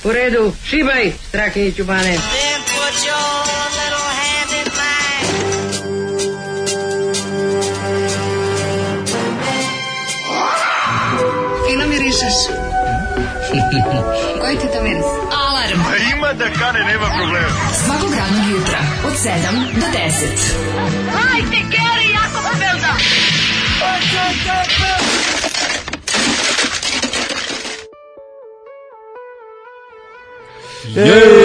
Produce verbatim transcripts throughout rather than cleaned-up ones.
U redu, šibaj, strake i čubane. Then put your little hand in mine. Fino mirišeš. Koji ti to miris? Alarm. A ima da kane, nema problema. Svakog radnog jutra od sedam do deset. Hajde, Geri, jako se velda.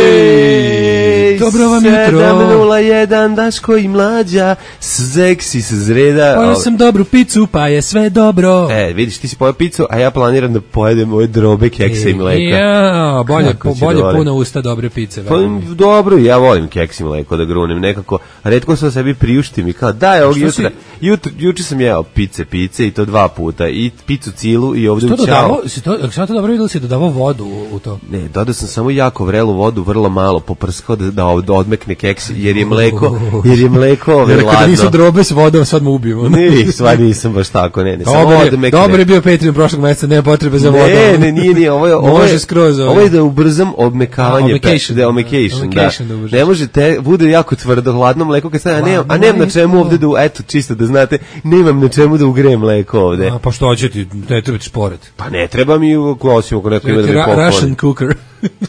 Jej, dobro vam jutro. sedam nula jedan, Daško i Mlađa, seksi se zreda. Pojeo sam dobru picu, pa je sve dobro. E, vidiš, ti si pojeo picu, a ja planiram da pojedem ove drobe, keksa i mleka. Ja, bolje, Kako ću bolje da volim? puna usta dobre pice. Pa, dobro, ja volim keks i mleko da grunem, nekako, retko sam sebi priuštim i kao, daj, ovog jutra, si... jutra, juče sam jeo pice, pice i to dva puta, i picu cilu i ovde to u ćao. dodavao, si to, ako sam to dobro vidio, si dodavao vodu u, u to? Ne, dodao sam samo jako vrelu vodu, vrlo malo, poprskao da, da, da odmekne keks, jer je mleko, jer je mleko ove Jer ladno. kada nisu drobe s vodom, sad mu ubijemo. Ne, sva nisam baš tako, ne, ne, samo Dobar je, odmekne. dobar je bio Patreon prošlog meseca, nema potrebe za vodom. Ne, ne, nije, nije, ovo je, ovo Može je, skroz, ovo je. ovo je da ubrzam odmekavanje, A, omekation. da, omekation, da. Omekation da ubrzaš. Ne može te, bude jako tvrdo, hladno mleko, kad stavim, a nemam, a nemam na čemu ovde da, eto, čisto da znate, nemam na čemu da ugrejem mleko ovde. A, pa što će ti, ne treba ti šporet. Pa ne treba mi, osim ako neko ima da mi Ra- pokloni. Russian cooker.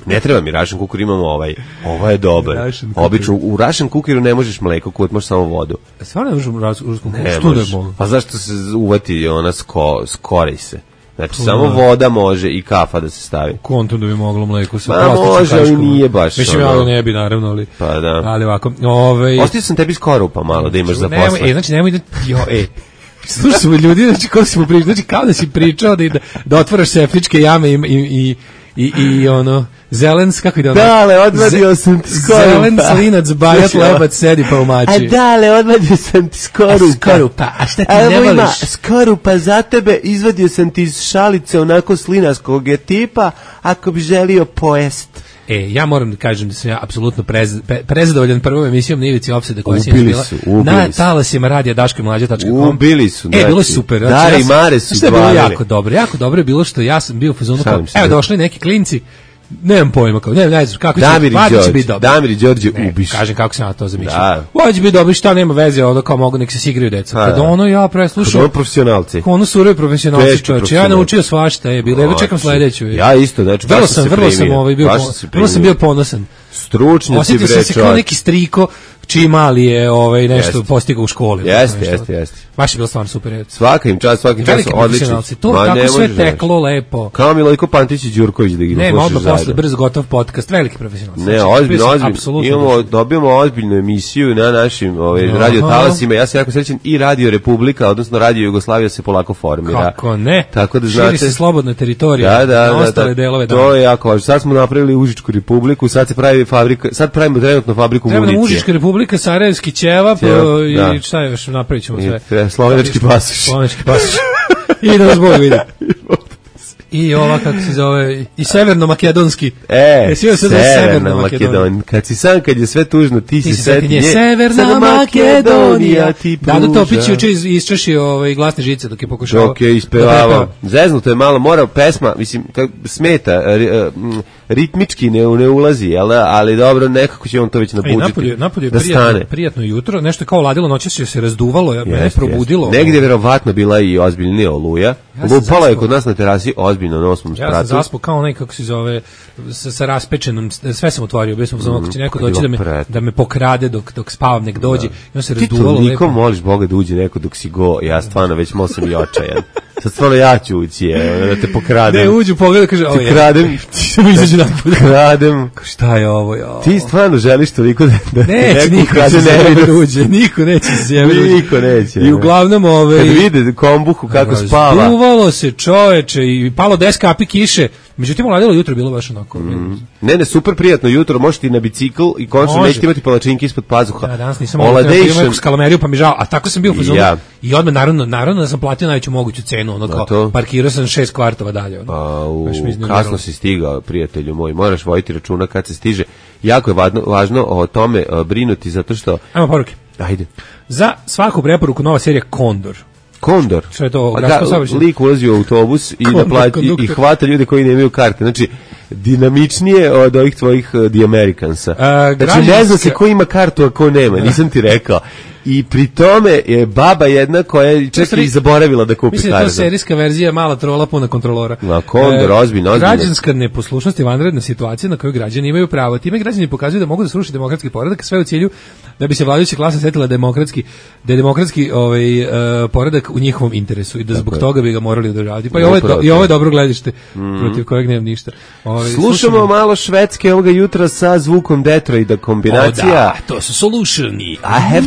Ne treba mi Russian cooker, imamo ovaj. Ovo je dobar. Russian cooker. Obično u Russian cookeru ne možeš mleko, kod možeš samo vodu. Stvarno ne možemo ruskom cookeru? Ne Što možeš. ne mogu? Pa zašto se uvati ona sko, skorej se? Znači, samo voda može i kafa da se stavi. Kontom da bi moglo mleko sa Ma plastičnom može, ali kaškom. nije baš Mislim, ono. ja ne bi, naravno, ali... Pa da. Ali ovako, ovaj... Ostavio sam tebi skorupa malo da imaš za Nemoj, posle. E, znači, nemoj da... Jo, e... Slušaj smo ljudi, znači, kako si mu pričao, znači, kao da si pričao da, da, da otvaraš septičke jame i, i, i, i, i ono... Zelens, kako ide ono? Dale, odvadio sam ti skorupa. Zelen, slinac, bajat, Slušaj, lebac, sedi pa umači. A dale, odvadio sam ti skorupa. A skorupa, a šta ti Evo ne ima voliš? skorupa za tebe, izvadio sam ti iz šalice onako slinaskog je tipa, ako bi želio pojest. E, ja moram da kažem da sam ja apsolutno prez, pre, prezadovoljan prvom emisijom na Ivici Opseda koja se Ubili bila su, ubili na su. talasima radija daško i mlađa tačka com. Ubili su, E, bilo je znači, super. Dare i Mare su Što je bilo dvali. jako dobro. Jako dobro je bilo što ja sam bio u fazonu kao, Šalim se, evo da. došli neki klinci, nemam pojma, kao, ne, ne znam, kako će, Damir i valjda će Đorđe, biti dobro. Damir i Đorđe Ne, ubiš. kažem kako sam ja to zamišljao. Da. Ovo će biti dobro, šta nema veze, ono kao mogu nek se igraju deca. A, Kada da. ono ja Kod preslušao, ovo profesionalci. ono surovi profesionalci Teški čovječe, ja profesionalci. naučio svašta, je bilo, evo čekam sledeću. je. Ja isto, znači, Vrlo baš sam sam, se vrlo sam primio. ovaj bio, Baš pon- sam se vrlo sam primio. bio ponosan. Stručnjaci, Osjetio sam bre, se kao čovječ. neki striko čiji mali je ovaj, nešto Jeste. postigao u školi. Jeste, Nešto. jeste, jeste. Baš je bilo stvarno super. je. Svaka im čast, svaki čas, Veliki odlični. profesionalci. To Ma, ne kako sve možeš, znaš. teklo lepo. Kao Milojko Pantić i Đurković da ih Ne, slušaš odmah zajedno. posle brzo gotov podcast, veliki profesionalci. Ne, Znači, ozbiljno, bio sam ozbiljno. apsolutno Imamo, društven. dobijamo ozbiljnu emisiju na našim ovaj, Aha. radio talasima. Ja sam jako srećan i Radio Republika, odnosno Radio Jugoslavija se polako formira. Kako ne? Tako da Širi znate. se slobodna teritorija Da, da, na da, ostale da, delove. to dana. je jako važno. Sad smo napravili Užičku Republiku, sad se pravi fabrika, sad pravimo trenutno fabriku Treba nam municije. Užička republika, Sarajevski ćevap Ćevap, i da. šta je još, napravit ćemo I sve. tre- slovenački pasoš. Slovenački pasoš. I da nas Bog vidi. I ova, kako se zove, i severno-makedonski. E, Jesi vidio se da je Severna Severna Makedonija? Makedonija. Kad si sam, kad je sve tužno, ti, Ti si se seti seti nje, nje. Severna Makedonija. ti Dado pruža. Topić juče iz, isčašio ovaj, glasne žice dok je pokušao. Dok je ispevavao. Zeznuto je malo, mora pesma, mislim, kak, smeta, ri- m, ritmički ne, ne ulazi, jel, da? Ali dobro, nekako će on to već Ej, nabuđiti. napolje, napolje je da prijatno, stane. prijatno jutro, nešto je kao ladilo, noćas je se razduvalo, ja, mene je Jeste, probudilo. jeste. Negdje je verovatno bila i ozbiljnija oluja. Ja sam Lupala je zaspao. kod nas na terasi ozbiljno na osmom Ja sam spratu. zaspao kao onaj, kako se zove, sa, sa raspečenom, sve sam otvorio, bio sam mm, ako će neko to je doći da me, bilo pret. da me pokrade dok, dok spavam, nek dođe. I on se Ti razduvalo toliko lepo. moliš Boga da uđe neko dok si go, ja stvarno već malo sam i očajan. Sad stvarno ja ću ući, evo, da te pokradem. Ne, uđu, pogleda, kaže, o Ti je. kradem, Samo izađe napolje. kradem. Šta je ovo, jo? Ti stvarno želiš toliko da, da Neće neko niko ukrade se sjebe nevinost. da uđe, niko neće se sjebe da uđe. Niko neće. I uglavnom, ove... Kad vide kombuhu kako spava. Razduvalo se čoveče i palo deset kapi kiše. Međutim, uladilo jutro, bilo baš onako. Mm. Ne, ne, super prijatno jutro, možeš ti na bicikl i konačno Može. nećete imati palačinke ispod pazuha. Ja danas nisam mogao da neku skalameriju, pa mi žao. A tako sam bio u fazonu. Ja. I odmah, naravno, naravno da sam platio najveću moguću cenu. Ono kao, to? parkirao sam šest kvartova dalje. Ono. A, u, Baš mi iznerviralo. kasno si stigao, prijatelju moj, moraš voditi računa kad se stiže. Jako je važno, važno o tome a, brinuti, zato što... Ajmo poruke. Ajde. Za svaku preporuku nova serija Kondor. Kondor. Što je to? A Gradsko ga, saobraćaj? lik ulazi u autobus i, Kondor, da plati, i, konduktor. i hvata ljude koji nemaju karte. Znači, dinamičnije od ovih tvojih uh, The Americansa. A, znači, građanska... ne zna se ko ima kartu, a ko nema, nisam ti rekao. I pri tome je baba jedna koja je čak i zaboravila da kupi mislim kartu. Mislim da je to serijska verzija mala trola puna kontrolora. Na kondor, e, ozbiljno, ozbiljno. Građanska neposlušnost je vanredna situacija na koju građani imaju pravo. Time građani pokazuju da mogu da sruši demokratski poredak, sve u cilju da bi se vladajuća klasa setila demokratski, da je demokratski ovaj, uh, poredak u njihovom interesu i da zbog toga bi ga morali održavati. Pa i ovo je, do, i ovo je dobro gledište mm. protiv kojeg nemam ništa. Ovaj, slušamo, slušamo malo švedske ovoga jutra sa zvukom Detroita kombinacija. O da, to su solutioni.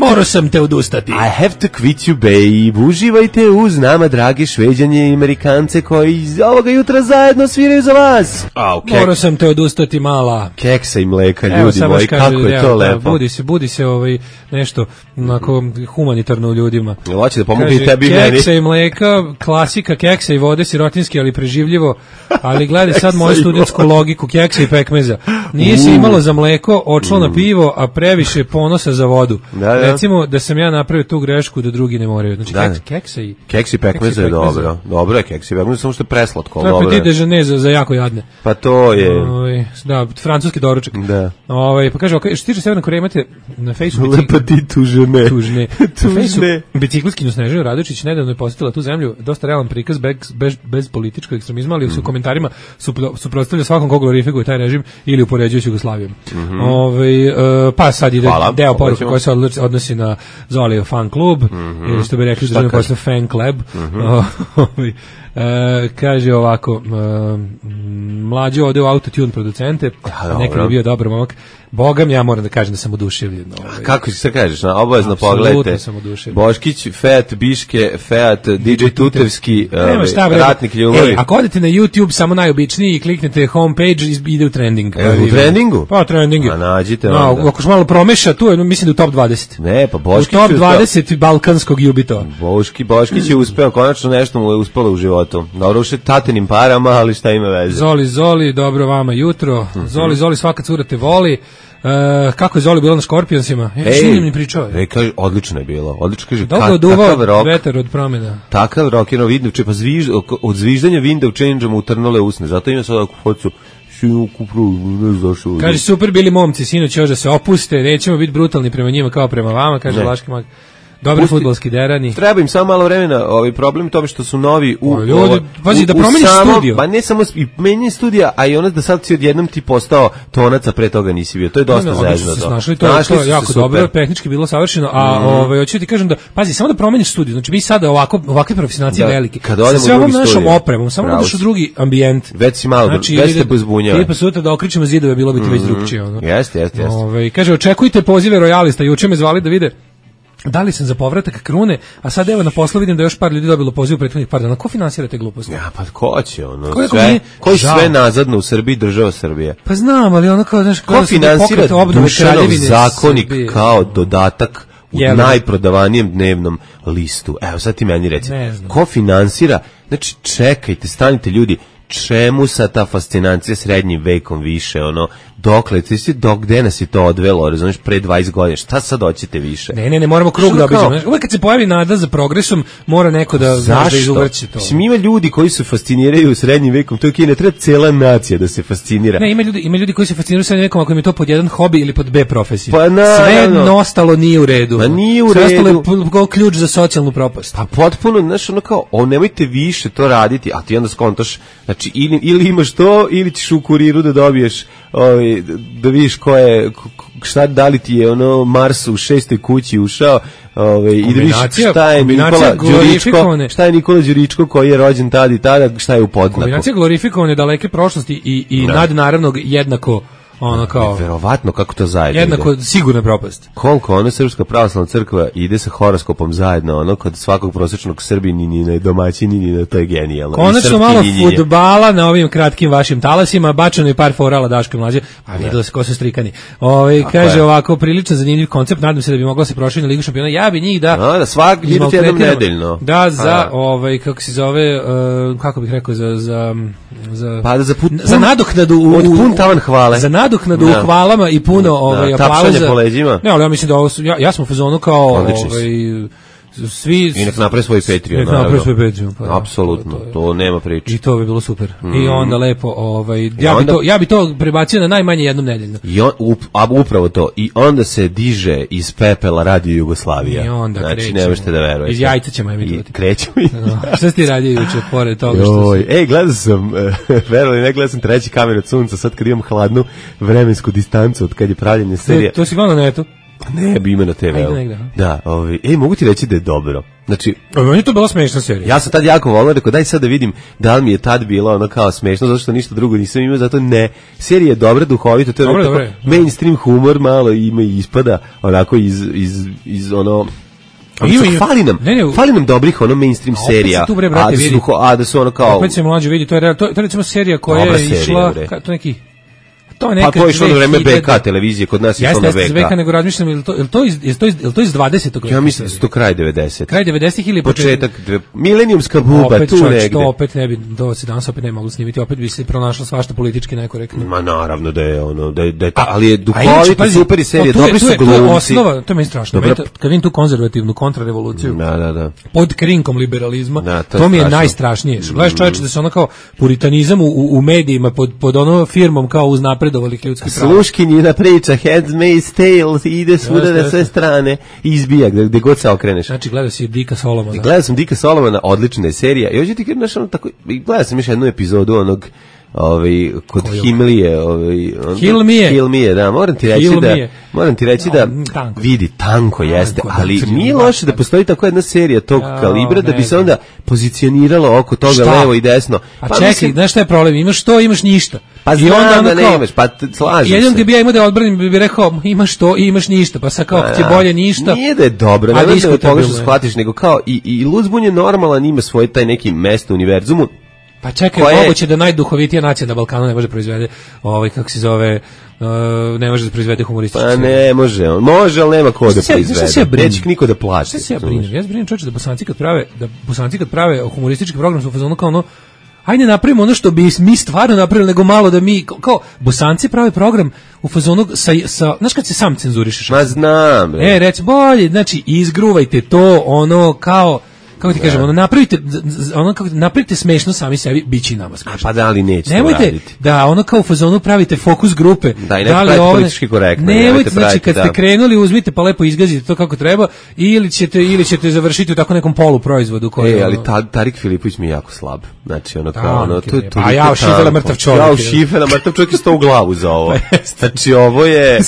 Morao sam te odustati. I have to quit you, babe. Uživajte uz nama, dragi Šveđanje i Amerikance koji ovoga jutra zajedno sviraju za vas. Oh, kek... Morao sam te odustati, mala. Keksa i mleka, evo, ljudi moji, kako je evo, to lepo. Da, budi se, budi se ovaj, nešto onako humanitarno u ljudima. Hoće da pomogu tebi i meni. Keksa i mleka, klasika keksa i vode, sirotinski, ali preživljivo. Ali gledaj sad moju studentsku logiku keksa i pekmeza. Nije se imalo za mleko, odšlo na pivo, a previše ponosa za vodu. Da, da. Recimo da sam ja napravio tu grešku da drugi ne moraju. Znači da. keks, keksa i keks i pekmeza je dobro. Dobro je keks i pekmeza, samo što je preslatko. To je petit déjeuner za, za jako jadne. Pa to je. Oj, da, francuski doručak. Da. Ovaj pa kaže, okay, što tiče Severne Koreje, imate na Facebooku Le petit tužene. Tužne. Tužne. Biciklistkinju Snežanu Radočić nedavno je posetila tu zemlju, dosta realan prikaz bez, bez, bez političkog ekstremizma, ali mm. u komentarima suprotstavlja svakom ko glorifikuje taj režim ili upoređuje s Jugoslavijom. Mm -hmm. Ovaj uh, pa sad ide Hvala. deo poruke koji se odnosi na Zolijev fan klub, mm -hmm. ili što bi rekli državni posle fan club. Mm -hmm. E, kaže ovako, e, mlađe ode u autotune producente, ja, nekad je bio dobar momak. Bogam, ja moram da kažem da sam oduševljen. Ovaj. Kako se kažeš, na obavezno pogledajte. Boškić, Fiat, Biške, Fiat, D J Tutevski, uh, ratnik ljubavi. Ej, ako odete na YouTube, samo najobičniji i kliknete homepage, ide u trending. E, u trendingu? Pa, trendingu. A nađite no, onda. Ako što malo promeša, tu je, mislim da u top dvadeset. Ne, pa Boškić u top dvadeset uspeo. Balkanskog jubitova. Boški, Boškić je uspeo, konačno nešto mu je uspelo u životu. Dobro, uše tatenim parama, ali šta ima veze. Zoli, Zoli, dobro vama jutro. Mm-hmm. Zoli, Zoli, svaka cura te voli. Uh, kako je Zoli bilo na Scorpionsima? E, Ej, mi pričao. Ej, kaže, odlično je bilo. Odlično kaže, dobro oduvao vetar od promjena. Takav rock je no vidno, če pa zviž, od zviždanja vinda u change-u mu utrnule usne. Zato ima sad ovakvu focu. Kaže, super bili momci, sinoć još da se opuste, nećemo biti brutalni prema njima kao prema vama, kaže Laški mag. Dobri fudbalski derani. Treba im samo malo vremena, ovaj problem tome što su novi u ljudi, ovo, pazi da promeniš studio. Pa ne samo i menjanje studija, a i ono da sad si odjednom ti postao tonac, a pre toga nisi bio. To je dosta no, zezno to. Našli to, to je jako dobro, tehnički bilo savršeno, a mm. ovaj hoću ti kažem da pazi, samo da promeniš studio. Znači mi sada ovako ovakve profesionalci da, veliki. Kad odemo sa sve ovom našom opremom, samo da u drugi ambijent. Već si malo, znači, već te pozbunjava. Tipa sutra da okričemo zidove, bilo bi ti već drugčije, ono. Jeste, jeste, jeste. Ovaj kaže očekujte pozive rojalista, juče me zvali da vide da li sam za povratak Krune, a sad evo na poslu vidim da još par ljudi dobilo poziv u prethodnih par dana. Ko finansira te gluposti? Ja, pa ko će ono? Ko sve, koji sve nazadno u Srbiji, država Srbije? Pa znam, ali ono kao, znaš, ko finansira Dušanov zakonik kao dodatak u Jel, najprodavanijem dnevnom listu? Evo, sad ti meni reci. Ko finansira? Znači, čekajte, stanite ljudi, čemu sa ta fascinacija srednjim vekom više, ono, dokle, ti si dok, gde nas je to odvelo, razumiješ, pre dvadeset godina, šta sad hoćete više? Ne, ne, ne, moramo krug što da obiđemo. Uvijek kad se pojavi nada za progresom, mora neko da, da izuvrći to. Zašto? Ima ljudi koji se fasciniraju srednjim vekom, to je kine, treba cela nacija da se fascinira. Ne, ima ljudi, ima ljudi koji se fasciniraju srednjim vekom, ako im je to pod jedan hobi ili pod B profesiju. Pa na, sve no, no. ostalo nije u redu. Ma nije u sve redu. Sve ostalo je po, ključ za socijalnu propast. Pa potpuno, znaš, ono kao, o, nemojte više to raditi, a ti onda skontaš, znači, ili, ili imaš to, ili ćeš u kuriru da dobiješ, ovaj, da vidiš ko je, šta, da li ti je ono Mars u šestoj kući ušao, ovaj, i da vidiš šta je Nikola Đuričko, šta je Nikola Đuričko koji je rođen tada i tada, šta je u podznaku. Kombinacija glorifikovane daleke prošlosti i, i nadnaravnog jednako ono kao verovatno kako to zajedno jednako ide. Sigurna propast. Koliko ona Srpska pravoslavna crkva ide sa horoskopom zajedno, ono kod svakog prosječnog Srbini ni na domaćini ni na to je genijalno. Konačno malo fudbala na ovim kratkim vašim talasima, bačeno je par forala Daške mlađe, a videlo se ko su strikani. Ovaj kaže je. Ovako prilično zanimljiv koncept, nadam se da bi mogla se proširiti na Ligu šampiona. Ja bi njih da no, da svak vidite jednom nedeljno. Da za ovaj kako se zove uh, kako bih rekao za za za pa da za, put, za nadoknadu u, od pun tavan hvale. Za nadoknadu da. u hvalama i puno ovaj aplauza. Ne, ali ja mislim da ovo su, ja, ja sam u fazonu kao ovaj svi I nek napravi svoj Patreon, nek napravi svoj Patreon, pa da, apsolutno, to, to, je- to nema priče. I to bi bilo super. Mm. I onda lepo, ovaj, ja bi onda- to ja bi to prebacio na najmanje jednom nedeljno. I on, up, a upravo to. I onda se diže iz pepela Radio Jugoslavija. I onda znači, krećemo. ne možete da verujete. Iz jajca ćemo I emitovati. krećemo i... No, šta si ti radio juče, pored toga što Joj, si... ej, gledao sam, verovali ne, gledao sam treći kamer od sunca, sad kad imam hladnu vremensku distancu od kad je pravljenje serija. To, to si gledao na netu? Ne, bi ima na te ve. Ajde negde, aha. Da, ovi, ej, mogu ti reći da je dobro. Znači, A meni je to bila smešna serija. ja sam tad jako volao, rekao, daj sad da vidim da li mi je tad bilo ono kao smešno, zato što ništa drugo nisam imao, zato ne. Serija je dobra, duhovita, to je Dobro, tako dobro je. mainstream humor, malo ima i ispada, onako iz, iz, iz ono... Ima, Ima, ima. fali nam, Ne, ne, fali nam dobrih ono mainstream A opet serija, se tu, bre, brate, a, da su, vidi. a da su ono kao... Opet se mlađe vidi, to je, real- to, to je recimo serija koja Dobra je serija, išla, bre. ka, to neki, to je Pa neka to je išlo na vreme dve hiljade B K televizije, kod nas je išlo Jeste, na jeste iz B K. V K, nego razmišljam, je li to, je li to iz, je li to iz, je li to iz dvadesetog Ja mislim da su to kraj devedesetih. Kraj devedesetih ili Početak, dve- milenijumska buba, opet, tu čovječ, negde. to opet ne bi, to se danas opet ne moglo snimiti, opet bi se pronašlo svašta politički nekorektno. Ma naravno da je ono, da je, da je ta, ali je A inače, duhovito, pazi, super i serija, to je- dobri to su je- To je glumci. osnova, to je meni strašno. Dobra- Meni to- Kad vidim tu konzervativnu kontrarevoluciju, Da, da, da. pod krinkom liberalizma, Da, to to, je mi je strašno. najstrašnije. Što gledaš čovječe da se ono kao puritanizam u, u, u medijima pod, pod ono firmom kao uznapredovalih ljudskih prava. Sluškinjina priča, Handmaid's Tale, ide svuda Jeste, na jeste. sve strane i izbija gde, gde god se okreneš. Znači, gledao si Dika Solomona. Gledao sam Dika Solomona, odlična je serija. I hoću ti kažem, znaš, ono tako, i gledao sam još jednu epizodu onog, ovaj, kod Kojog? Himlije, ovaj, on- Hilmije? Hilmije, da, moram ti reći da, Hilmije. moram ti reći da, No, tanko. vidi, tanko jeste, da, ali da, nije da, loše da da. postoji tako jedna serija tog Ja, kalibra, da ne bi se znam. onda pozicioniralo oko toga Šta? levo i desno. A čekaj, mislim- znaš šta je problem? Imaš to, imaš ništa. Pa I znam onda ono da kao- nemaš, pa t- slažem Jednom se. gdje bi ja imao da odbranim, bi, bi rekao, imaš to i imaš ništa. Pa sad kao, ako ti je Da. bolje ništa. Nije da je dobro, A ne da je diskutabilno pogrešno je. shvatiš, nego kao i, i Luzbun je normalan, ima svoj taj neki mesto u univerzumu. Pa čekaj, Koje- moguće da najduhovitija nacija na Balkanu ne može proizvede, ovaj, kako se zove, uh, ne može da proizvede humorističku Pa seriju. ne, može on. Može, ali nema ko da Šta se ja- šta se ja proizvede. brinem? Neće niko da plaća. Šta se ja brinem? Ja se brinem čovječe da Bosanci kad prave, da Bosanci kad prave humoristički program su u fazonu kao ono, ajde napravimo ono što bi mi stvarno napravili, nego malo da mi, kao, kao Bosanci prave program u fazonu sa, sa, znaš kad se sam cenzurišeš? Ma znam, bre. E, reci, bolje, znači, izgruvajte to, ono, kao, kako ti kažem, ono, napravite, z- z- ono, kako, napravite smešno sami sebi, bit će i nama smešno. Pa da li neće to Nemojte raditi? da ono kao u fazonu pravite fokus grupe. Da, i nemojte li praviti ovo- politički korektno, Nemojte, nemojte znači praviti, kad ste da. krenuli uzmite pa lepo izgazite to kako treba ili ćete ili ćete završiti u tako nekom poluproizvodu koji E, je, ali ono- ta, Tarik Filipović mi je jako slab. Znači, ono Da, kao, ono, neki to je je. toliko A jao, Šifela tanko. mrtav čovjek, Jao, je. Šifela mrtav čovjek je stao u glavu za ovo. Pa Znači, ovo je...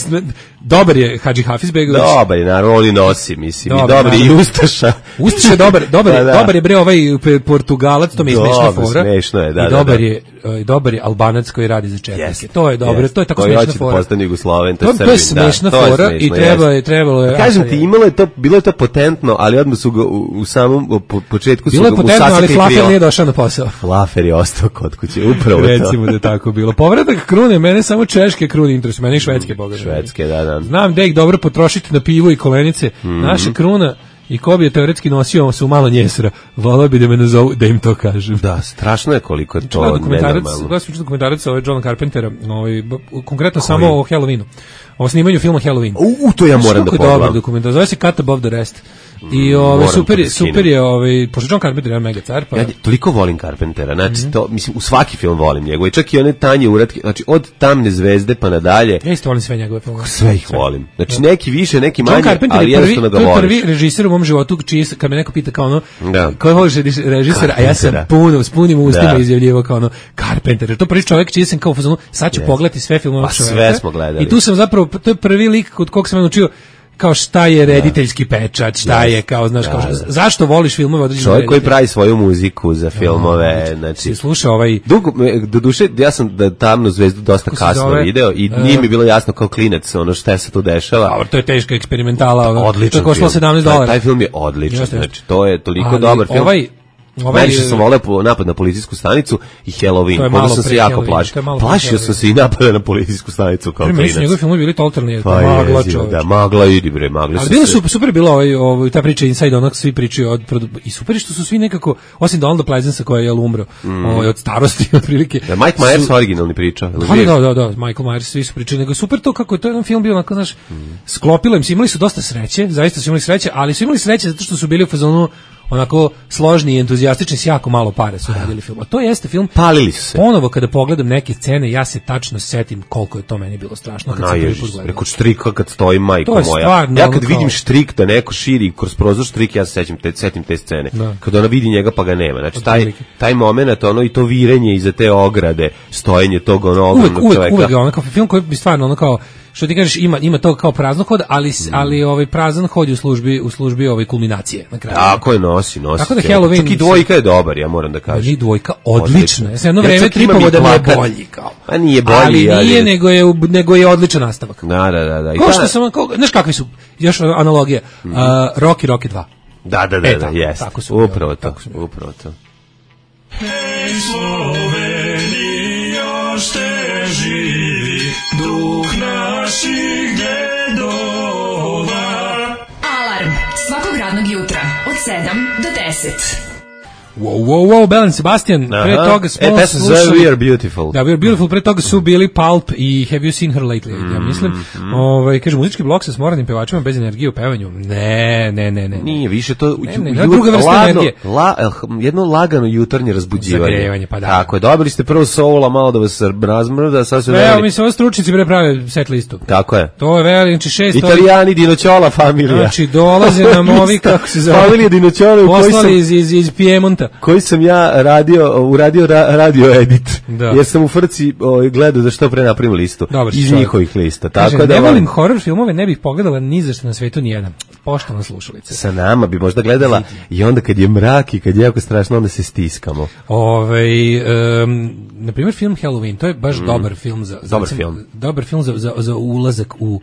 Dobar je Hadži Hafizbegović. Dobar je, naravno, on i nosi, mislim, i Dobar, dobar je i naravno. Ustaša. Ustaš je dobar, dobar, je, Pa da. dobar je bre ovaj pe- Portugalac, to mi je smešna Dobro, fora. smešno je, da, I da, dobar da. je, e, dobar je Albanac koji radi za četnike. Jeste, To je dobro, jeste. to je tako Koji smešna hoće da fora. postane Jugosloven, to To, je to je Srbin, da, smešna to je fora smešno, i treba jeste. je trebalo je. Pa kažem a, ti, imalo je to, bilo je to potentno, ali odmah su ga u, u samom u po- početku su Bilo je ga potentno, ali usasakli Flafer krila. nije došao na posao. Flafer je ostao kod kuće, upravo to. Recimo da je tako bilo. Povratak krune, mene samo češke krune interesuju, mene i švedske boga. Švedske, da, da. Znam da ih dobro potrošiti na pivo i kolenice. Mhm. Naša kruna i ko bi je teoretski nosio su malo njesra. Volao bi da me nazovu, da im to kažem. Da, strašno je koliko je to Gledam dokumentarac, nenormalno. gledam sam dokumentarac ovaj Johna Carpentera, ovaj, b- konkretno samo o Halloweenu. O snimanju filma Halloween. U, u, to ja Znaš moram da kako je dobar pogledam. dokumentar, zove se Cut Above the Rest. I ovaj moram super to je, da skinem. super je, ovaj pošto John Carpenter je mega car, pa Ja toliko volim Carpentera, znači Mhm. to, mislim, u svaki film volim njegove, čak i one tanje uratke, znači od Tamne zvezde pa nadalje, ja isto volim sve njegove filmove. sve ih volim. Znači neki više, neki John manje, Carpenter ali je prvi, jednostavno to ga je prvi voliš. režiser u mom životu, čiji, s- kad me neko pita kao ono, Da. koji voliš režis- režisera, a ja sam Carpentera. puno, s punim ustima Da. izjavljivao kao ono, Carpenter, jer to prvi čovjek čiji sam kao u fazonu, sad ću Yes. pogledati sve filmove Pa ovog sve čoveka. smo gledali. I tu sam zapravo, to je prvi lik kod kog sam naučio kao šta je rediteljski pečat, šta je kao, znaš, kao, Da, da. zašto voliš filmove određene Čovjek koji reditelje? pravi svoju muziku za filmove, znači... Si slušao ovaj, Dugo, me- do duše, ja sam da Tamnu zvezdu dosta Kako se kasno zove? video i E, nije mi bilo jasno kao klinac ono šta se tu dešava. dobro, to je teška eksperimentala, ono, to je Odličan koštalo film. sedamnaest Taj- dolara. Taj film je odličan, Jeste, jeste. znači to je toliko Ali dobar film. Ovaj, Ovaj, Najviše sam voleo po- napad na policijsku stanicu i To je Halloween, malo onda sam se pre jako Halloweena, plašio. to je malo pre Plašio sam Halloweena. se i napada na policijsku stanicu kao Prvi su njegovi klinac. filmovi bili totalni, Pa magla je, čoveče. da, magla idi bre, magla Ali su bilo se- super, super je bilo ovaj, ovaj, ta priča Inside onak, svi pričaju od, produ- i super je što su svi nekako, osim Donalda Pleasancea koji je jel umro ovaj, od starosti, otprilike. Da, Mike Myers su- originalni priča. jel Da, živ? da, da, da, Michael Myers, svi su pričali, nego je super to kako je to jedan film bio onako, znaš, sklopilo im se, imali su dosta sreće, zaista su imali sreće, ali su imali sreće zato što su bili u fazonu onako složni i entuzijastični, s jako malo pare su radili film. A to jeste film, Palili su se. ponovo kada pogledam neke scene, ja se tačno setim koliko je to meni bilo strašno kad sam prvi Naježiš put se, gledao. preko štrika kad stoji majko To je moja. stvarno Ja ono kad kao- vidim štrik da neko širi kroz prozor štrik, ja se sećam te, setim te scene. Da. Kad ona vidi njega pa ga nema. Znači taj, Otprilike. taj moment, ono i to virenje iza te ograde, stojenje tog ono Uvek, ogromnog uvek, čoveka. uvek ga ono kao film koji bi stvarno ono kao što ti kažeš ima ima to kao prazno hod, ali s- ali ovaj prazan hod je u službi u službi ove kulminacije na kraju. Tako je, nosi, nosi. Tako da cijelo. Halloween- Čak i dvojka je dobar, ja moram da Da, kažem. ni dvojka odlična. Ja sam jedno Ja vreme čak imam tripovao i da mi je plakat. bolji kao. Pa nije bolji, ali ali- nije nego je nego je odličan nastavak. Da, da, da, da. I Kao ta- što sam kao, znaš kakvi su još analogija. Uh, Rocky Rocky dva. Da, da, da, E, da, tako, jest. tako su bili, Upravo to, tako su bili. upravo to. Slovenija ste živi, duh naših dedova. Alarm svakog radnog jutra od sedam do deset. Wow, wow, wow, Belen Sebastian, pre Aha. toga smo E, pesma se zove slušali... We Are Beautiful. Da, We Are Beautiful, pre toga su bili Pulp i Have You Seen Her Lately, ja mislim. Ovaj, kaže, muzički blok sa smoranim pevačima bez energije u pevanju. Ne, ne, ne, ne. Nije više to Ne, ne, ju- to je druga vrsta ladno- energije. La, eh, jedno lagano jutarnje razbuđivanje. Zagrevanje, pa da. Tako je, dobili ste prvo soula, malo da vas razmrda, sad su Evo, dali. mi se ovo stručnici pre prave set listu. Tako je. To je veli, znači šest... Italijani Dinoćola familija. Znači, dolaze nam ovi, kako se zove, Familija Dinoćola u kojoj sam, poslali iz, iz, iz Piemonta. koji sam ja radio, uradio ra, radio edit. Da. Jer sam u frci o, gledao da što pre napravim listu. Dobar si iz čovjek. njihovih lista. Tako Kaže, da ne volim- volim horror filmove, ne bih pogledala ni za što na svetu ni jedan. Poštovana slušalice. sa nama bi možda gledala i onda kad je mrak i kad je jako strašno, onda se stiskamo. Ovaj um, na primjer film Halloween, to je baš dobar film za, za Dobar recimo, film. dobar film za, za, za ulazak u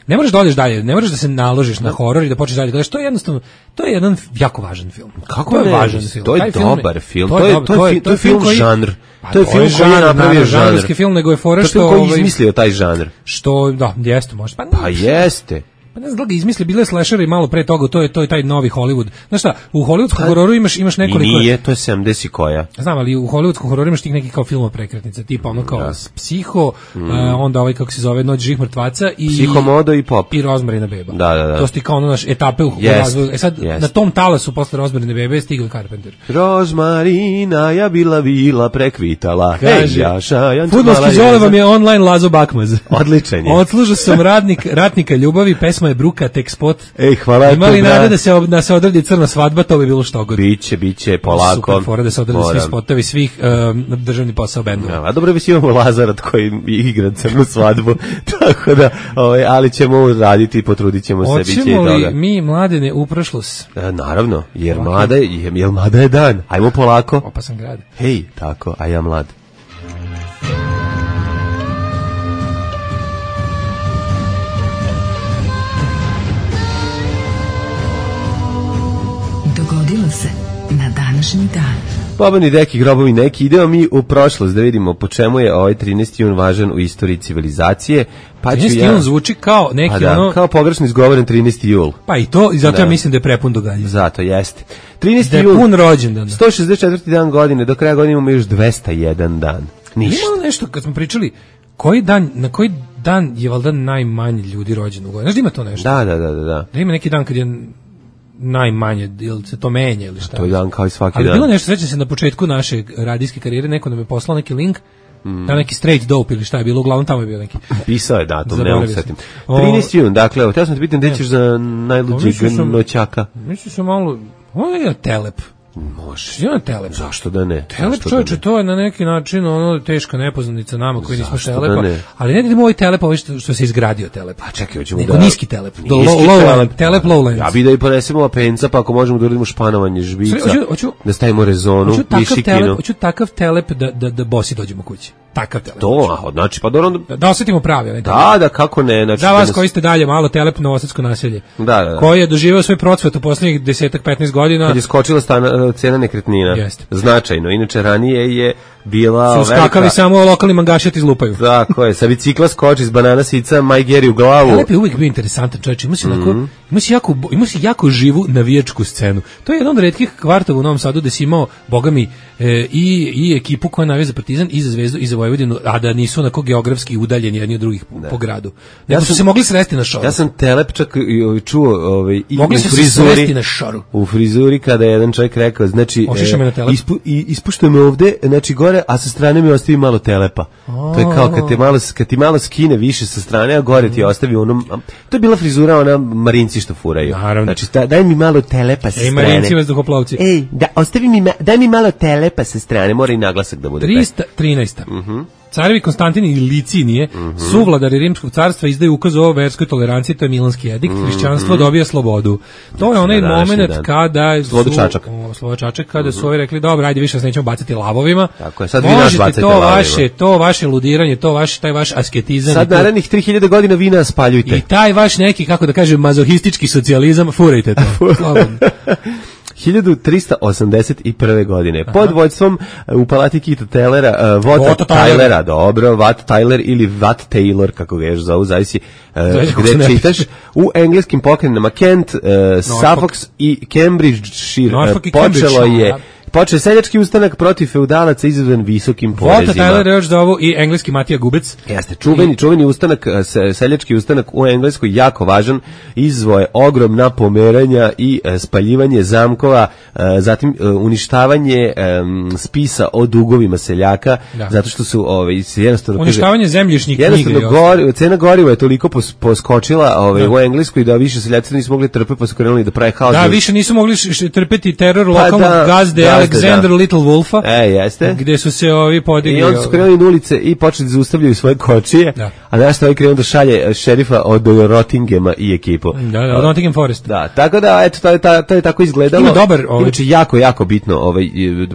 ne moraš da odeš dalje, ne moraš da se naložiš na horor i da počneš dalje gledaš, to je jednostavno, to je jedan jako važan film. Kako to je ne? važan film. To je Taj dobar film. To To je- dobar- to je fi- to je film koji- žanr. Pa To je film koji je žanr, napravio naravno, žanr. žanrovski film, nego je fora To je što film koji je ovaj, izmislio taj žanr. što da, jeste može. Pa, Pa jeste. Pa ne znam da li ga izmisli, bile slasheri malo pre toga, to je to je taj novi Hollywood. Znaš šta, u hollywoodskom hororu imaš imaš I nekoliko nije, to je sedamdeset i koja. Znam, ali u hollywoodskom hororu imaš tih nekih kao filmova prekretnica, tipa ono kao Psiho, a, onda ovaj kako se zove Noć živih mrtvaca i Psihomodo i Pop. i Rozmarina beba. Da, da, da. To su ti kao ono naš etape u, u Jest, razvoju. E sad, jest. na tom talasu posle Rozmarine bebe stigao je Carpenter. Rozmarina ja bila vila prekvitala. Hej, Kaže, Jaša, Janča fudbalski mala zole jeza. vam je online Lazo Bakmaz. Odličan je. Odslužio sam radnik, ratnika ljubavi, pesma je Bruka, tek spot. Ej, hvala ti, Imali brat. nade da se, ob- da se odradi crna svadba, to bi bilo što god. Biće, biće, polako. Super fora da se odrade svi Moram. spotovi svih um, državni posao bendova. Ja, a dobro, već imamo Lazarat koji igra crnu svadbu, tako da, ovaj, ali ćemo raditi, potrudit ćemo se, bit će i Hoćemo li toga. mi mladene u prošlost? E, naravno, jer mlada je, jer, jer mlada je dan. Ajmo polako. Opasan grad. Hej, tako, a ja mlad. Dogodilo se na današnji dan. Bobani deki, grobovi neki, idemo mi u prošlost da vidimo po čemu je ovaj trinaesti jun važan u istoriji civilizacije. Pa ću trinaesti ja... jun zvuči kao neki Pa da, ono... kao pogrešno izgovoren trinaesti jul. Pa i to, i zato Da. ja mislim da je prepun događanja. Zato jeste. trinaesti Da je jul, pun rođendan. sto šezdeset četvrti dan godine, do kraja godine imamo još dvesta jedan dan. Ništa. Ima nešto, kad smo pričali, koji dan, na koji dan je valjda najmanje ljudi rođeno u godini? Znaš da ima to nešto? Da, da, da, da, da. Da ima neki dan kad je najmanje, ili se to menja ili šta? To je dan kao i svaki Ali dan. bilo nešto, sećam se na početku naše radijske karijere, neko nam je poslao neki link, Mm. da neki straight dope ili šta je bilo, uglavnom tamo je bio neki. Pisao je datum, ne Zaboravio mogu sam. setim. O- trinaesti jun, dakle, evo, htio sam te pitam, gde ćeš za najluđeg mislio sam- noćaka? Mislim se malo, ovo je telep. Može. Je telep. Zašto da ne? Telep Zašto da čovječe, ne? to je na neki način ono teška nepoznanica nama koji nismo Zašto da telepa, ne? ali ne idemo ovaj telep, ovaj što, što se izgradio telep. Pa čekaj, hoćemo Nego da... niski telep, do Niski low, low, telep. telep lowlands. Ja bi da i ponesemo apenca, pa ako možemo da uradimo španovanje žbica, Hoću- hoću- da stavimo rezonu, Hoću takav višikinu. telep, hoću takav telep da, da, da bosi dođemo kući. takav telep. To, a, znači, pa dobro... Da, da osetimo pravi. Ne, Da, da, kako ne. Znači, za vas nas... koji ste dalje malo telep novosadsko naselje. Da, da, da. Koji je doživio svoj procvat u poslednjih deset petnaest godina. Kad je skočila stana, cena nekretnina. Jeste. Značajno. Inače, ranije je bila... Su skakali velika... samo lokalni mangašati izlupaju. Tako je, sa bicikla skoči iz banana sica, Maj Geri u glavu. Telep je uvijek bio interesantan čovječ, ima si, mm-hmm. onako, ima si, jako, ima si jako živu navijačku scenu. To je jedan od retkih kvartova u Novom Sadu gde si imao, boga mi, e, i, i ekipu koja navija za Partizan, i za Zvezdu, i za Vojvodinu, a da nisu onako geografski udaljeni jedni od drugih po, po gradu. Nego ja su se mogli sresti na šoru. Ja sam telep čak i, čuo ovaj, i mogli u su frizuri, se sresti na šoru. U frizuri kada je jedan čovjek rekao, znači, e, ispu, i, ispuštuje me ovde, znači gore, a sa strane mi ostavi malo telepa. To je kao kad, te malo, kad ti malo skine više sa strane, a gore ti ostavi onom... To je bila frizura, ona Marinci što furaju. Naravno. Znači, da, daj mi malo telepa sa Ej, strane. Marinci vazduhoplovci. Ej, da, ostavi mi, daj mi malo telepa sa strane, mora i naglasak da bude. trista trinaesta. Mhm. Carevi Konstantin i Licinije, mm-hmm. suvladari Rimskog carstva, izdaju ukaz o verskoj toleranciji, to je Milanski edikt, mm-hmm. hrišćanstvo dobija slobodu. To je onaj moment kada su... Čačak. O, Sloboda Čačak, kada mm-hmm. su ovi rekli, dobro, ajde više vas nećemo baciti lavovima. Tako je, sad vi nas možete bacajte to lavovima. Vaše, to vaše ludiranje, to vaš, taj vaš asketizam. Sad narednih tri hiljade godina vi nas spaljujte. I taj vaš neki, kako da kažem, mazohistički socijalizam, furajte to. Slobodno. hiljadu trista osamdeset prve. godine. Aha. Pod vođstvom u palati Kita Taylora, uh, Vota Tylera, dobro, Wat Tyler ili Wat Taylor, kako ga još zovu, zavisi uh, gde čitaš, u engleskim pokrajinama Kent, uh, Suffolk i Cambridgeshire uh, počelo je počeo seljački ustanak protiv feudalaca izazvan visokim porezima. Vota Tyler još zovu i engleski Matija Gubec. Jeste, čuveni, čuveni ustanak, seljački ustanak u Engleskoj, jako važan, izvoje ogromna pomeranja i spaljivanje zamkova, zatim uništavanje spisa o dugovima seljaka, da. Zato što su ovaj, jednostavno... Uništavanje zemljišnih knjiga. Jednostavno, gori, cena goriva je toliko pos, poskočila ovaj, u Engleskoj da više seljaci nisu mogli trpeti, pa su krenuli da pravi haos. Da, više nisu mogli trpeti teror lokalnog pa da, gazde, Alexander da. Little Wolfa, e, jeste. Gde su se ovi podigli. I onda su krenuli na ulice i počeli da zaustavljaju svoje kočije, da. A nešto ovaj krenuo da šalje šerifa od Rottingema i ekipu. Da, da, od Nottingham Forest. Da, tako da, eto, to je, to je tako izgledalo. Ima dobar, ovaj... Inače, jako, jako bitno, ovaj,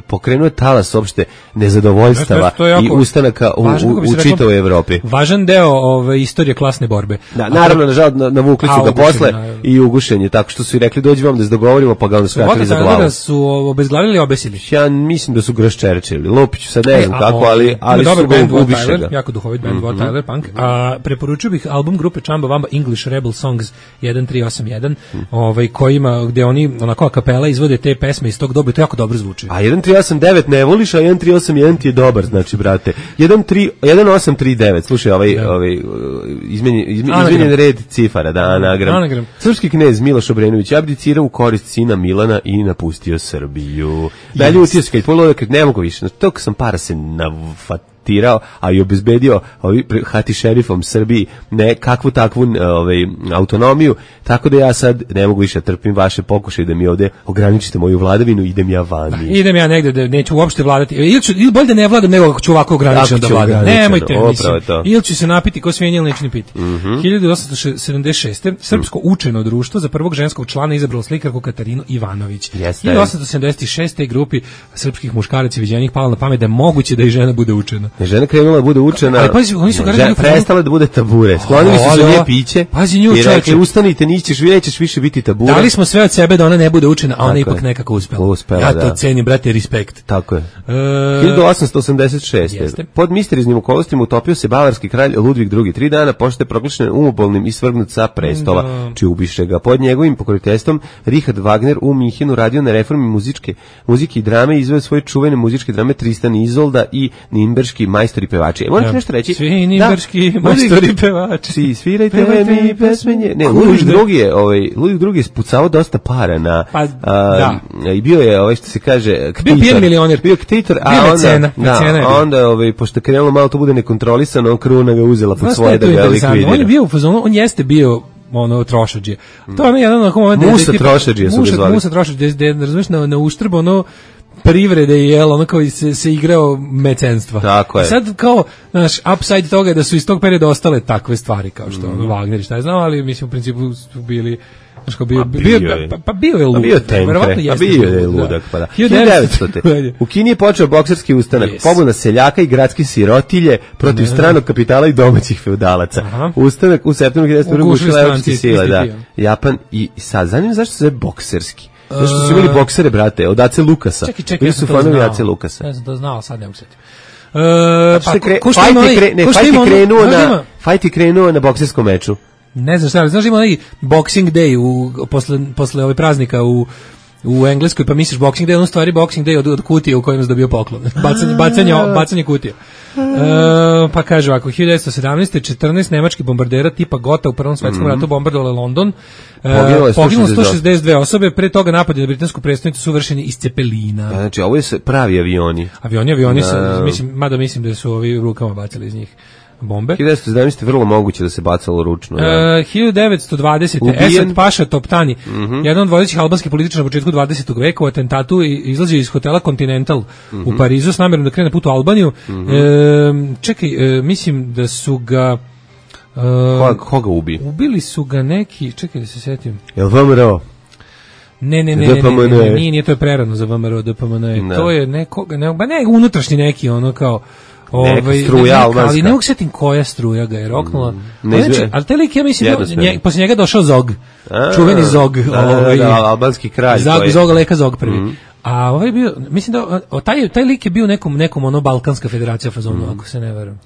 pokrenuo je talas uopšte nezadovoljstava jako, i ustanaka u, važan, u, u čitavoj Evropi. Važan deo ove, istorije klasne borbe. Da, naravno, nažal, na, navukli su ga posle na... i ugušenje, tako što su i rekli, dođi vam da se dogovorimo, pa ga onda skratili za glavu. Da su obezglavili i obesili. Ja mislim da su graščerčili. Lopiću sad ne znam kako, ali, ali su ga ubiše ga. Jako duhovit band, mm-hmm. Tyler Punk. A, preporučio bih album grupe Chamba Wamba English Rebel Songs jedan tri osam jedan, mm. ovaj, kojima, gde oni onako a kapela izvode te pesme iz tog doba i to jako dobro zvuči. A jedan tri osam devet ne voliš, a jedan tri osam jedan ti je dobar, znači, brate. jedan osam tri devet, slušaj, ovaj, ja. ovaj izmenjen, izmenjen red cifara, da, anagram. anagram. Srpski knez Miloš Obrenović abdicirao u korist sina Milana i napustio Srbiju. Da, ljutio se, kad polodio, kad ne mogu više, znači, toliko sam para se nafatirao, a i obezbedio ovaj, hati šerifom Srbiji ne kakvu takvu ovaj, autonomiju, tako da ja sad ne mogu više trpim vaše pokušaje da mi ovde ograničite moju vladavinu, idem ja vani. Da, idem ja negde da neću uopšte vladati, ili, ću, ili bolje da ne vladam nego ako ću ovako ograničeno da vladam. Nemojte, mislim, ili ću se napiti ko svinje ili neću ni piti. Mm-hmm. hiljadu osamsto sedamdeset šeste. Srpsko učeno društvo za prvog ženskog člana izabralo slikarku Katarinu Ivanović. Jeste. hiljadu osamsto sedamdeset šeste. grupi srpskih muškaraca viđenih palo na pamet da je moguće da i žena bude učena. Žena krenula da bude učena, ali pazi, oni su žena prestala da bude tabure, sklonili su za nje piće, pazi nju, i rekli, ustanite, nićeš, nećeš više biti tabura. Dali smo sve od sebe da ona ne bude učena, a ona ipak nekako uspela. uspela ja to da. cenim, brate, respekt. Tako je. E... hiljadu osamsto osamdeset šeste. Jeste. Pod misteriznim okolnostima utopio se bavarski kralj Ludvig drugi. Tri dana pošto je proglašen umobolnim i svrgnut sa prestola, da. Či ubiše ga. Pod njegovim pokroviteljstvom Richard Wagner u Minhenu radio na reformi muzičke, muzike i drame i izveo svoje čuvene muzičke drame Tristan i Izolda i Nimberški majstori pevači. E, moram ti nešto reći. Svi nimberški da, majstori pevači. Svirajte mi pesmenje. Ne, Ludvig drugi je, ovaj, Ludvig drugi je spucao dosta para na... Pa, a, da. I bio je, ovaj, što se kaže, ktitor. Bio milioner. Bio ktitor, a bio onda... mecena, da, mecena je onda, ovaj, pošto krenulo malo to bude nekontrolisano, on kruna ga uzela pod svoje da ga likvidira. On je bio u fazonu, on jeste bio ono trošadžije. To je ono jedan onako moment... Musa trošadžije su ga zvali. Musa trošadžije, da razumiješ, na, na uštrb, ono, privrede i jel, ono kao se, se igrao mecenstva. Tako je. I sad kao, znaš, upside toga je da su iz tog perioda ostale takve stvari, kao što mm. ono, Wagner i šta je znao, ali mislim u principu su bili Znaš, kao bio, A bio, bio je. pa, pa bio je lud. A bio je tenkre, Verovatno a jeste bio je lud, da. ludak, pa da. hiljadu devetsto. U Kini je počeo bokserski ustanak, Yes. pobuna seljaka i gradske sirotilje protiv Ne. stranog kapitala i domaćih feudalaca. Aha. Ustanak u septembru hiljadu devetsto Ugušili ugušila evropske stranci, sile, da. isti Japan i sad, zanimljivo zašto se zove bokserski. Zašto su imali boksere, brate, od Ace Lukasa. Čekaj, čekaj, Bili ja su sam to fanovi znao. Ace Lukasa. Ja sam to znao, sad ne mogu setiti. E, Pa, pa, kre, ko što fajt ima je onaj- kre, ne, ko što fajt ima je ono- krenuo znaš da na, ima- fajt je krenuo na bokserskom meču. Ne znam šta, ali znaš da ima onaj Boxing Day u, posle, posle ove praznika u u Engleskoj, pa misliš Boxing Day, on u stvari Boxing Day od, od kutije u kojem se dobio poklon. Bacanje, bacanje, bacanje kutije. E, pa kaže ovako, hiljadu devetsto sedamnaeste. četrnaest nemačkih bombardera tipa Gotha u Prvom svetskom ratu bombardovale London. E, Poginulo je poginulo sto sto šezdeset dve osobe, pre toga napadi na britansku prestonicu su vršeni iz Cepelina. Znači, ovo je se- pravi avioni. Avioni, avioni, Da. su, mislim, mada mislim da su ovi rukama bacili iz njih bombe. hiljadu devetsto sedamnaeste. vrlo moguće da se bacalo ručno. Da. E, hiljadu devetsto dvadesete. Ubijen. Esad Paša Toptani, jedan od vodećih albanskih političara na početku dvadesetog veka, u atentatu i- izlazi iz hotela Continental u Parizu s namjerom da krene na put u Albaniju. E, čekaj, e, mislim da su ga e, Koga, koga ubi? ubili su ga neki, čekaj da se setim. Jel V M R O? Ne, ne, ne, ne, ne, D P M N. ne, ne, nije, nije, to je prerano za V M R O, D P M N. Da. To je nekoga, ne, ba ne, unutrašnji neki, ono kao, ovaj, struja neka, albanska. ali ne mogu setim koja struja ga je roknula. ne Ali znači, izve- ali taj lik, ja mislim, da, Jednosmerno. nje, posle njega došao Zog, A, čuveni Zog, da, da, da, ovaj, da, albanski kralj. Zog, koji- Zog, Leka Zog prvi. A ovaj je bio, mislim da, o, taj, taj lik je bio nekom, nekom ono Balkanska federacija fazonu, ako se ne verujem.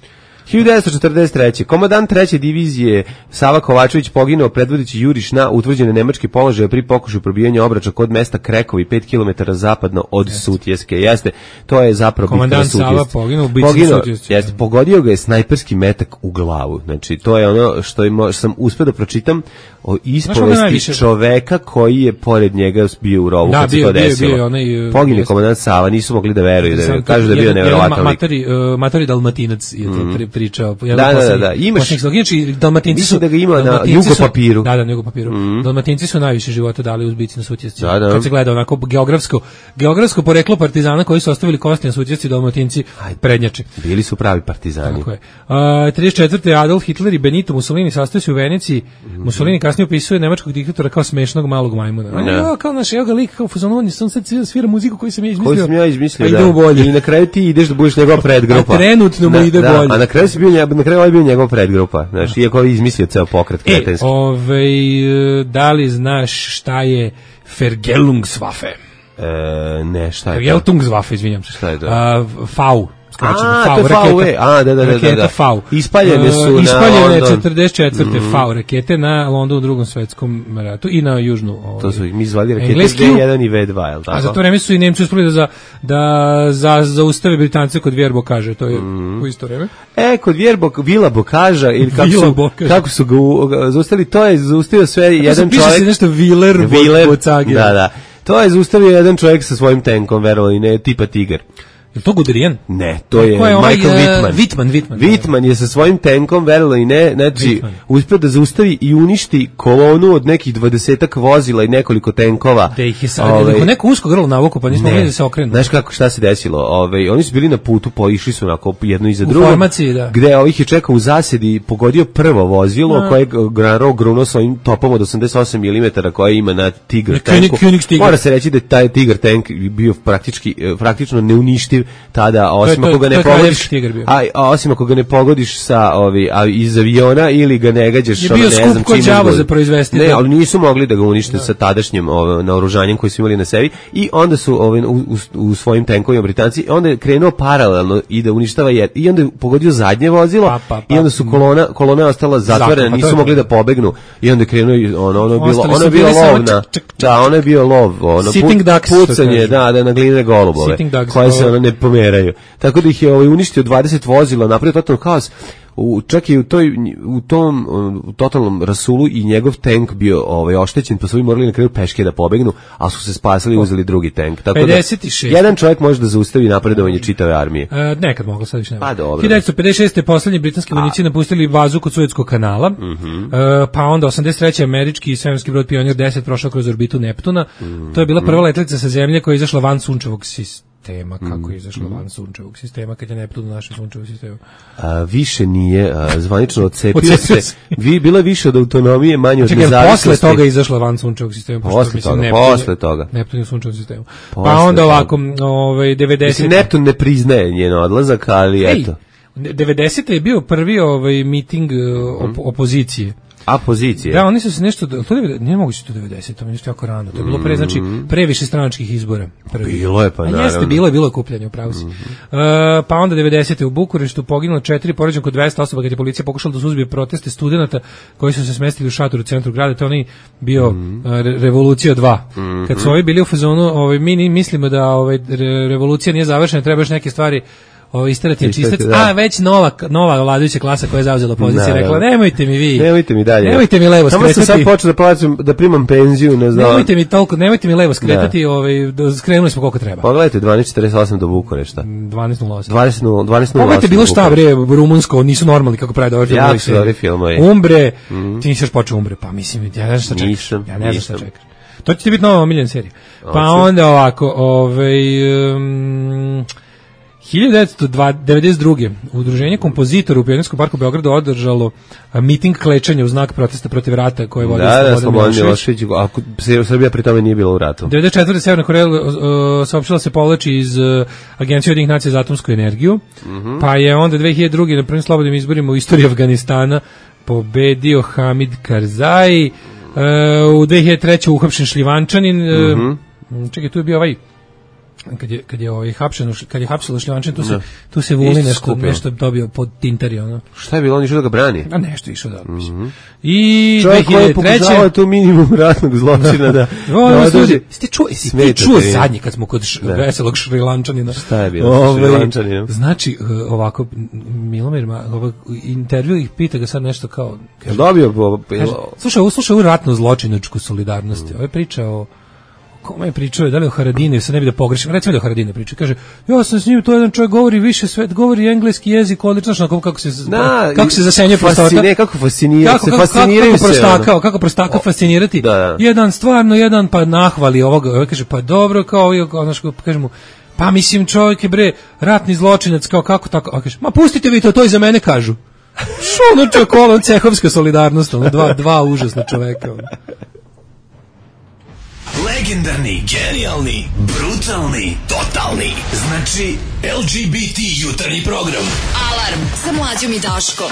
hiljadu devetsto četrdeset treće. Komandant treće divizije Sava Kovačević poginuo predvodeći juriš na utvrđene nemačke položaje pri pokušaju probijanja obrača kod mesta Krekovi, pet kilometara zapadno od Sutjeske. Jeste, to je zapravo Komandant bitka na Sava Sutjesci. poginuo u bitci na Poginuo, Sutjesci. Jeste, pogodio ga je snajperski metak u glavu. Znači, to je ono što, ima, što sam uspio da pročitam o koga ispovesti najviše? čoveka koji je pored njega bio u rovu Da, kad se bio- to bio je- desilo. bio je onaj, e, Poginuo jeste. komandant Sava, nisu mogli da veruju, da Sad, kažu da je bio jedan- jedan nevjerovatan ma- lik. Matori, uh, matori Dalmatinac je to pri, pričao. jedan Da, da, poslednjih- da, da. Imaš- poslednjih slogova. Inače, Dalmatinci Mislim su... da ga ima na Dalmatinci su- jugopapiru. Da, da, na jugopapiru. Dalmatinci su najviše života dali uz bici na Sutjesci. Da, da. Kad se gleda onako geografsko, geografsko poreklo partizana koji su ostavili kosti na Sutjesci, Dalmatinci prednjače. Bili su pravi partizani. Tako je. Uh, trideset četvrte. Adolf Hitler i Benito Mussolini sastaju se u Veneciji. Mussolini kasnije opisuje nemačkog diktatora kao smešnog malog majmuna. On je, Da. "Jo, kao naš, evo ga lik, kao fazon, on je sam sad svira muziku koju sam ja izmislio. Koji sam ja izmislio, a ide da. u bolje. I na kraju ti ideš da budeš njegova predgrupa. A trenutno mu Da, ide da, bolje. A na kraju si bio, nje- na kraju ovaj bio njegova predgrupa. Znaš, iako je izmislio ceo pokret E, kretenski. ovaj, e, da li znaš šta je Vergeltungswaffe? E, ne, šta je to? Vergeltungswaffe, izvinjam se. Šta je to? A, V, skraćeno, A, V, to je raketa. V, a, da, da, da, da, Raketa da. V. Ispaljene su E, na Ispaljene London. četrdeset četvrte V rakete na Londonu u drugom svetskom ratu i na južnu. Ovaj, To su ih mi zvali rakete Engleski. V jedan i V dva, je li tako? A za to vreme su i Nemci uspeli da, za, da za, zaustave Britance kod Vjerbo kaže, to je u isto vreme. E, kod Vjerbok, Vila Bokaža, ili kako Vila su, Bokaža. kako su ga u- ga zaustavili, to je zaustavio sve jedan Piše čovjek. se nešto Viler, Viler, Bocage. da, da. To je zaustavio jedan čovjek sa svojim tenkom, verovali, ne, tipa Tigar. Je to Guderian? Ne, to je Ko je ovaj, Michael e, Wittman. Wittman, Wittman. Wittman je sa svojim tenkom, verovalo i ne, znači, Wittman. uspio da zaustavi i uništi kolonu od nekih dvadesetak vozila i nekoliko tenkova. Da ih je sad, Ovaj, neko, neko usko grlo navuku, pa nismo ne. mogli da se okrenu. Znaš kako, šta se desilo? Ovaj, oni su bili na putu, poišli su onako jedno iza U drugog. formaciji, da. Gde ovih je čekao u zasedi, pogodio prvo vozilo, Da. koje je Granro grunuo s ovim topom od osamdeset osam milimetara koje ima na Tigar Na tanku. König- Königstigr. Mora se reći da je taj Tigar tank bio praktički, eh, praktično neuništiv tada, osim to je- ako ga to ne je pogodiš, kraljevski Tigar bio. a, a osim ako ga ne pogodiš sa ovi, a iz aviona ili ga ne gađaš Je ono, bio ne skup znam ko čime đavo god. za proizvesti, Ne, da. ali nisu mogli da ga unište sa tadašnjim ovo, naoružanjem koji su imali na sebi i onda su ovaj, u, u, u svojim tenkovima Britanci, onda je krenuo paralelno i da uništava jed, i onda je pogodio zadnje vozilo Pa, pa, pa. i onda su kolona, kolona je ostala zatvorena, Zakon, pa to nisu je mogli to. da pobegnu i onda je krenuo i ono, ono je bilo, Ostali ono su je bilo bili samo lov na, čk, čk, čk. da, ono je bio lov, ono, Sitting ducks, što pucanje, kažu. da, da, na glinene golubove, Sitting ducks, koje se ovo. ono ne pomeraju. Tako da ih je ovaj, uništio dvadeset vozila, napravio totalno haos. U, čak i u, toj, u tom u totalnom rasulu i njegov tank bio ovaj, oštećen, pa su ovi morali na kraju peške da pobegnu, a su se spasili i uzeli drugi tank. Tako pedeset šest. da, jedan čovjek može da zaustavi napredovanje čitave armije. E, nekad moglo, sad više nema. Pa dobro. hiljadu devetsto pedeset šeste. poslednji britanski vojnici napustili bazu kod Suetskog kanala, Mhm. e, pa onda osamdeset treće. američki svemirski brod Pionir deset prošao kroz orbitu Neptuna. To je bila prva letelica sa zemlje koja je izašla van sunčevog sistema. tema kako je izašla van sunčevog sistema kad je Neptun u našem sunčevom sistemu. A, više nije, a, zvanično odcepio Odcepio se. Vi bila je više od autonomije, manje od Čekaj, nezavisnosti. posle toga je izašla van sunčevog sistema. pošto, Posle mislim, toga, Neptun je- posle toga. Neptun je u sunčevom sistemu. Posle Pa onda toga. ovako, ovaj devedeset. Mislim, Neptun ne priznaje njen odlazak, ali Ej, eto. devedesete je bio prvi ovaj miting uh, op opozicije. A pozicije? Da, oni su se nešto, to je, nije moguće to devedeset, to je nešto jako rano, to je bilo pre, znači, pre više stranačkih izbora. Prvi. Bilo je, pa A naravno. jeste, bilo je, bilo je kupljanje, upravo si. Uh, pa onda devedesete u Bukureštu poginulo četiri, poređeno kod dvesta osoba kad je policija pokušala da suzbije proteste studenata koji su se smestili u šator u centru grada, to je onaj bio uh, re Revolucija dva. Kad su ovi bili u fazonu, ovaj, mi ni- mislimo da ovaj, re revolucija nije završena, treba još neke stvari ovo isterati na čistac, da. a već nova nova vladajuća klasa koja je zauzela poziciju Naravno. rekla nemojte mi vi. Nemojte mi dalje. Nemojte mi levo Samo sam skretati. sad počeo da plaćam, da primam penziju, ne znam. Nemojte mi toliko, nemojte mi levo skretati, ovaj do- skrenuli smo koliko treba. Pogledajte, dvanaest četrdeset osam do Bukurešta. dvanaest nula osam. dvadeset nula dvadeset nula osam. Pogledajte bilo šta bre, rumunsko, nisu normalni kako pravi dobar Jako su dobri filmovi. Umbre, ti nisi još počeo Umbre, pa mislim, ja ne znam šta čekaš. Nisam, Ja ne znam šta nisam. čekaš. To će ti biti nova omiljena serija. Pa Hoće. onda ovako, ovaj um, hiljadu devetsto devedeset druge. Udruženje kompozitora u Pionirskom parku u Beogradu održalo a, miting klečanja u znak protesta protiv rata koje vodi Da, da, Slobodan Slobodan Milošević. Milošević. Ako se Srbija pri tome nije bila u ratu. devedeset četvrte Severna Koreja uh, saopštila se povlači iz uh, Agencije Ujedinjenih nacija za atomsku energiju, Mhm. pa je onda dve hiljade druge na prvim slobodnim izborima u istoriji Afganistana pobedio Hamid Karzai, uh, u dve hiljade treće uhapšen Šljivančanin, uh, Mhm. čekaj, tu je bio ovaj kad je kad je ovaj hapšen u Š- kad je hapsilo Šljivančanin, tu se Da. tu se vuli Isto nešto skupio. nešto dobio pod tintari ono. Šta je bilo, on išao da ga brani? A nešto išao da mislim. I Čovjek koji je dve hiljade treće pokušavao tu minimum ratnog zločina da... O, da no, održi- slušaj, jesi ti čuo, jesi ti Smetate čuo mi. zadnji kad smo kod š, veselog Šrilančanina? Šta je bilo sa Ovaj, Šrilančaninom? Znači, uh, ovako, M- Milomir, Ma- ovak, intervju ih pita ga sad nešto kao... Kaže, Dobio bo... kaže, slušaj, ovo slušaj ovu ratnu zločinačku solidarnost. Ovo je priča o... Kome je pričao, da li o Haradini, sad ne bi da pogrešim, recimo da o Haradini priča, kaže, ja sam s njim, to je jedan čovjek govori više svet, govori engleski jezik, odlično, znaš, kako se, Na, kako se zasenjuje prostota. fascine- kako fascinira, kako, se kako, fasciniraju kako, se. prostaka, ono. kako prostaka fascinirati. Da, da. Jedan stvarno, jedan pa nahvali ovoga, ovaj kaže, pa dobro, kao, i ono što kaže mu, pa mislim čovjek je bre, ratni zločinac, kao kako tako, a kaže, ma pustite vi to, to i za mene kažu. Što ono čovjek, ono, cehovska solidarnost, ono, dva, dva užasna čoveka, ono. Legendarni, genijalni, brutalni, totalni. Znači, L G B T jutarnji program. Alarm sa mlađom i Daškom.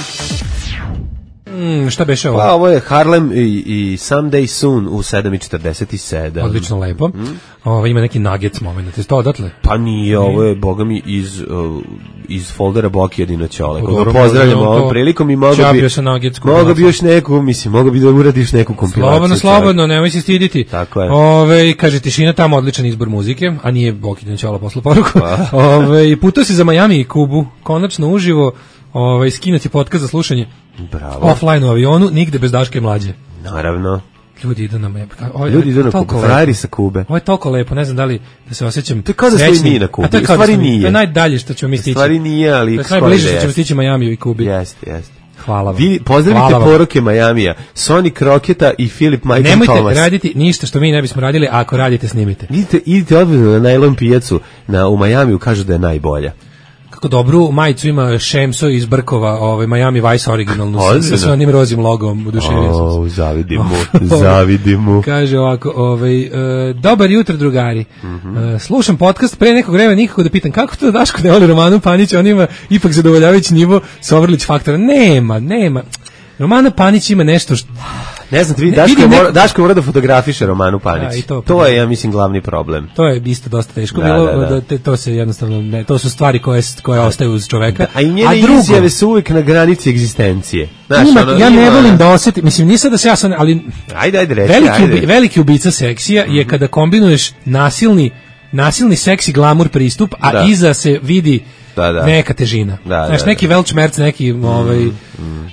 Mm, šta beše ovo? Pa ovo je Harlem i, i Someday Soon u sedam i četrdeset sedam. Odlično lepo. Ovo ima neki nuggets moment. Je to odatle? Pa nije, ovo je, boga mi, iz, uh, iz foldera Boki jedino Ćole. Koga Dobro, pozdravljamo to- ovom prilikom i mogo bi... Čapio se nuggets. Mogo bi još neku, mislim, mogo bi da uradiš neku kompilaciju. Slobodno, čovek. slobodno, nemoj se stiditi. Tako je. Ove, kaže, tišina tamo, odličan izbor muzike, a nije Boki Ćola posle poruku. Pa. Ove, putao si za Miami i Kubu, konačno uživo, ove, skinuti podcast za slušanje Bravo. offline u avionu, nigde bez Daške mlađe. Naravno. Ljudi idu na Miami. Ovo je- Ljudi idu na toliko Kubu, lepo. frajeri sa Kube. Ovo je toliko lepo, ne znam da li da se osjećam. To je kao da smo i srećnim. mi na Kubi. A to je U kao da stvari smo mi. nije. To je najdalje što ćemo mi stići. U stvari nije, ali To je skoro najbliže da što ćemo jeste. stići Majamiju i Kubi. Jeste, jeste. Hvala vam. Vi pozdravite Hvala vam. poruke Majamija. Sonic Rocketa i Filip Michael Nemojte Thomas. raditi ništa što mi ne bismo radili, a ako radite, snimite. Idite, idite odvedno na najlon pijacu na, u Majamiju, kažu da je najbolja. Kako dobru majicu ima Šemso iz Brkova, ovaj Miami Vice originalnu sa, Ozbiljno? sa onim rozim logom, oduševio sam se. O, zavidim mu, zavidim mu. Kaže ovako, ovaj, e, dobar jutro drugari. E, slušam podcast pre nekog vremena nikako da pitam kako to da Daško ne voli Romanu Panić, on ima ipak zadovoljavajući nivo Sovrlić faktora. Nema, nema. Romana Panić ima nešto što... Ne znam, vidi, Ne, Daško, vidim mora, neko- Daško mora da fotografiše Romanu Panić. Da, i to- to je, ja mislim, glavni problem. To je isto dosta teško Da, bilo, da, da. da te, to se jednostavno ne, to su stvari koje koje ostaju uz čoveka. A i njene drugo, izjave su uvijek na granici egzistencije. Znaš, ima, ono, ja ne ima- volim da osetim, mislim nisam da se ja sam, ali Ajde, ajde, reći, veliki, ajde. ubi, veliki ubica seksija je kada kombinuješ nasilni nasilni seksi glamur pristup, a Da. iza se vidi Da, da. neka težina. Da, Znaš, da, neki velčmerc, neki ovaj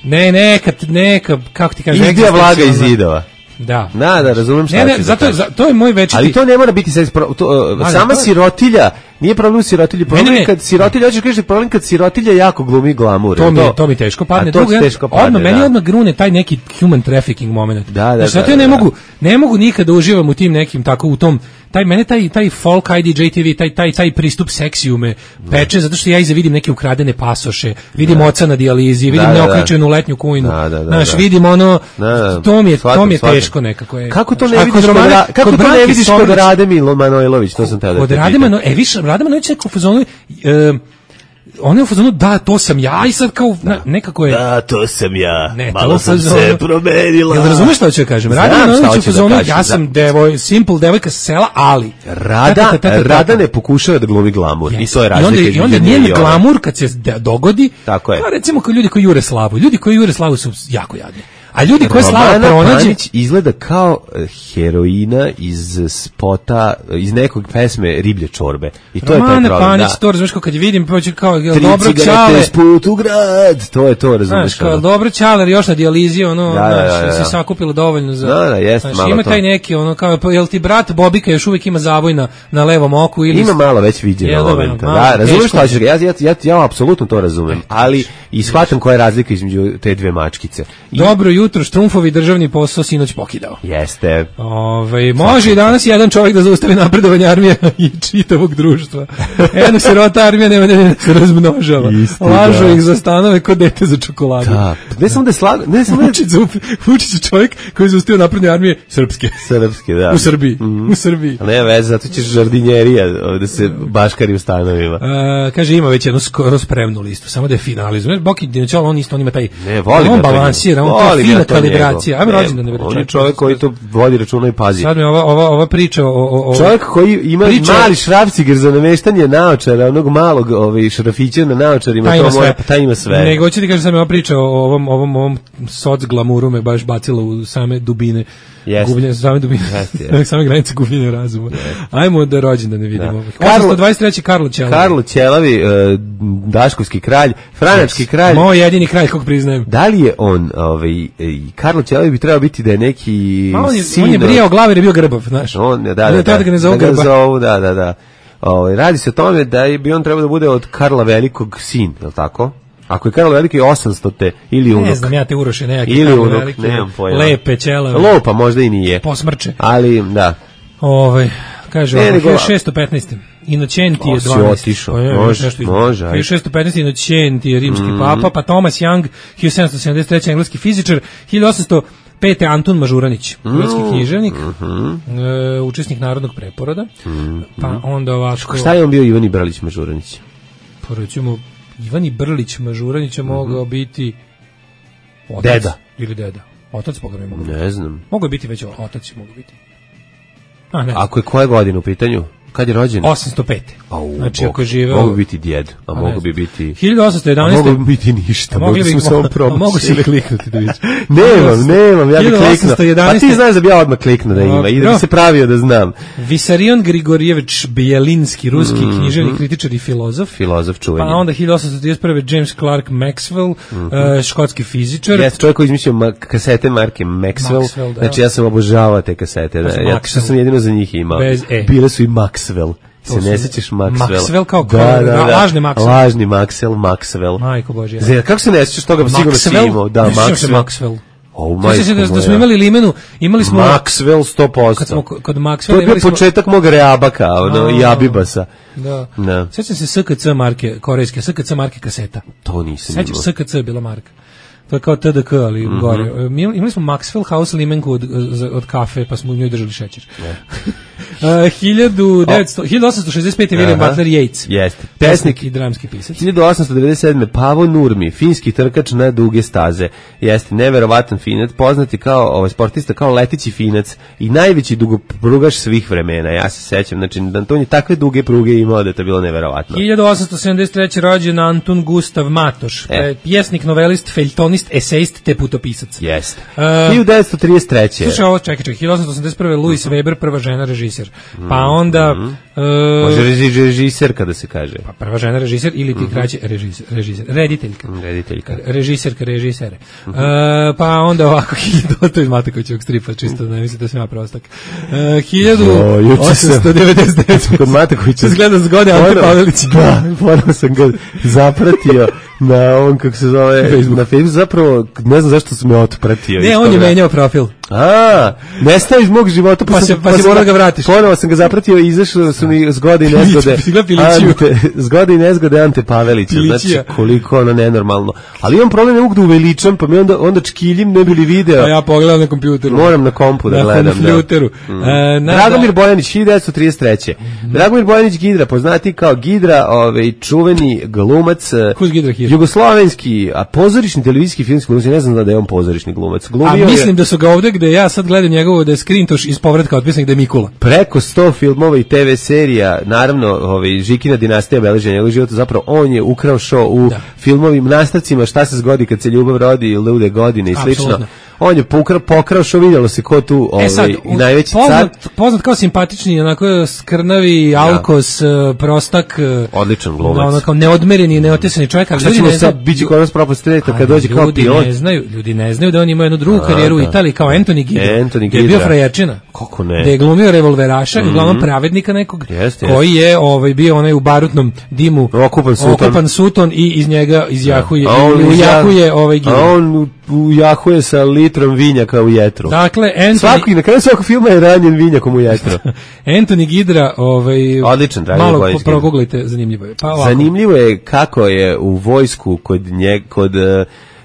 ne neka neka kako ti kažeš, Izdija vlaga iz egzistencijalna- zidova. Da. Da, da, razumem šta Ne, ne, ćeš da zato kažeš. za, to je moj večiti. Ali to ne mora biti seks, pro- to, uh, da, sama to je- sirotilja Nije problem u sirotilji, problem Ne, ne, je kad sirotilja, hoćeš kažeš problem kad sirotilja jako glumi glamur. To mi, je je, to mi teško padne. A to Drugo, ti ja- teško padne, odmah, meni da. odmah grune taj neki human trafficking moment. Da, da, Znaš, zato da, ja ne da. mogu, ne mogu nikada uživam u tim nekim tako u tom taj mene taj taj folk I D J T V taj taj taj pristup seksiju me peče zato što ja iza vidim neke ukradene pasoše, vidim oca na dijalizi, vidim Da, da, da. neokličenu letnju kujnu. Da, da, da, Znaš, da. vidim ono Da, da. to mi je Shvatam, to mi je shvatam. teško nekako je. Kako to Znaš, ne a vidiš kod kod, Romane- Ra- kako kod to ne Branke vidiš kod Sović- Rade Milo Manojlović, to sam te da Kod te Rade pitam. Mano, e više Rade Manojlović je u fazonu e, on je u fazonu da to sam ja i sad kao na, nekako je Da, to sam ja. Ne, Malo to sam fazonu- se promenila. Jel razumeš šta hoću da kažem? Znam Rada šta Manojlović u hoćeš da fazonu, kažeš, ja da. sam devoj, simple devojka sa sela, ali Rada, Ta, ta, ta, ta, ta, ta. Rada ne pokušava da glumi glamur. I to je I onda, razlika i između onda nje njen i ove. glamur kad se de- dogodi, Tako je. pa recimo kao ljudi koji jure slavu. Ljudi koji jure slavu su jako jadni. A ljudi koje slava Romana pronađe, Panić izgleda kao eh, heroina iz spota, eh, iz nekog pesme Riblje čorbe. I to je taj Romana problem. Panić, da. to razumeš kao kad je vidim, pa će kao, jel Tri dobro cigarete čale, s put u grad. To je to, razumeš. znaš, kao, ono. dobro čaler još na dijalizi, ono, Da, da, znaš, da, da. se sakupilo dovoljno za... Da, da, jeste znaš, malo ima to. taj neki, ono, kao, pa, jel ti brat Bobika još uvijek ima zavoj na, na levom oku ili... Ima malo već viđeno Jel da, momenta. malo, Da, razumeš teško šta je. ćeš ga? Ja, ja, ja, ja apsolutno to razumem, ali i shvatam koja je razlika između te dve mačkice. I Dobro jutro, Štrumfovi državni posao sinoć pokidao. jeste. Ove, može i danas jedan čovjek da zaustavi napredovanje armije i čitavog društva. Jedna sirota armija nema da se razmnožava. Istina. Lažu ih za stanove kod dete za čokoladu. Da, ne samo da je slago, ne samo da je Vučić, za- Vučić je čovjek koji je zaustavio napredne armije srpske. srpski, da. U Srbiji. U Srbiji. A ne veze, zato ćeš žardinjerija da se baškari u stanovima. Uh, kaže ima već jednu skoro spremnu listu, samo da je finalizuje. Boki Dinoćal, on isto on ima taj Ne, volim on ja to balansira, njegov. on to Volim fina ja to kalibracija. njegov. Ajmo Ne, rođendan da vidi. On je čovjek koji to vodi računa i pazi. Sad mi ova ova ova priča o o, o Čovjek koji ima Priča- mali šrafciger za nameštanje naočara, onog malog ovaj, šrafića na naočarima, taj to ima mora, sve. taj ima sve. Nego hoću ti kažem sad mi ova priča o ovom ovom ovom soc glamuru me baš bacila u same dubine. Jeste. Gubljenje same dubine. Jeste, jeste. Same granice gubljenja razuma. Ajmo da rođendan ne vidimo. Da. Karlo- osamsto dvadeset treći Karlo Ćelavi. Karlo Ćelavi, e, daškovski kralj, franački kralj. Moj jedini kralj kog priznajem. Da li je on, ovaj, e, Karlo Ćelavi bi trebao biti da je neki Ma on je, sin on je od- brijao glave jer je bio grbav, znaš. On, da, On da, je da, tada ga ne zovu da ga grba. zovu, da, da, da. Ovaj, radi se o tome da je, bi on trebao da bude od Karla Velikog sin, je li tako? Ako je Karlo Veliki osamstote ili unuk. Ne znam, ja te uroše neki Ili tamo unuk, velike, nemam pojma. lepe ćelave, Lopa možda i nije. posmrče. Ali, da. Ovaj kaže Ne, ovako, nego- hiljadu šessto petnaest. Inocenti je O, si dvanaest. otišao. Pa je, Može, nešto između. može, ajde. hiljadu šessto petnaest. Inocenti je rimski papa, pa Thomas Young, hiljadu sedamsto sedamdeset treći. engleski fizičar, hiljadu osamsto pete. Antun Mažuranić, hrvatski književnik, e, učesnik narodnog preporoda, pa onda ovako... Šta je on bio Ivan Bralić Mažuranić? Pa recimo, Ivani Brlić Mažuranić je mogao biti otac. Deda. Ili deda. Otac Boga mi mogao biti. Ne znam. Mogao je biti već otac, mogao biti. A ne, Ako je koje godine u pitanju? Kad je rođen? osamsto pete. Au, Znači, Bog. ako je živeo... Mogu bi biti djed, a ne mogu bi znam. biti... hiljadu osamsto A jedanaeste. mogu bi biti ništa, A mogli mogli smo bi- samo a probati. mogu si kliknuti da vidiš. Nemam, nemam, ja bih hiljadu kliknuo. osamsto Pa jedanaeste. ti znaš da bi ja odmah kliknuo da ima i da bi se pravio da znam. Visarion Grigorjević Bjelinski, ruski književnik, kritičar i filozof. Filozof čuveni. Pa onda hiljadu osamsto trideset prve. James Clark Maxwell, eh, škotski fizičar. Jeste čovjek koji izmislio ma- kasete marke Maxwell. Maxwell, da. Znači ja sam obožavao te kasete. Da. su Ja što Maxwell. sam jedino za njih imao. Bez E. Bile su i Maxwell. Se su- ne sećaš Maxwell? Maxwell kao- da, kao- da, da. lažni Maxwell. Lažni Maxwell, Maxwell. Majko Božja. Zar, kako se ne sećaš toga? Sigurno si imao. Da, Ne sjećam se Maxwell. Maxwell. O, Sjećam se da, da smo imali limenu, imali smo... Maxwell sto posto. Kad smo ko- kod Maxwella To je bio imali smo- početak mog Reabaka, ono, i A. Abibasa. Da. Da. Sećam se S K C marke, korejske, S K C marke kaseta. To nisam Sećam imao. se, S K C je bila marka. To je kao T D K, ali Mhm. gore. Mi imali smo Maxwell House limenku od, za- od kafe, pa smo u njoj držali šećer. Uh, hiljadu devetsto hiljadu osamsto šezdeset pete. William Aha. Butler Yeats. Jeste. Pesnik i dramski pisac. hiljadu osamsto devedeset sedme. Pavo Nurmi, finski trkač na duge staze. Jeste neverovatan finac, poznati kao ovaj sportista kao leteći finac i najveći dugoprugaš svih vremena. Ja se sećam, znači da on je takve duge pruge imao da je to bilo neverovatno. hiljadu osamsto sedamdeset treće. rođen Antun Gustav Matoš, E. pjesnik, novelist, feljtonist, esejist te putopisac. Jeste. Uh, hiljadu devetsto trideset treće. Slušaj ovo, čekaj, čekaj, hiljadu osamsto osamdeset prve. Louis Weber, prva žena režiserka. režiser. Pa onda... Mm-hmm. Uh, Može reži, režiser kada se kaže. Pa prva žena režiser ili ti mm-hmm. kraće režiser, režiser, rediteljka. Rediteljka. Režiserka, režisere. Mm-hmm. Uh, pa onda ovako, to je Matakovićevog stripa, čisto ne mislite da sam ja prostak. Uh, hiljadu osamsto devedeset devet. Kod Matakovića. Zgleda zgode Ante Pavelić. Da, ponovno sam ga zapratio na ovom, kako se zove, Facebook. Na Facebooku. Zapravo, ne znam zašto sam me otpratio. Ne, on je menjao profil. A, nestao iz mog života, pa, pa sam, se, pa, pa si mora ga vratiš. Ponovo sam ga zapratio i izašlo su mi zgode i nezgode. Ante, zgode i nezgode Ante Pavelića. Znači, koliko ono nenormalno. Ali imam problem, ne mogu da uveličam, pa mi onda, onda čkiljim, ne bi li video. A ja pogledam na kompjuteru. Moram na kompu da na gledam. Na kompjuteru. Da. Mm. E, Dragomir Bojanić, hiljadu devetsto trideset treće. Mm-hmm. Dragomir Bojanić Gidra, poznati kao Gidra, ovaj, čuveni glumac. Who's Gidra here? Jugoslovenski, a pozorišni televizijski filmski glumac, ne znam da je on pozorišni glumac. Glumio a mislim je, da su ga ovde gde ja sad gledam njegovo da je skrintoš iz povratka otpisan gde je Mikula. Preko sto filmova i te ve serija, naravno, ovaj Žikina dinastija beleži njegov život, zapravo on je ukrao show u da. filmovim nastavcima Šta se zgodi kad se ljubav rodi, Lude godine i slično. Absolutno. On je pokrao, pokrao što vidjelo se ko tu ovaj, e sad, najveći poznat, car. Poznat kao simpatični, onako skrnavi, ja. alkos, prostak. Odličan glumac. Ono kao neodmereni, neotesani čovjek. A šta ćemo sad, biće kod nas propostredita kad dođe kao pilot? Ne znaju, ljudi ne znaju da on ima jednu drugu a, karijeru da. u Italiji kao Anthony Gidra. Anthony Gidra. Je bio frajerčina. Kako ne? Da je glumio revolveraša, mm-hmm. uglavnom pravednika nekog, jest, koji jest. je ovaj, bio onaj u barutnom dimu okupan suton, okupan suton i iz njega izjahuje, ja. i ujahuje ovaj Gidra. A on ujahuje sa litrom vinjaka u jetru. Dakle, Anthony... Svaki, na kraju svakog filma je ranjen vinjakom u jetru. Anthony Gidra, ovaj... Odličan, dragi malo Bojić. Malo proguglajte, zanimljivo je. Pa zanimljivo je kako je u vojsku kod nje, kod... Uh,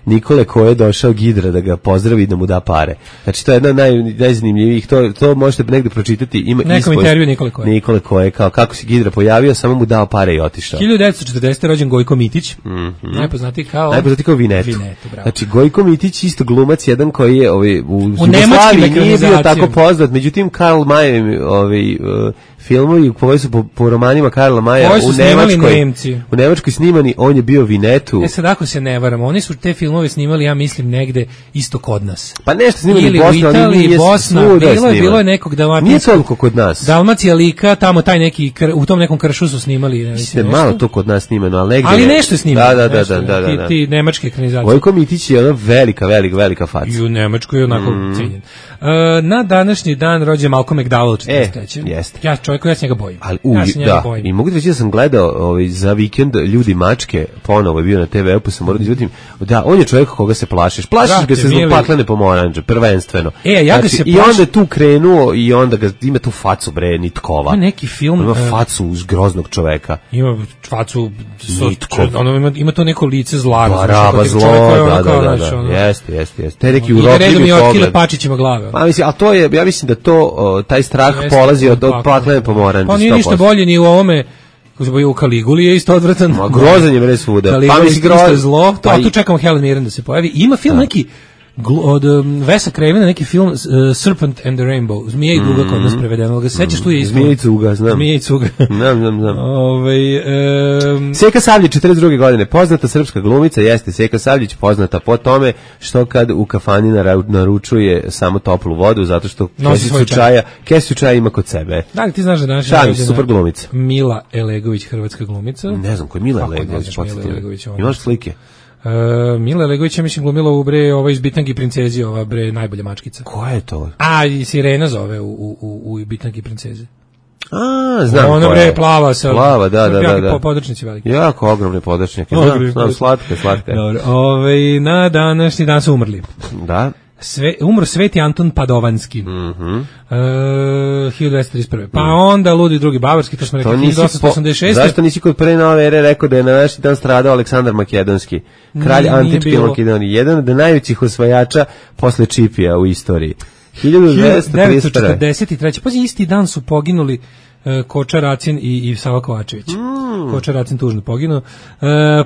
Nikole ko je došao Gidra da ga pozdravi i da mu da pare. Znači to je jedna od naj, najzanimljivijih, to, to možete negde pročitati. Ima nekom intervju Nikole Koje. Nikole Koje, kao kako se Gidra pojavio, samo mu dao pare i otišao. hiljadu devetsto četrdesete rođen Gojko Mitić, mm-hmm. najpoznatiji kao... Najpoznatiji kao Vinetu. Vinetu, bravo. Znači Gojko Mitić, isto glumac, jedan koji je ovaj, u, u Jugoslaviji nije bio tako poznat, međutim Karl May, ovaj, uh, filmovi koji su po, po romanima Karla Maja u Nemačkoj, u Nemačkoj snimani, on je bio Vinetu. E sad ako se ne varam, oni su te filmove snimali, ja mislim, negde isto kod nas. Pa nešto snimali ili Bosna, u Italiji, nije Bosna, bilo je, bilo je nekog Dalmatinskog. Nije toliko kod nas. Dalmacija, Lika, tamo taj neki, u tom nekom kršu su snimali. Ne mislim, malo to kod nas snimano, ali negde. Ali nešto je snimano. Da, da, da, da, da, da, da. Ti, ti nemačke ekranizacije. Gojko Mitić je ona velika, velika, velika faca. I u Nemačkoj je onako mm. cijenjen. Uh, na današnji dan rođen Malcolm McDowell, četrdeset treće. E, jeste. Ja čovjek, ja se njega bojim. Ali, u, ja se njega da, bojim. I mogu da reći da sam gledao ovaj, za vikend Ljudi mačke, ponovo je bio na te ve, pa sam morao da izvadim. Da, on je čovjek koga se plašiš. Plašiš Vrate, ga se zbog paklene pomoranđe, prvenstveno. E, ja znači, ga se I plaši... onda je tu krenuo i onda ga, ima tu facu, bre, nitkova. Ima neki film... Ima facu uz groznog čoveka. Ima facu... Nitkov. Ono, ima, ima to neko lice zla. Baraba zlo, da, da, da, da, da. Jeste, jeste, jeste. Te neki urokljivi pogled. Pačićima glave. Pa mislim, a to je, ja mislim da to, o, taj strah jeste, polazi od, od paklene pomoranđe. Pa nije ništa bolje ni u ovome, u Kaliguli je isto odvratan. Ma grozan je bre svuda. Kaliguli pa mislim grozan je zlo. To, a tu čekamo Helen Mirren da se pojavi. Ima film da. neki od um, Vesa Cravena, neki film uh, Serpent and the Rainbow. Zmija i duga kod nas prevedeno. Ga sećaš tu je isto. Zmija i cuga, znam. Zmija i cuga. znam, znam, znam. Ovaj um... Seka Savljić, četrdeset druge godine, poznata srpska glumica, jeste Seka Savljić, poznata po tome što kad u kafani naručuje samo toplu vodu, zato što kesicu čaja, kesicu čaja ima kod sebe. Da li ti znaš da naša Šalim, super glumica. Mila Elegović, hrvatska glumica? Ne znam, ko je Mila Elegović, imaš slike? Uh, Mila Legović je mislim glumila u bre ova iz Bitangi princezi, ova bre najbolja mačkica. Koja je to? A i Sirena zove u u u, u Bitangi princezi. A, znam. Ona bre plava sa plava, da, da, da, da. Podrčnici veliki. Jako ogromne podrčnjake. Znam, znam, slatke, slatke. Dobro, ovaj na današnji dan su umrli. Da. Sve, umro Sveti Anton Padovanski. Mhm. Uh, hiljadu dvesta trideset prve. Pa onda ludi drugi bavarski, to smo rekli hiljadu osamsto osamdeset šeste. Zašto nisi kod pre nove ere rekao da je na naši dan stradao Aleksandar Makedonski, kralj antičke Makedonije, jedan od najvećih osvajača posle Čipija u istoriji. hiljadu dvesta trideset prve. hiljadu devetsto četrdeset treće. Pazi, isti dan su poginuli e, Koča Racin i, i Sava Kovačević. Mm. Koča Racin tužno poginuo. E,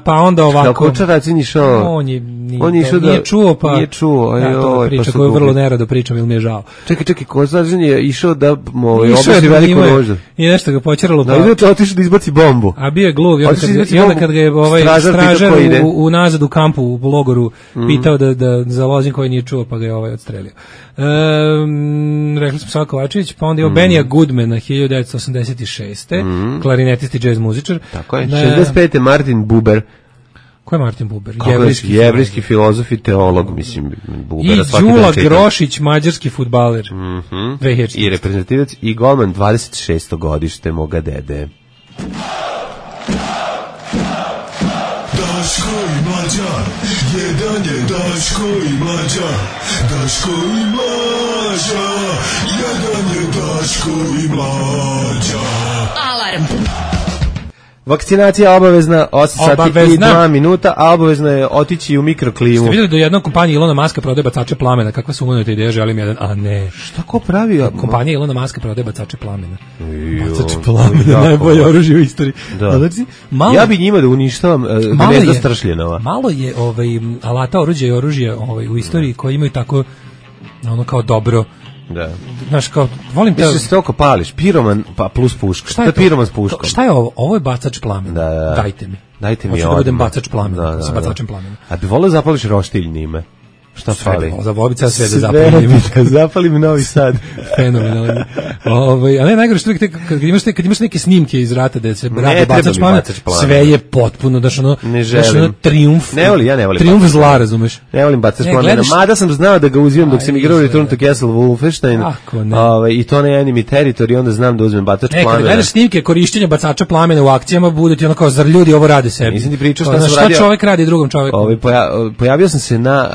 pa onda ovako... Kao Koča Racin išao... On je, nije, on je išao da... Nije čuo, pa... Nije čuo, ja, to je priča pa koju vrlo nerado pričam, ili mi je žao. Čekaj, čekaj, Koča Racin je išao da ovaj, obaši veliku rožu. I nešto ga počeralo. Da, pa... ide otišao da izbaci bombu. A bio je gluv, i onda kad, i onda kad ga je ovaj stražar u, u nazad u kampu, u logoru, mm. pitao da, da za lozin koji nije čuo, pa ga je ovaj odstrelio. Um, rekli smo Sava Kovačević, pa onda je mm. Benija Goodmana hiljadu devetsto osamdeset šeste Mm. klarinetist i džez muzičar. Tako je. šezdeset pete Martin Buber. Ko je Martin Buber? Jevrijski, jevrijski filozof i teolog, mislim, Bubera. I Đula Grošić, mađarski fudbaler. Mm-hmm. I reprezentativac i golman, dvadeset šesto godište moga dede. Daško i Mlađa, jedan je Daško i Mlađa, Daško i Mlađa, jedan je Daško i Mlađa. Alarm. Vakcinacija obavezna, osam sati i dva minuta, a obavezno je otići u mikroklimu. Ste vidjeli da jedna kompanija Ilona Maska prodaje bacače plamena? Kakva su umanuta ideja, želim jedan, a ne. Šta ko pravi? Kompanija Ilona Maska prodaje bacače plamena. Bacače plamena, najbolje oružje u istoriji. Da. Znači, malo, ja bi njima da uništavam uh, gnezda stršljenova. Malo je ovaj, alata oruđa i oružje ovaj, u istoriji koji imaju tako, ono kao dobro. Da. Znaš, kao, volim te... Mislim se toliko pališ, piroman pa plus puška. Šta je to? Piroman s puškom. To, šta je ovo? Ovo je bacač plamena. Da, da. Dajte mi. Dajte mi Hoću da budem bacač plamena, da, da, sa bacačem plamena. A bi volio zapališ roštilj njime? Šta fali? Za vobica sve da zapalim. Zapalim Novi Sad. Fenomenalno. Ovaj, a ne najgore što kad, kad imaš te, kad imaš neke snimke iz rata da se radi bacač plamena, sve je potpuno daš ono, daš ono trijumf. Ne volim, ja ne volim. Trijumf zla, razumeš? Ne volim bacač plamena. Mada sam znao da ga uzimam dok sam igrao Return to Castle Wolfenstein. Ovaj i to na Enemy Territory, onda znam da uzmem bacač plamena. Kad gledaš snimke korišćenja bacača plamena u akcijama, bude ti ono kao zar ljudi ovo rade sebi. Nisam ti pričao šta sam radio. Šta čovjek radi drugom čoveku. Ovaj pojavio sam se na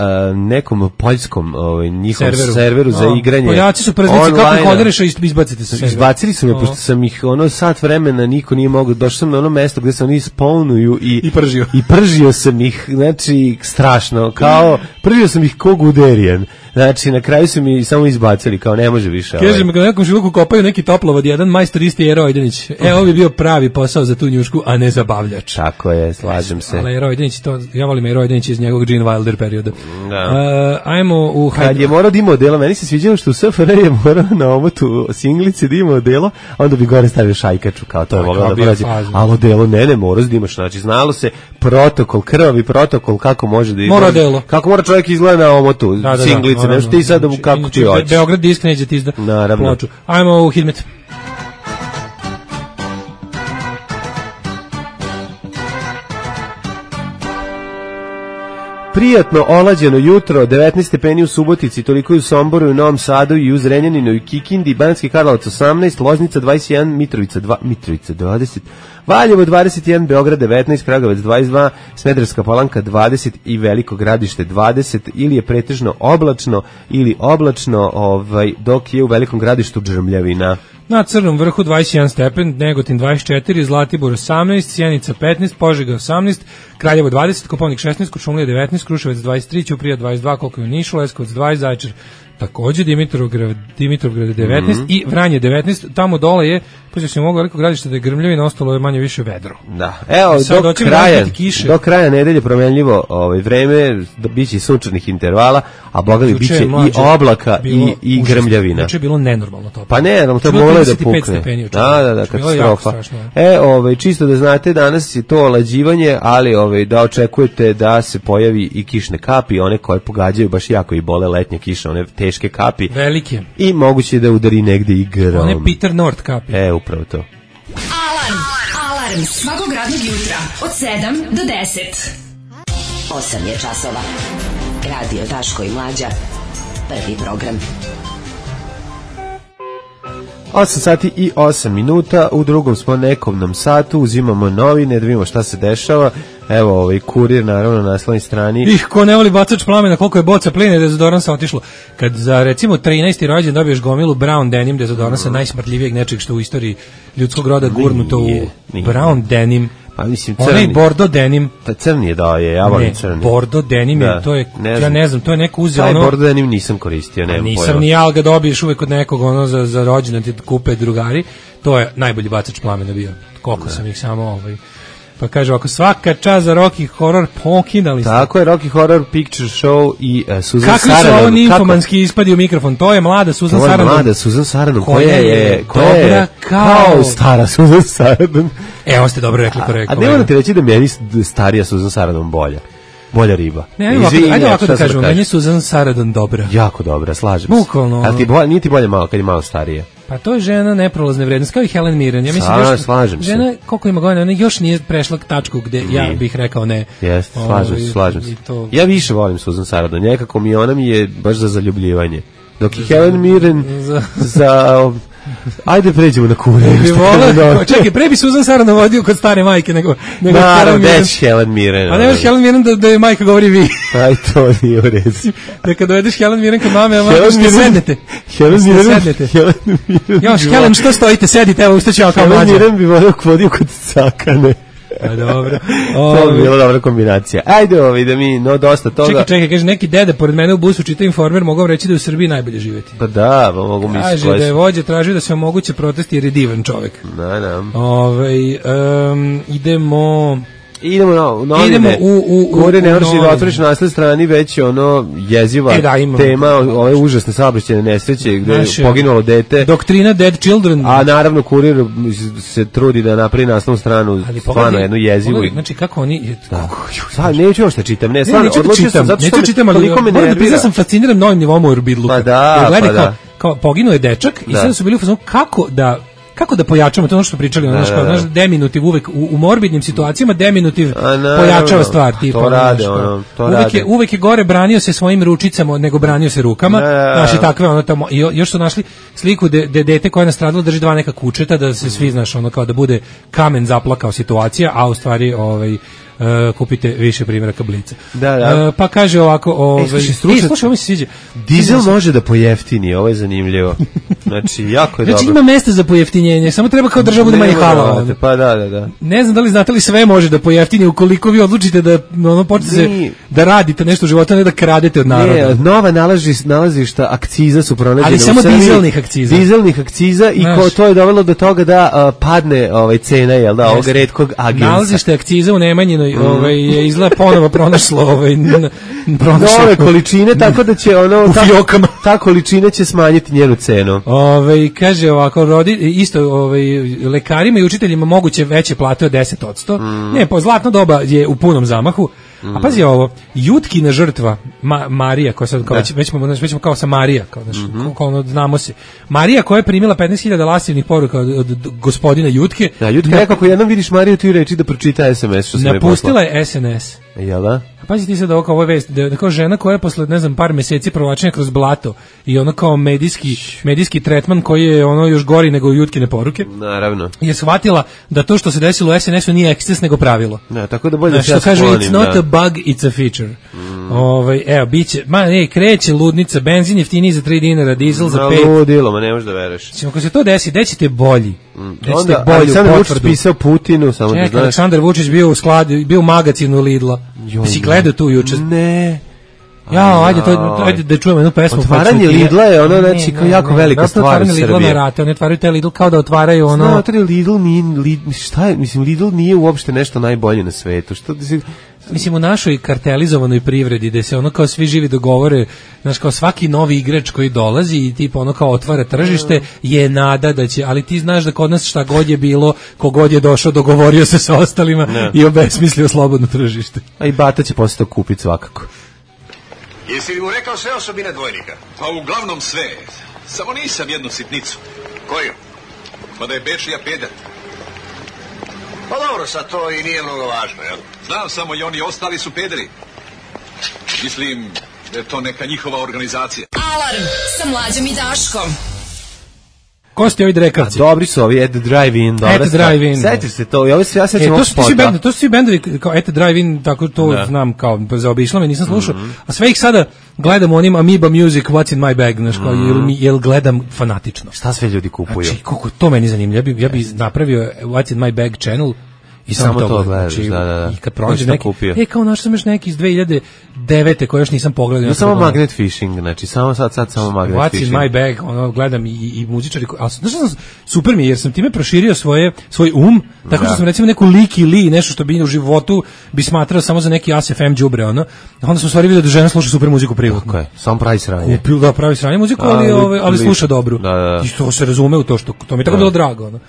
nekom poljskom ovaj njihovom serveru, serveru za igranje. Poljaci su preznici kako koderiš i izbacite se. Izbacili su me pošto sam ih ono sat vremena niko nije mogao. Došao sam na ono mesto gde se oni spawnuju i i pržio. I pržio sam ih, znači strašno, kao pržio sam ih ko Guderian. Znači na kraju su mi samo izbacili kao ne može više. Kaže mi ga nekom žiluku kopaju neki toplovod, jedan majstor isti Jero Ojdenić. E ovo bi bio pravi posao za tu njušku, a ne zabavljač. Tako je, slažem se. Ali Jero Ojdenić to ja volim Jero Ojdenić iz njegovog Gene Wilder perioda. Da. Uh, ajmo u kad je morao da ima odelo, meni se sviđalo što u S F R je morao na omotu singlice da ima odelo, onda bi gore stavio šajkaču kao to je moglo da prođe. Ali odelo ne, ne moraš da imaš, znači znalo se protokol, krvavi protokol kako može da izgleda. Kako mora čovjek izgleda na omotu da, da, singlice, da, nešto ti sad kako ti hoćeš. Beograd disk neće ti izda ploču. Ajmo u Hidmet. Prijatno olađeno jutro, devetnaest stepeni u Subotici, toliko i u Somboru i u Novom Sadu i u Zrenjaninu i Kikindi, Banatski Karlovac osamnaest, Loznica dvadeset jedan, Mitrovica dva, Mitrovica dvadeset, Valjevo dvadeset jedan, Beograd devetnaest, Kragujevac dvadeset dva, Smederevska Palanka dvadeset i Veliko Gradište dvadeset, ili je pretežno oblačno ili oblačno, ovaj dok je u Velikom Gradištu džrmljavina. Na Crnom vrhu dvadeset jedan stepen, Negotin dvadeset četiri, Zlatibor osamnaest, Sjenica petnaest, Požega osamnaest, Kraljevo dvadeset, Kopaonik šesnaest, Kuršumlija devetnaest, Kruševac dvadeset tri, Ćuprija dvadeset dva, koliko je u Nišu, Leskovac dvadeset, Zaječar takođe, Dimitrovgrad, Dimitrovgrad devetnaest, mm-hmm, i Vranje devetnaest, tamo dole je, pošto se mogu Veliko Gradište da je grmljavina, ostalo je manje više vedro. Da, evo, do kraja, do kraja nedelje promenljivo ovaj, vreme, da biće sunčanih intervala, a boga mi biće i oblaka i, i grmljavina. Znači je bilo nenormalno to. Pa ne, to je moglo da pukne. Da, da, da, katastrofa. E, ovaj, čisto da znate, danas je to olađivanje, ali ovaj, da očekujete da se pojavi i kišne kapi, one koje pogađaju baš jako i bole letnje kiše, one teške kapi. Velike. I moguće da udari negde i grom. One Peter North kapi. E, upravo to. Alarm, alarm, svakog radnog jutra od sedam do deset. osam je časova. Radio Daško i Mlađa. Prvi program. osam sati i osam minuta, u drugom smo nekovnom satu, uzimamo novine, da vidimo šta se dešava. Evo, ovaj kurir naravno na naslovnoj strani. Ih, ko ne voli bacač plamena, koliko je boca plina i dezodoransa otišlo. Kad za recimo trinaesti rođendan dobiješ gomilu Brown Denim dezodoransa, mm. najsmrtljivijeg nečeg što u istoriji ljudskog roda gurnuto u nije, nije. Brown Denim. Pa mislim Onaj crni. bordo denim. Ta crni je da je, ja volim crni. Ne, bordo denim Da, je, to je, ne ja znam. ne znam, to je neko uzeo Taj ono... bordo denim nisam koristio, nemam pojma. Nisam ni ja, ali ga dobiješ uvek od nekog ono za, za rođendan ti kupe drugari. To je najbolji bacač plamena bio. Koliko sam ih samo ovaj... Pa kaže ovako, svaka čast za Rocky Horror, pokinali ste. Tako je, Rocky Horror Picture Show i uh, Susan Kakvi Sarandon. su ovo nimfomanski ispadi u mikrofon? To je mlada Susan To je Sarandon. mlada Susan Sarandon, koja koja je je, koja dobra je kao- kao stara Susan Sarandon. E, ovo ste dobro rekli, A, korekko. a ne moram ti reći da meni starija Susan Sarandon bolja. Bolja riba. Ne, ajde ovako, Izvini, ajde ovako šta da sam kažemo, meni je Susan Sarandon dobra. Jako dobra, slažem se. Bukvalno. Ali ti bolje, nije ti bolje malo kad je malo starije. Pa to je žena neprolazne vrednosti, kao i Helen Mirren. Ja mislim, Sa- još, slažem se. žena, koliko ima godina, ona još nije prešla tačku gde ja Nije. bih rekao ne. Jeste, slažem Ovaj, se, slažem i se. to- Ja više volim Susan Sarandon, nekako mi ona mi je baš za zaljubljivanje. Dok je Helen Mirren Za- za... Ajde pređemo na kure. Bi volao, čekaj, pre bi Susan Sarandon vodio kod stare majke nego, nego Naravno, Helen Mirren. već Helen Mirren. A ne možeš Helen Mirren da, da je majka govori vi. Aj, to nije u redu. Da kad dovedeš Helen Mirren kod mame, a mama Helen što Mirren- sednete. Helen Što Mirren, sednete. Helen Mirren. Još, bi Helen, volao- što stojite, sedite, evo, ustaću ja kao Helen mlađa. Mirren bi volio vodio kod cakane. A dobro. To bi bila dobra kombinacija. Ajde ovi da mi, no dosta toga. Čekaj, čekaj, kaže, neki dede pored mene u busu čita Informer, mogu vam reći da je u Srbiji najbolje živjeti. Pa da, pa mogu misliti. Kaže da je vođa tražio da se omoguće protesti jer je divan čovek. Da, da. Ovaj um, idemo Idemo na novine. Idemo u- u- u- Gore ne u možeš da novine. otvoriš na naslednoj strani već je ono jeziva E, da, imamo. tema ove užasne saobraćajne nesreće gde Naše- je poginulo dete. doktrina Dead Children. A naravno kurir se trudi da napravi naslovnu stranu Ali stvarno pogledaj- jednu jezivu. pogledaj, znači kako oni Da. Sad neću još da čitam, ne, Ne, stvarno neću da odlučio sam čitam, zato što neću da me čitam, ali toliko me moram da nervira. priznam, sam fasciniran novim nivom Urbidluka. Pa da, Jer gledaj pa kao, da. kao poginuo je dečak i Da. sada su bili u fazonu kako da kako da pojačamo to ono što smo pričali, ono Da, što da, da. znaš, deminutiv uvek u, u morbidnim situacijama deminutiv A, naravno, pojačava stvar, tipa to ono, rade, znaš, kao, ono, to uvek rade. je uvek je gore branio se svojim ručicama nego branio se rukama. Da, da, da. Znaš, i takve ono tamo i jo- još su našli sliku de, de dete koje je nastradalo drži dva neka kučeta da se svi znaš ono kao da bude kamen zaplakao situacija, a u stvari ovaj Uh, kupite više primjeraka Blica. Da, da. Uh, pa kaže ovako, ovaj, slušaj, e, stručnjaci- slušaj, ovo mi se sviđa. Dizel Sviđa se- može da pojeftini, ovo je zanimljivo. Znači, jako je Znači dobro. ima mesta za pojeftinjenje, samo treba kao država bude manje Nema halala. vrate, Pa da, da, da. Ne znam da li znate li sve može da pojeftini ukoliko vi odlučite da ono počnete se Nije. da radite nešto u životu, a ne da kradete od naroda. Ne, nova nalaži, nalazišta akciza su pronađene Ali u samo Srbiji. dizelnih akciza. Dizelnih akciza i Znaš. ko, to je dovelo do toga da a, padne ovaj, cena, jel da, ovog Jeste. retkog agensa. Nalazište akciza u Nemanjinoj ovaj, je izgleda ponovo pronašlo, ovaj, n- pronašlo. Nove količine, tako da će ono... U ta, fijokama. ta količina će smanjiti njenu cenu. Ovaj kaže ovako rodi isto ovaj lekarima i učiteljima moguće veće plate od deset posto. Mm. Ne, po zlatno doba je u punom zamahu. A pazi ovo, Jutkina žrtva Ma, Marija koja sad kao već već smo već smo kao sa Marija, kao znači Mhm. kao ono, znamo se. Marija koja je primila petnaest hiljada lasivnih poruka od, od, od gospodina Jutke. Da, Jutka rekao, ako jednom vidiš Mariju, ti reči da pročita es em es što sam joj Napustila je es en es. poslao. Jel da? A pazi ti sad ovo kao ovo je vest, da, da kao žena koja je posle, ne znam, par meseci provlačenja kroz blato i ono kao medijski, medijski tretman koji je ono još gori nego Jutkine poruke, Naravno. je shvatila da to što se desilo u es en esu nije eksces nego pravilo. Da, tako da bolje da Znaš, se ja što kaže, sklonim, it's not da. a bug, it's a feature. Ovaj, evo, biće, ma ne, kreće ludnica, benzin jeftiniji za tri dinara, dizel za Na pet. ludilo, ma ne možeš da veruješ. Mislim, ako se to desi, gde ćete bolji? Gde ćete Onda, bolju Aleksandar Vučić potvrdu? pisao Putinu, samo da Čekaj, znaš. Aleksandar Vučić bio u skladu, bio u magazinu Lidla. Joj, Si gledao tu juče? Ne. Ja, ajde, to, ajde da čujemo jednu pesmu. Otvaranje pa ću ti- Lidla je ono, Ne, znači, ne, kao jako ne, velika da, stvar u otvaranje Lidla Srbiji. na rate, oni otvaraju taj Lidl kao da otvaraju ono... Znate li, Lidl nije, Lidl, šta je, mislim, Lidl nije uopšte nešto najbolje na svetu. Što da si... Mislim, u našoj kartelizovanoj privredi, gde se ono kao svi živi dogovore, znaš, kao svaki novi igrač koji dolazi i tipa ono kao otvara tržište, je nada da će, ali ti znaš da kod nas šta god je bilo, kogod je došao, dogovorio se sa ostalima Ne. i obesmislio slobodno tržište. A i Bata će posle to kupiti svakako. Jesi li mu rekao sve osobine dvojnika? Pa uglavnom sve. Samo nisam jednu sitnicu. Koju? Pa da je Bečija peder. Pa dobro, sad to i nije mnogo važno, jel? Znam samo i oni ostali su pederi. Mislim da je to neka njihova organizacija. Alarm sa Mlađom i Daškom. Ko ste ovi drekavci? Dobri su ovi, Ed Drive-In, dobra Ed stvar. Drive-In, da. Setiš se to, i ovo se ja E, sećam to ovog su ti svi spota. bendovi, to su svi bendovi kao Ete Drive-In, tako to Da. znam kao zaobišlo me, nisam slušao. Mhm. A sve ih sada gledam onim Amoeba Music, What's in my bag, znaš, kao, jel, mi- jel gledam fanatično. Šta sve ljudi kupuju? Znači, koliko to meni zanimljivo. Ja bi, ja bi napravio What's in my bag channel I samo, Samo to, to gledam. gledaš, Znači, da, da, da. I kad Ko prođe si to neki, kupio? e, kao našao sam još neki iz dve hiljade devete koje još nisam pogledao. No, samo magnet fishing, znači samo sad, sad samo magnet What's fishing. in my bag, ono, gledam i, i, i muzičari, ko- ali znaš šta sam, super mi je, jer sam time proširio svoje, svoj um, tako što Da. sam recimo neku Liki Li, nešto što bi u životu bi smatrao samo za neki A S F M đubre, ono, a onda sam u stvari vidio da žena sluša super muziku privatno. Tako je, samo pravi sranje. Kupio, da, pravi sranje muziku, ali, Ali- ali, ali li- sluša dobru. Da, da, da. I to se razume u to, što to mi je tako bilo drago. Ono.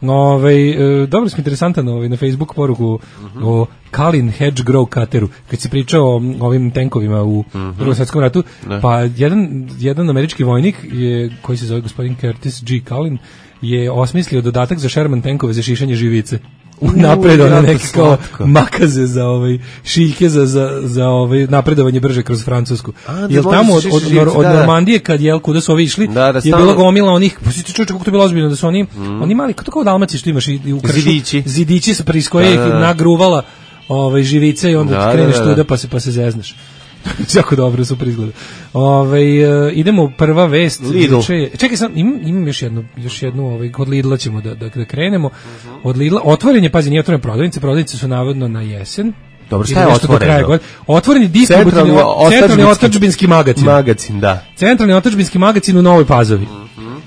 Ove, e, dobro smo interesantan ovaj, na Facebook poruku o Kalin Hedgerow Cuteru, kad se pričao o ovim tenkovima u Drugom svetskom ratu, pa jedan, jedan američki vojnik je, koji se zove gospodin Curtis G. Kalin, je osmislio dodatak za Sherman tenkove za šišanje živice. U napred, ono jako neke kao slatko. makaze za ovaj šiljke za za za ovaj napredovanje brže kroz Francusku. A, da Jel može tamo se od, šiša od, živice, od da, da. Normandije kad jel kuda su ovi išli, Da, da, je stalno- bilo gomila onih, pa si ti čuče kako to je bilo ozbiljno da su oni oni mali kako tako u Dalmaciji što imaš i, i u kršu Zidići. zidići sa iz koje Da, da, ih da. nagruvala ovaj živice i onda Da, ti da, kreneš da, da. tuda pa se pa se zezneš. Jako dobro, super izgleda. Ovaj e, idemo u prva vest. Lidl. Juče je- Čekaj, sam imam, imam još jednu, još jednu ovaj kod Lidla ćemo da da, da krenemo. Od Lidla otvoren je, pazi, nije otvoren prodavnice, prodavnice su navodno na jesen. Dobro, šta Ili je nešto do otvoreno? kraja godine. Otvoreni distributivni Centralni o- centralni otadžbinski- otadžbinski magacin. Magacin, da. Centralni otadžbinski magacin u Novoj Pazovi.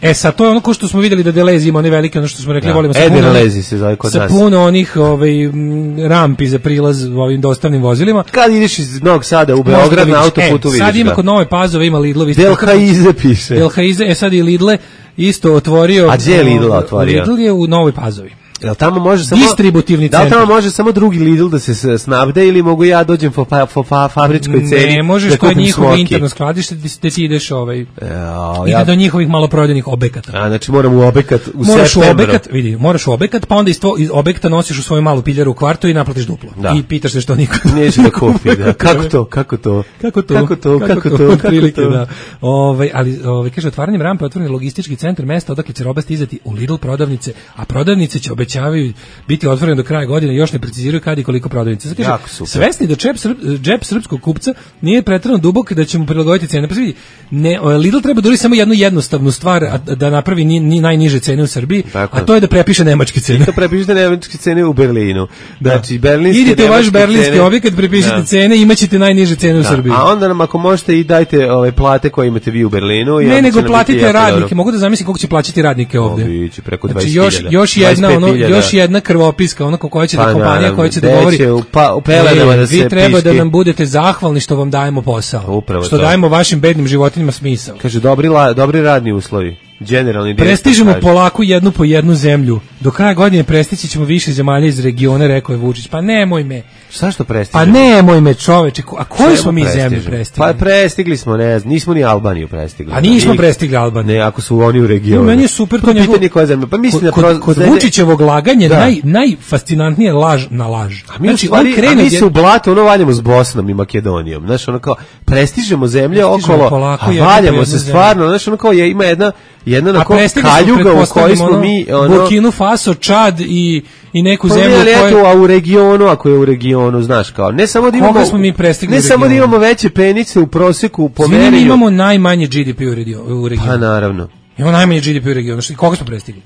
E sad to je ono ko što smo vidjeli da Delezi ima one velike, ono što smo rekli, Da. volimo sa Eder puno, Lezi se zove kod sa nas. puno onih ovaj, m, rampi za prilaz ovim dostavnim vozilima. Kad ideš iz Novog Sada u Možda Beograd vidiš. na autoputu e, vidiš sad ima ga. kod Nove Pazove, ima Lidlovi. Del Haize piše. Del Haize, e sad i Lidle isto otvorio. A gdje je Lidl otvorio? Lidl je u Novoj Pazovi. Jel tamo može samo Distributivni Da li centar. tamo može samo drugi Lidl da se s- snabde ili mogu ja dođem po pa, po fa, fabričkoj ceni? Ne možeš, da to je kupim njihovo smoki? interno skladište gde gde ti ideš ovaj, Jao, ide ja, do njihovih maloprodajnih objekata. a, znači moram u obekat u Moraš u septembru. objekat, vidi, moraš u objekat, pa onda iz, tvo, iz objekta nosiš u svoju malu piljaru u kvartu i naplatiš duplo. Da. I pitaš se što niko Neće da kupi, da. Kako to, kako to? Kako to? Kako to, kako to, kako otprilike, to? da. Ovaj, ali ovaj kaže otvaranjem rampe otvoren je logistički centar mesta odakle će roba stizati u Lidl prodavnice, a prodavnice će obećavaju biti otvorene do kraja godine, još ne preciziraju kad i koliko prodavnica. Sad kaže, Jako super. svesni da džep, srp, džep srpskog kupca nije preterano dubok da će mu prilagoditi cene. Pa se vidi, ne, Lidl treba da uradi samo jednu jednostavnu stvar, a da napravi ni, ni najniže cene u Srbiji, Tako a je. to je da prepiše nemačke cene. To prepišite nemačke cene u Berlinu. Da. Znači, berlinske Idite u vaš nemačke berlinski cene- objekat, prepišite Da. cene i imaćete najniže cene u Da. Srbiji. A onda nam ako možete i dajte ove plate koje imate vi u Berlinu. i onda Ne, će nego nam biti platite jako radnike. dobro. Mogu da zamislim koliko će plaćati radnike ovde. O, biće preko Znači dvadeset još hiljada. još jedna dvadeset ono pet hiljada. još jedna krvopiska, ono koja će da Pa, kompanija naravno, koja će da gde govori. će u pa- u pelenama "E, da vi se treba da piški." nam budete zahvalni što vam dajemo posao. Upravo što to. dajemo vašim bednim životinjama smisao. Kaže, dobri, la, dobri radni uslovi. Generalni direktor Prestižemo kaže. polako jednu po jednu zemlju. Do kraja godine prestići ćemo više zemalja iz regiona, rekao je Vučić. Pa nemoj me. Šta što Pa prestižemo? nemoj me, čoveče. A koju Čemu smo mi zemlju prestižemo? prestigli? Pa prestigli smo, ne znam, nismo ni Albaniju prestigli. A nismo Ni- prestigli Albaniju. Ne, ako su oni u regionu. No, meni je super to Pa njegovo- pitanje koja zemlja. Pa mislim da kod, proz- kod da- Vučićevog laganja Da. naj, najfascinantnije je laž na laž. A mi, znači, u stvari, a mi se u blatu ono valjamo s Bosnom i Makedonijom. Znaš, ono kao, prestižemo zemlje Prestižemo okolo, polako a jednu po valjamo jednu se zemlju. stvarno. Znaš, ono kao, je, ima jedna, jedna A onako prestigli smo, kaljuga u kojoj pretpostavljam, smo ono, mi, ono... Burkinu Faso, Čad i, i neku Pa zemlju ne, ali koja... eto, a u regionu, ako je u regionu, znaš kao, ne samo da imamo... Koga smo mi prestigli Ne u samo da regionu? imamo veće penice u proseku po Svi mi merenju. imamo najmanje G D P u regionu. U regionu. Pa naravno. Imamo najmanje G D P u regionu. Što- Koga smo prestigli?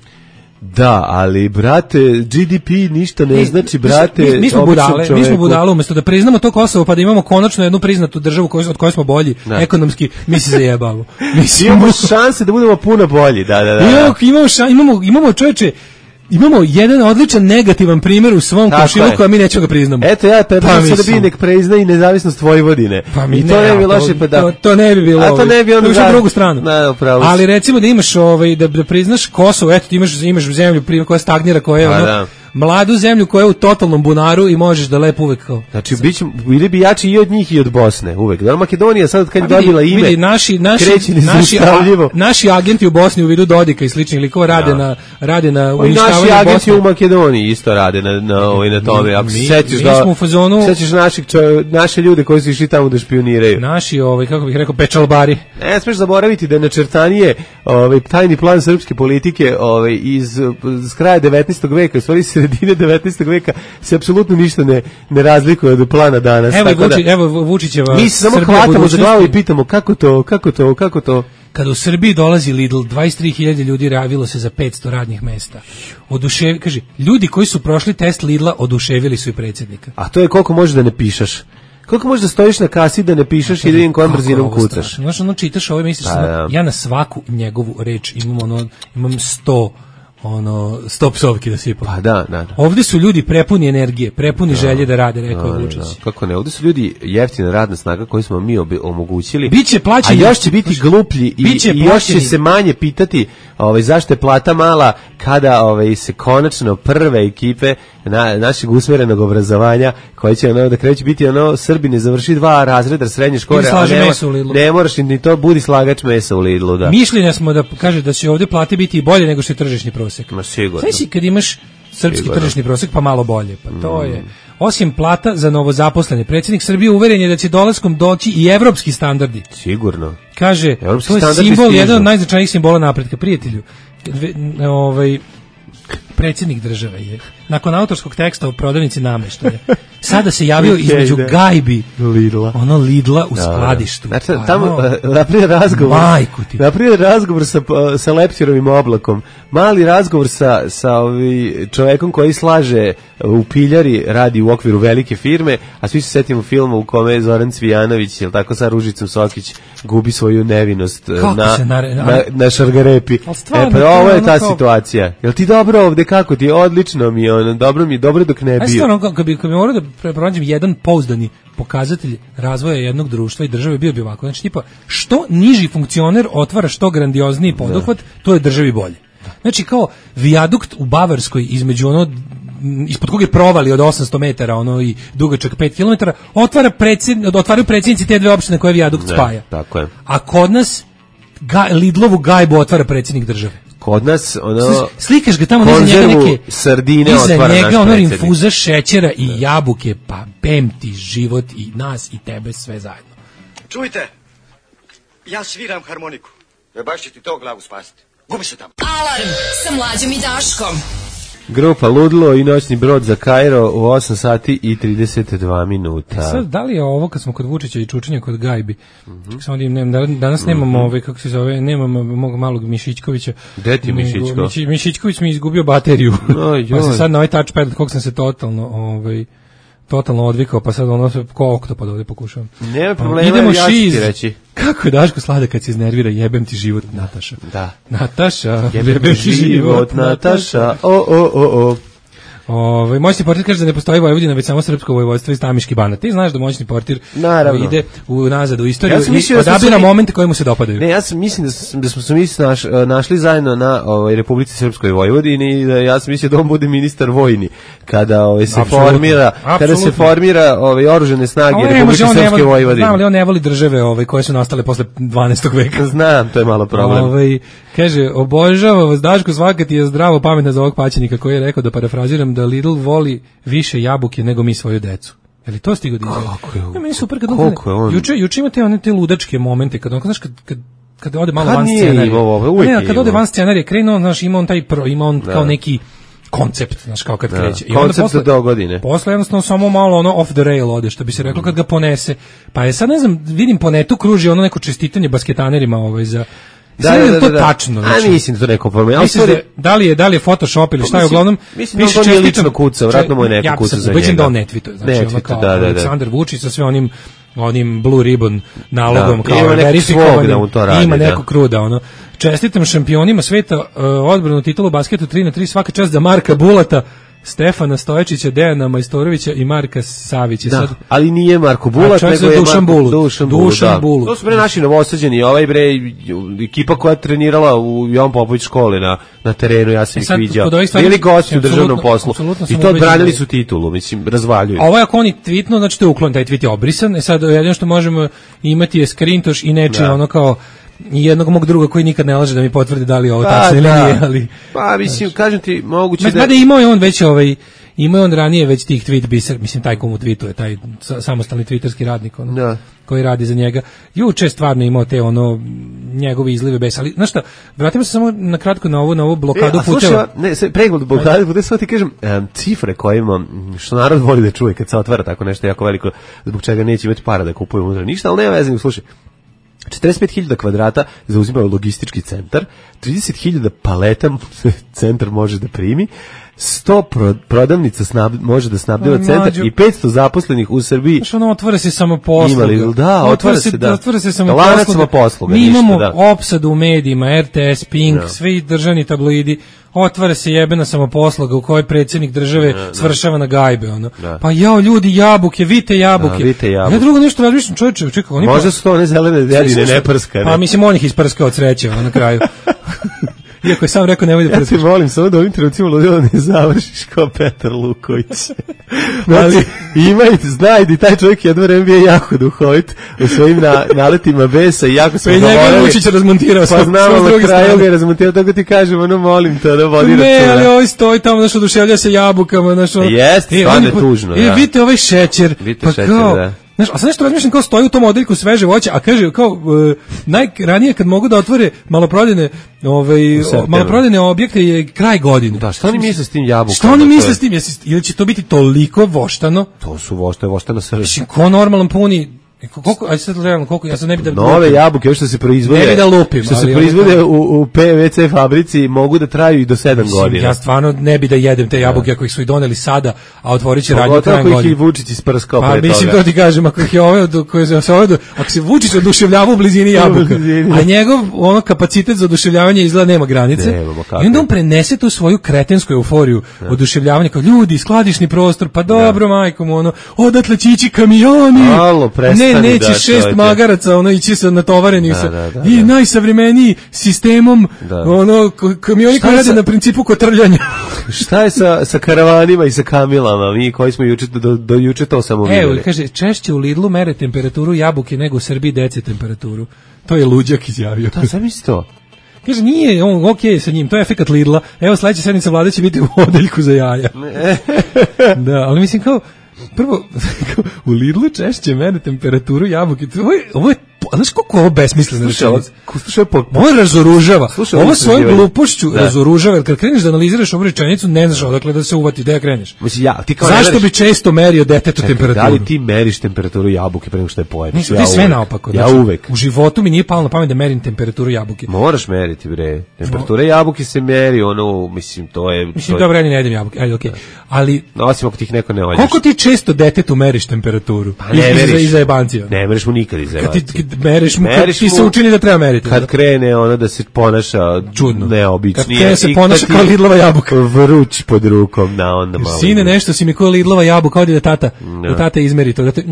Da, ali, brate, G D P ništa ne Mi- znači, mi- brate, mi, mi smo običnom budale, mi smo čoveku. budale, umesto da priznamo to Kosovo pa da imamo konačno jednu priznatu državu koju, od koje smo bolji Da. ekonomski, mi se zajebamo. Mi smo- Imamo šanse da budemo puno bolji, da, da, da. Imamo, imamo, ša, imamo, imamo čoveče, imamo jedan odličan negativan primjer u svom Tako komšiluku, je. a mi nećemo ga priznamo. Eto, ja predlažem Pa sada mislim. bi nek prezna i nezavisnost Vojvodine. Pa mi I to ne, ne bi a loše, pa da. To, to ne bi bilo. A to ovaj, ne bi onda išlo da- na drugu stranu. Da, upravo si. Ali recimo da imaš ovaj da, da priznaš Kosovo, eto ti imaš imaš zemlju pri- koja stagnira, koja je Pa ono, da. mladu zemlju koja je u totalnom bunaru i možeš da lepo uvek kao. Znači, bićemo, bili bi jači i od njih i od Bosne, uvek. Da, Makedonija sad kad je Pa vidi- dobila ime, vidi, naši naši kreće naši, nezaustavljivo. a- naši agenti u Bosni u vidu Dodika i sličnih likova rade Da. na rade na Pa i naši uništavanju agenti Bosne. u Makedoniji isto rade na, na, ovaj, na tome. Ako se mi- sećaš mi da... smo u fazonu- Sećaš naših, čo, naše ljude koji su išli tamo da špioniraju. Naši ovaj kako bih rekao pečalbari. Ne smiješ zaboraviti da je načrtanije ovaj, tajni plan srpske politike ovaj, iz, iz kraja devetnaestog veka, u stvari sred, sredine devetnaestog veka se apsolutno ništa ne, ne razlikuje od plana danas. Evo, Tako Vuči, da, evo Vučićeva mi se samo Srbija hvatamo za budućnosti. glavu i pitamo kako to, kako to, kako to. Kad u Srbiji dolazi Lidl, dvadeset tri hiljade ljudi javilo se za petsto radnih mesta. Odušev, kaže, ljudi koji su prošli test Lidla oduševili su i predsjednika. A to je koliko možeš da ne pišeš. Koliko možeš da stojiš na kasi da ne pišeš i da vidim kojom Kako je brzinom ovo kucaš. strašno. Znaš, ono čitaš ovo i misliš, Pa, samo, da. ja na svaku njegovu reč imam ono, imam sto ono, sto psovki da sipam. Pa da, da, da. Ovde su ljudi prepuni energije, prepuni želje da rade, rekao Da, je Vučić. da, kako ne, ovdje su ljudi jeftina radna snaga koju smo mi obi- omogućili. Biće plaćeni- A još će biti gluplji i, Biće i još će plaćeni- se manje pitati ovaj, zašto je plata mala kada ovaj, se konačno prve ekipe na, našeg usmerenog obrazovanja koje će ono, da kreće biti ono Srbi ne završi dva razreda srednje škole, Ili a slaže ne, meso u Lidlu. ne moraš ni to, budi slagač mesa u Lidlu, da. Mišljenja smo da kaže da će ovde plate biti i bolje nego što je tržišni prosek. Ma sigurno. Znaš si kad imaš srpski Sigurno. tržišni prosek pa malo bolje, pa to je. Osim plata za novozaposlene, predsjednik Srbije uveren je da će dolaskom doći i evropski standardi. Sigurno. Kaže, Evropski to je standardi simbol, stižu. jedan od najznačajnijih simbola napretka, prijatelju. Dve- n- ovaj predsjednik države je nakon autorskog teksta o prodavnici nameštaja sada se javio Okej, između da. gajbi Lidla. ono Lidla u Da, da. skladištu. Znači, Pa, tamo ono, uh, napravio razgovor. Majku ti. Napravio razgovor sa, uh, sa Leptirovim oblakom. Mali razgovor sa, sa ovi čovekom koji slaže u piljari, radi u okviru velike firme, a svi se setimo filma u kome je Zoran Cvijanović, jel tako, sa Ružicom Sokić gubi svoju nevinost uh, Kako na, se nare- na, na šargarepi. Ali stvarno, E, to pa je ovo je ono ta kao- situacija. Jel ti dobro ovde, kako ti? Odlično mi je, ono, dobro mi je, dobro dok ne Ja bio. stvarno, kad bi, kad bi morao da pre- pronađem jedan pouzdani pokazatelj razvoja jednog društva i države, bio bi ovako. Znači, tipa, što niži funkcioner otvara što grandiozniji poduhvat, to je državi bolje. Znači, kao vijadukt u Bavarskoj između ono m, ispod koga je provali od osamsto metara ono i dugačak pet kilometara, otvara predsjed, otvaraju predsjednici te dve opštine koje vijadukt Ne, spaja. tako je. A kod nas ga, Lidlovu gajbu otvara predsjednik države. Kod nas, ono... Sli- Slikaš ga tamo, iza njega konzervu neke sardine iza otvara naš njega ono predsjednik. infuza šećera i jabuke, pa bem ti život i nas i tebe sve zajedno. Čujte, ja sviram harmoniku. E baš će ti to glavu spasiti. Gubi se tamo. Alarm sa Mlađom i Daškom. Grupa Ludlo i noćni brod za Kairo u osam sati i trideset dva minuta. E sad, da li je ovo kad smo kod Vučića i Čučanja kod Gajbi? Mm-hmm. Samo da im nemam, da- danas nemamo ovaj, kako se zove, nemamo mog malog Mišićkovića. Gde ti je Mišićko? Miši- Mišićković mi je izgubio bateriju. Oj, Pa se joj. sad na ovaj touchpad, kog sam se totalno, ovaj, totalno odvikao, pa sad ono sve ko oktopad ovdje pokušavam. Nema problema, Idemo ja ću ti šiz. reći. Kako je Daško sladak kad se iznervira, jebem ti život, Nataša. Da. Nataša, Jebem ti život, Nataša. O, o, o, o. Ovaj moćni portir kaže da ne postoji Vojvodina, već samo srpsko vojvodstvo iz Tamiški Banat. Ti znaš da moćni portir Naravno. ide u nazad u istoriju Ja sam i mislio da smo odabira se mi- momente koji mu se dopadaju. Ne, ja sam mislim da, sam, da smo se mi naš, našli zajedno na ovaj, Republici Srpskoj Vojvodini i da ja sam mislio da on bude ministar vojni kada ovaj, se Apsolutno. formira kada se Apsolutno. formira ovaj, oružane snage A on ne Republike može, on ne Srpske voli, Vojvodine. znam li on ne voli države ovaj, koje su nastale posle dvanaestog veka. Znam, to je malo problem. Ovaj, kaže, obožava vas Daško, svaka ti je zdravo pametna za ovog paćenika koji je rekao, da parafraziram, da Lidl voli više jabuke nego mi svoju decu. Je li to stigo da izgleda? Kako je on- Ja, meni je super kad on, koliko je on- juče, juče imate one te ludačke momente, kad on, znaš, kad, kad kad ode malo Kad van nije scenarija. imao ovo, Pa uvijek ne, je kad ode imao. van scenarija, krenuo, znaš, ima on taj pro, ima on kao neki koncept, znaš, kao kad Da. kreće. Koncept za dogodine. Posle jednostavno samo malo ono off the rail ode, što bi se reklo kad ga ponese. Pa je sad, ne znam, vidim po netu kruži ono neko čestitanje basketanerima ovaj, za... Da, Sad je da, da, to da. tačno. A mislim da to neko problem. Ali Misliš da, stvari- da li je da li je Photoshop ili šta je Mislim- uglavnom mislim da on piše to nije čestitam- lično kucao, vjerojatno mu je neko ja kucao sam za ubeđen njega. da on ne tweetuje, znači Ne ono tweetuje, kao da, da, da. Aleksandar Vučić sa sve onim onim blue ribbon nalogom Da, kao ima nekog verifikovanim, svog da mu to radi, ima da. nekog kruda ono. Čestitam šampionima sveta, uh, odbranu titulu u basketu tri na tri, svaka čast za Marka Bulata, Stefana Stoječića, Dejana Majstorovića i Marka Savića. Da, Sad, ali nije Marko A Bulat, čovjek nego se je Dušan Marko, Bulut. Dušan Bulut, Dušan da. Bulut. To su bre naši novosađeni, ovaj bre, ekipa koja je trenirala u Jovan Popović školi na, na terenu, ja sam E ih sad, viđao. kod ovih stvari- Bili gosti u državnom apsolutno- poslu. apsolutno I sam to ubeđen odbranili da- su titulu, mislim, razvaljuju. Ovo je ako oni tweetnu, znači to je uklon, taj tweet je obrisan. E sad, jedino što možemo imati je skrintoš i neče Da. ono kao jednog mog druga koji nikad ne laže da mi potvrdi da li je ovo Pa, tačno ili da. nije, ali... Pa, mislim, kažem ti, moguće Znači, da... mada imao je on već ovaj, imao je on ranije već tih tweet biser, mislim, taj komu tweetuje, taj sa- samostalni twitterski radnik, ono, Da. koji radi za njega. Juče je stvarno imao te, ono, njegove izlive besa. Ali, znaš šta, vratimo se samo na kratko na ovu, na ovu blokadu e, puteva. Slušaj, ne, sve, pregled blokade puteva, samo ti kažem, um, cifre koje ima, što narod voli da čuje kad se otvara tako nešto jako veliko, zbog čega neće imati para da kupuje unutra ništa, ali nema vezanja, slušaj, četrdeset pet hiljada kvadrata zauzima logistički centar, trideset hiljada paleta centar može da primi, sto pro, prodavnica snab, može da snabdeva centar i petsto zaposlenih u Srbiji. Znaš, ono otvara se samo posluga. Imali, da, otvara se, da. Otvara se samo lanac posluga. posluga. Mi ništa, imamo da. opsadu u medijima, R T S, Pink, no. svi državni tabloidi, otvara se jebena samoposluga u kojoj predsjednik države no, no. svršava na gajbe. Ono. Da. Pa jao, ljudi, jabuke, vite jabuke. Da, vite jabuke. Ja drugo nešto razmišljam, čovječe, čekaj. Oni možda pa... su to one zelene dedine, ne prskane. Pa mislim, on ih isprskao od sreće na kraju. Iako je sam rekao nemoj da prskaš. Ja te molim samo da ovim trenucima ludilo ne završiš kao Petar Luković. Znači, imaj, znaj da taj čovjek jedno vreme bio jako duhovit u svojim na, naletima besa i jako smo govorili. Pa i njega Vučić razmontirao. Pa znamo na kraju ga je razmontirao, tako ti kažem, ono molim te da vodi računa. Ne, ali ovaj stoji tamo, znaš, oduševlja se jabukama, znaš, ono. Jeste, stvarno je tužno, da. E, vidite ovaj šećer. Vidite šećer, da. Znaš, a sad nešto razmišljam kao stoji u tom odeljku sveže voće, a kaže kao uh, najranije kad mogu da otvore maloprodajne ovaj maloprodajne objekte je kraj godine. Da, šta oni misle s tim jabukama? Šta oni misle s tim? Ili će to biti toliko voštano? To su vošte, voštana srž. Mislim, ko normalan puni koliko, aj sad realno, koliko, ja sad ne bi da... Nove jabuke, što se proizvode... Ne bi da lupim, što se proizvode u, u P V C fabrici mogu da traju i do sedam godina. Ja stvarno ne bi da jedem te jabuke ako ih su i doneli sada, a otvorit će radnju krajem godine. Ako ih i Vučić isprskao pre toga. Pa mislim, to ti kažem, ako ih je ovaj, ako se Vučić oduševljava u blizini jabuka, a njegov ono kapacitet za oduševljavanje izgleda nema granice, i onda on prenese tu svoju kretensku euforiju oduševljavanja, kao ljudi, skladišni prostor, pa dobro, majko mu, ono, odatle će ići kamioni. Alo, Ne, neće da, šest magaraca, ono ići sa natovarenih da, sa da, da, i da. najsavremeniji sistemom, da. ono kamioni koji rade na principu kotrljanja. Šta je sa sa karavanima i sa kamilama, mi koji smo juče do, do juče to samo videli. Evo, kaže, češće u Lidlu mere temperaturu jabuke nego u Srbiji dece temperaturu. To je luđak izjavio. Da, zamisli to. Kaže, nije, on ok sa njim, to je efekat Lidla. Evo, sledeća sednica vlade će biti u odeljku za jaja. Da, ali mislim kao prvo, u Lidlu češće mene temperaturu jabuke. Ovo je, ovo je znaš koliko ovo besmisleno rečenica? Slušaj, po... Ovo razoružava. Slušaj, ovo svojom glupošću da. razoružava, jer kad kreneš da analiziraš ovu rečenicu, ne znaš odakle da se uvati, da ja kreneš. Mislim, ja, ti kao zašto bi često merio detetu čekaj, temperaturu? Da li ti meriš temperaturu jabuke pre nego što je pojedeš? Mislim, ja sve naopako. Ja znači, uvek. U životu mi nije palo na pamet da merim temperaturu jabuke. Moraš meriti, bre. Temperatura no. jabuke se meri, ono, mislim, to je... Mislim, to dobro, ja ne jedem jabuke, ajde, okej. Okay. Ali... No, osim ako ti ih neko ne ođeš. Koliko ti često detetu meriš temperaturu? Pa ne meriš. Iza jebancija. Ne meriš mu nikad iza jebancija. Kad ti mereš mu, kad ti se učini da treba meriti. Kad krene ono da se ponaša čudno, neobičnije. Kad krene se ponaša kao Lidlova jabuka. Vruć pod rukom, na onda malo. Sine, nešto si mi kao Lidlova jabuka, odi da tata, da tata izmeri to. Da te,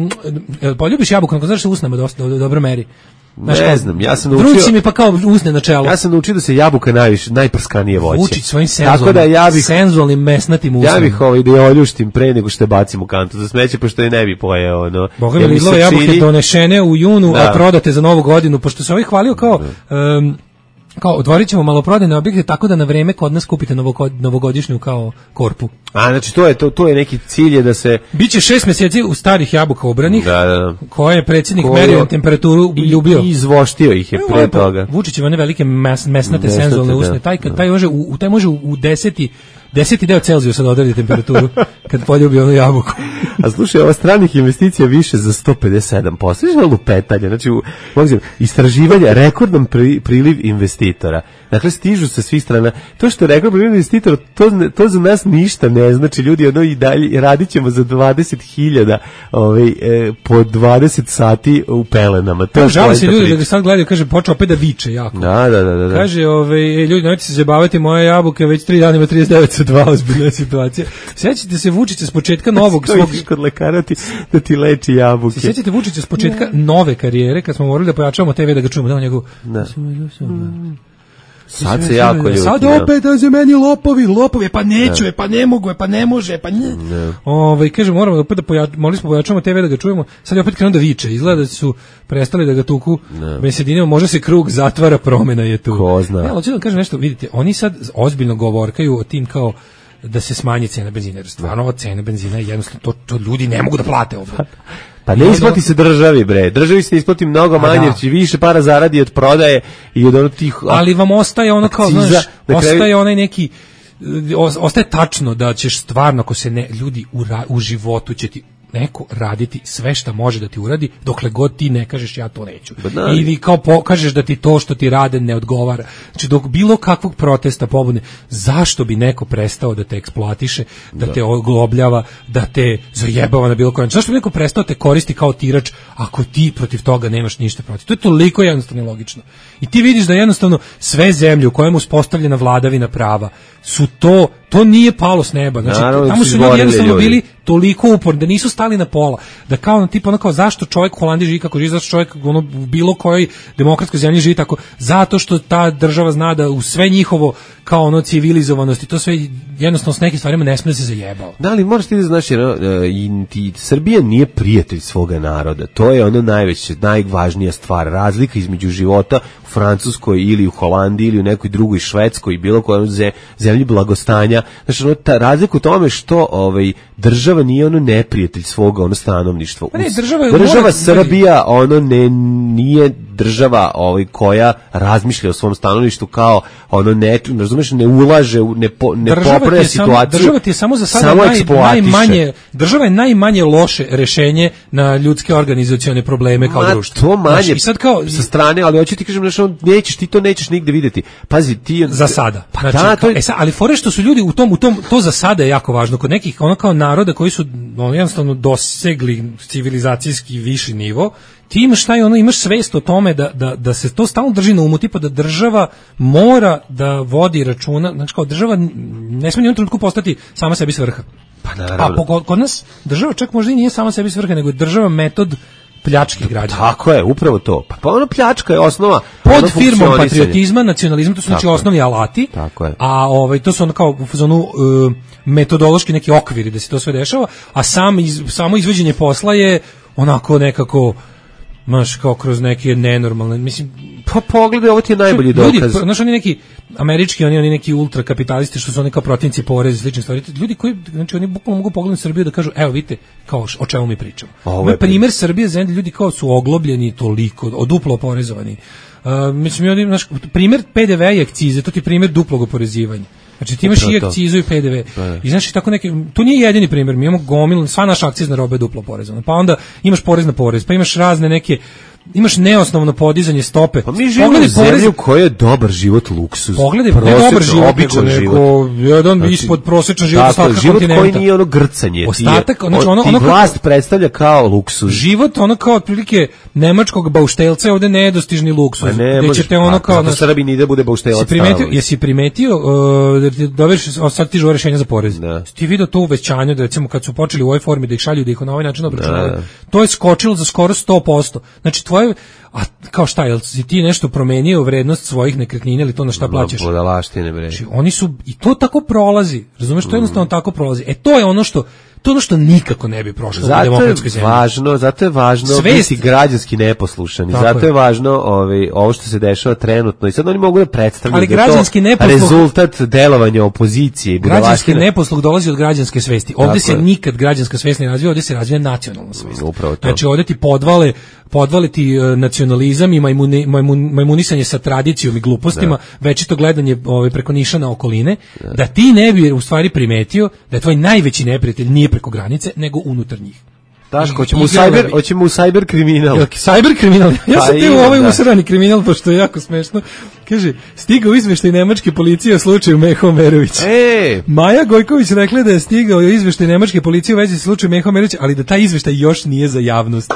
poljubiš jabuku, ako znaš se usnama dosta, dobro meri. Znaš, ne znam, ja sam naučio... Vrući mi pa kao usne na čelo. Ja sam naučio da se jabuka najviše, najprskanije voće. Vučić svojim senzualnim, da ja bih, senzualnim mesnatim usnama. Ja bih ovaj da je oljuštim pre nego što je bacim u kantu za smeće, pošto je ne bi pojeo. Ono, Boga mi Lidlove jabuke čini... donešene u junu, da. A prodate za novu godinu, pošto se ovaj hvalio kao... Um, kao otvorit ćemo maloprodajne objekte tako da na vreme kod nas kupite novogodišnju kao korpu. A znači to je to to je neki cilj je da se biće šest mjeseci u starih jabuka obranih. Da, da. Koje je predsjednik merio temperaturu i ljubio. I izvoštio ih je pre no, toga. Vučićeve one velike mes, mesnate senzualne usne, taj kad taj može u taj može u deseti deseti deo Celzijusa da odredi temperaturu kad poljubi onu jabuku. A slušaj, ova stranih investicija više za sto pedeset sedam posto. Znači, lupetanje. Znači, u, istraživanje, rekordan pri, priliv investitora. Dakle, stižu sa svih strana. To što je rekord priliv investitora, to, to za nas ništa ne znači. Ljudi, ono i dalje, radit ćemo za dvadeset hiljada ovaj, e, po dvadeset sati u pelenama. To žali se ljudi da ga sad gledaju, kaže, počeo opet da viče jako. Da, da, da. da. Kaže, ovaj, ljudi, nemojte se zabavati, moje jabuke već tri dana ima trideset devet sa dva, ozbiljna situacija. Sjećate se Vučića s početka novog svog... kod lekara ti, da ti leči jabuke. Sjećate Vučića s početka nove karijere, kad smo morali da pojačavamo te ve da ga čujemo, da on njegov... Da. Sad se jako ljuti. Sad opet da se meni lopovi, lopovi, pa neću, pa ne mogu, pa ne može, pa ne. Ovaj kaže moramo opet da pojačamo, morali smo pojačamo te ve da ga čujemo. Sad je opet krenuo da viče. Izgleda da su prestali da ga tuku. Besedinama može se krug zatvara, promena je tu. Ko zna. Ja, hoću da kažem nešto, vidite, oni sad ozbiljno govorkaju o tim kao da se smanji cena benzina. Jer stvarno ova cena benzina je jednostavno to, to ljudi ne mogu da plate ovdje. Pa ne isplati se državi, bre. Državi se isplati mnogo manje, jer će više para zaradi od prodaje i od onog tih... Ali vam ostaje ono kao, akciza, znaš, na kraju- ostaje onaj neki, ostaje tačno da ćeš stvarno, ako se ne, ljudi u, ra, u životu će ti neko raditi sve šta može da ti uradi, dokle god ti ne kažeš ja to neću. Da, Ili kao pokažeš da ti to što ti rade ne odgovara. Znači, dok bilo kakvog protesta, pobune, zašto bi neko prestao da te eksploatiše, da, da. te oglobljava, da te zajebava na bilo koji način? Zašto bi neko prestao da te koristi kao tirač ako ti protiv toga nemaš ništa protiv? To je toliko jednostavno i logično. I ti vidiš da jednostavno sve zemlje u kojemu uspostavljena vladavina prava su to, to nije palo s neba. Znači, Naravno, tamo su su ljudi izborili jednostavno ljudi. bili toliko uporni da nisu stali na pola. Da kao tipa ono kao zašto čovjek u Holandiji živi kako živi, zašto čovjek ono, u bilo kojoj demokratskoj zemlji živi tako, zato što ta država zna da u sve njihovo kao ono civilizovanost i to sve jednostavno s nekim stvarima ne smije da se zajebao. Da, ali moraš ti da znaš, jer uh, i, ti, Srbija nije prijatelj svoga naroda. To je ono najveće, najvažnija stvar. Razlika između života u Francuskoj ili u Holandiji ili u nekoj drugoj Švedskoj i bilo kojoj ze, zemlji blagostanja. Znači, ono, ta razlika u tome što ovaj, država nije ono neprijatelj svoga ono stanovništva. Pa ne, država je- država mora- Srbija ono ne nije država ovaj koja razmišlja o svom stanovništvu kao ono ne, razumeš, ne ulaže u ne po, ne Država ti popravlja je samo- situaciju. država ti je samo za sada samo naj, eksploatiše. najmanje, država je najmanje loše rešenje na ljudske organizacione probleme kao Ma, društvo. to manje Znaš, i sad kao sa strane, ali hoću ti kažem, znaš, ono, nećeš, ti to nećeš nigde vidjeti. Pazi, ti... za sada. Pa Znači, da, to je... e sad, ali fore što su ljudi u tom, u tom, to za sada je jako važno. Kod nekih, ono kao naroda koji su ono, jednostavno dosegli civilizacijski viši nivo, ti imaš taj, ono, imaš svest o tome da, da, da se to stalno drži na umu, tipa da država mora da vodi računa, znači kao država ne smije ni u jednom trenutku postati sama sebi svrha. Pa A naravno. po, kod nas država čak možda i nije sama sebi svrha, nego je država metod pljačke građana. Tako je, upravo to. Pa, pa ono pljačka je osnova Pod ono firmom funkcionisanja. patriotizma, nacionalizma, to su znači Tako je. osnovni alati. Tako je. A ovaj to su ono kao u fazonu uh, metodološki neki okviri da se to sve dešava, a sam iz, samo izvođenje posla je onako nekako maš kao kroz neke nenormalne, mislim, Pa pogledaj, ovo ti je najbolji ljudi, dokaz. znaš, oni neki američki, oni oni neki ultrakapitalisti što su oni kao protivnici poreza i slične stvari. Ljudi koji, znači oni bukvalno mogu pogledati Srbiju da kažu, evo vidite, kao š- o čemu mi pričamo. Ovo Ovo je je primjer Srbije, zemlje, ljudi kao su oglobljeni toliko, od duplo oporezovani. Uh, mislim, oni, znaš, primjer P D V i akcize, to ti je primjer duplog oporezivanja. Znači ti imaš Upravo i to. akcizu i P D V. Da. I znači tako neke, to nije jedini primjer, mi imamo gomilu, sva naša akcizna roba je duplo oporezovana. Pa onda imaš porez na porez, pa imaš razne neke, imaš neosnovno podizanje stope. Pa mi živimo u Pogledaj porez- zemlji u kojoj je dobar život luksuz. Pogledaj, ne Prosječan, dobar život, običan nego, život. nego jedan Znači, ispod prosječan život tako, ostatka život kontinenta. koji nije ono grcanje. Ostatak, ti je, znači, ono- ti ono kako- vlast predstavlja kao luksuz. Život ono kao otprilike nemačkog bauštelca je ovde nedostižni luksuz. Pa ne, gde može- ćete ono a, kao... zato znaš, Srbi nije da bude bauštelac Jesi primetio, stalno. jesi primetio uh, da ti dobiješ, o, sad ti žele rešenja za porez. Da. Ti vidio to uvećanje, da recimo kad su počeli u ovoj formi da ih šalju, da ih na ovaj način obračunavaju, Da. to je skočilo za skoro sto posto. Znači tvoje, a kao šta, jel si ti nešto promenio vrednost svojih nekretnina ili to na šta plaćaš? Budalaštine, bre. Znači, oni su, i to tako prolazi, razumeš, to jednostavno tako prolazi. E, to je ono što, to je ono što nikako ne bi prošlo u Zato je demokratskoj zemlji. važno, zato je važno Svest. biti građanski neposlušan. I Tako zato je, je. važno ovaj, ovo što se dešava trenutno. I sad oni mogu da predstavljaju Ali da je to građanski neposluh- rezultat delovanja opozicije i Građanski budalaštine. neposluh dolazi od građanske svesti. Ovde Tako se je. nikad građanska svest ne razvija, ovde se razvija nacionalna svest. Upravo to. Znači ovde ti podvale, podvale ti e, nacionalizam i majmuni, majmun, majmunisanje sa tradicijom i glupostima, večito gledanje ovaj, preko niša na okoline, da. ti ne bi u stvari primetio da je tvoj najveći neprijatelj nije preko granice, nego unutar njih. Daško, I- hoćemo u igrale cyber, bi- hoćemo u cyber kriminal. Jel, cyber kriminal. Ja Pa sam te ima, u ovaj da. usrani kriminal, pošto je jako smešno. Kaže, stigao izveštaj nemačke policije o slučaju Meho Merović. E, Maja Gojković rekla da je stigao izveštaj nemačke policije u vezi sa slučajem Meho Merović, ali da taj izveštaj još nije za javnost.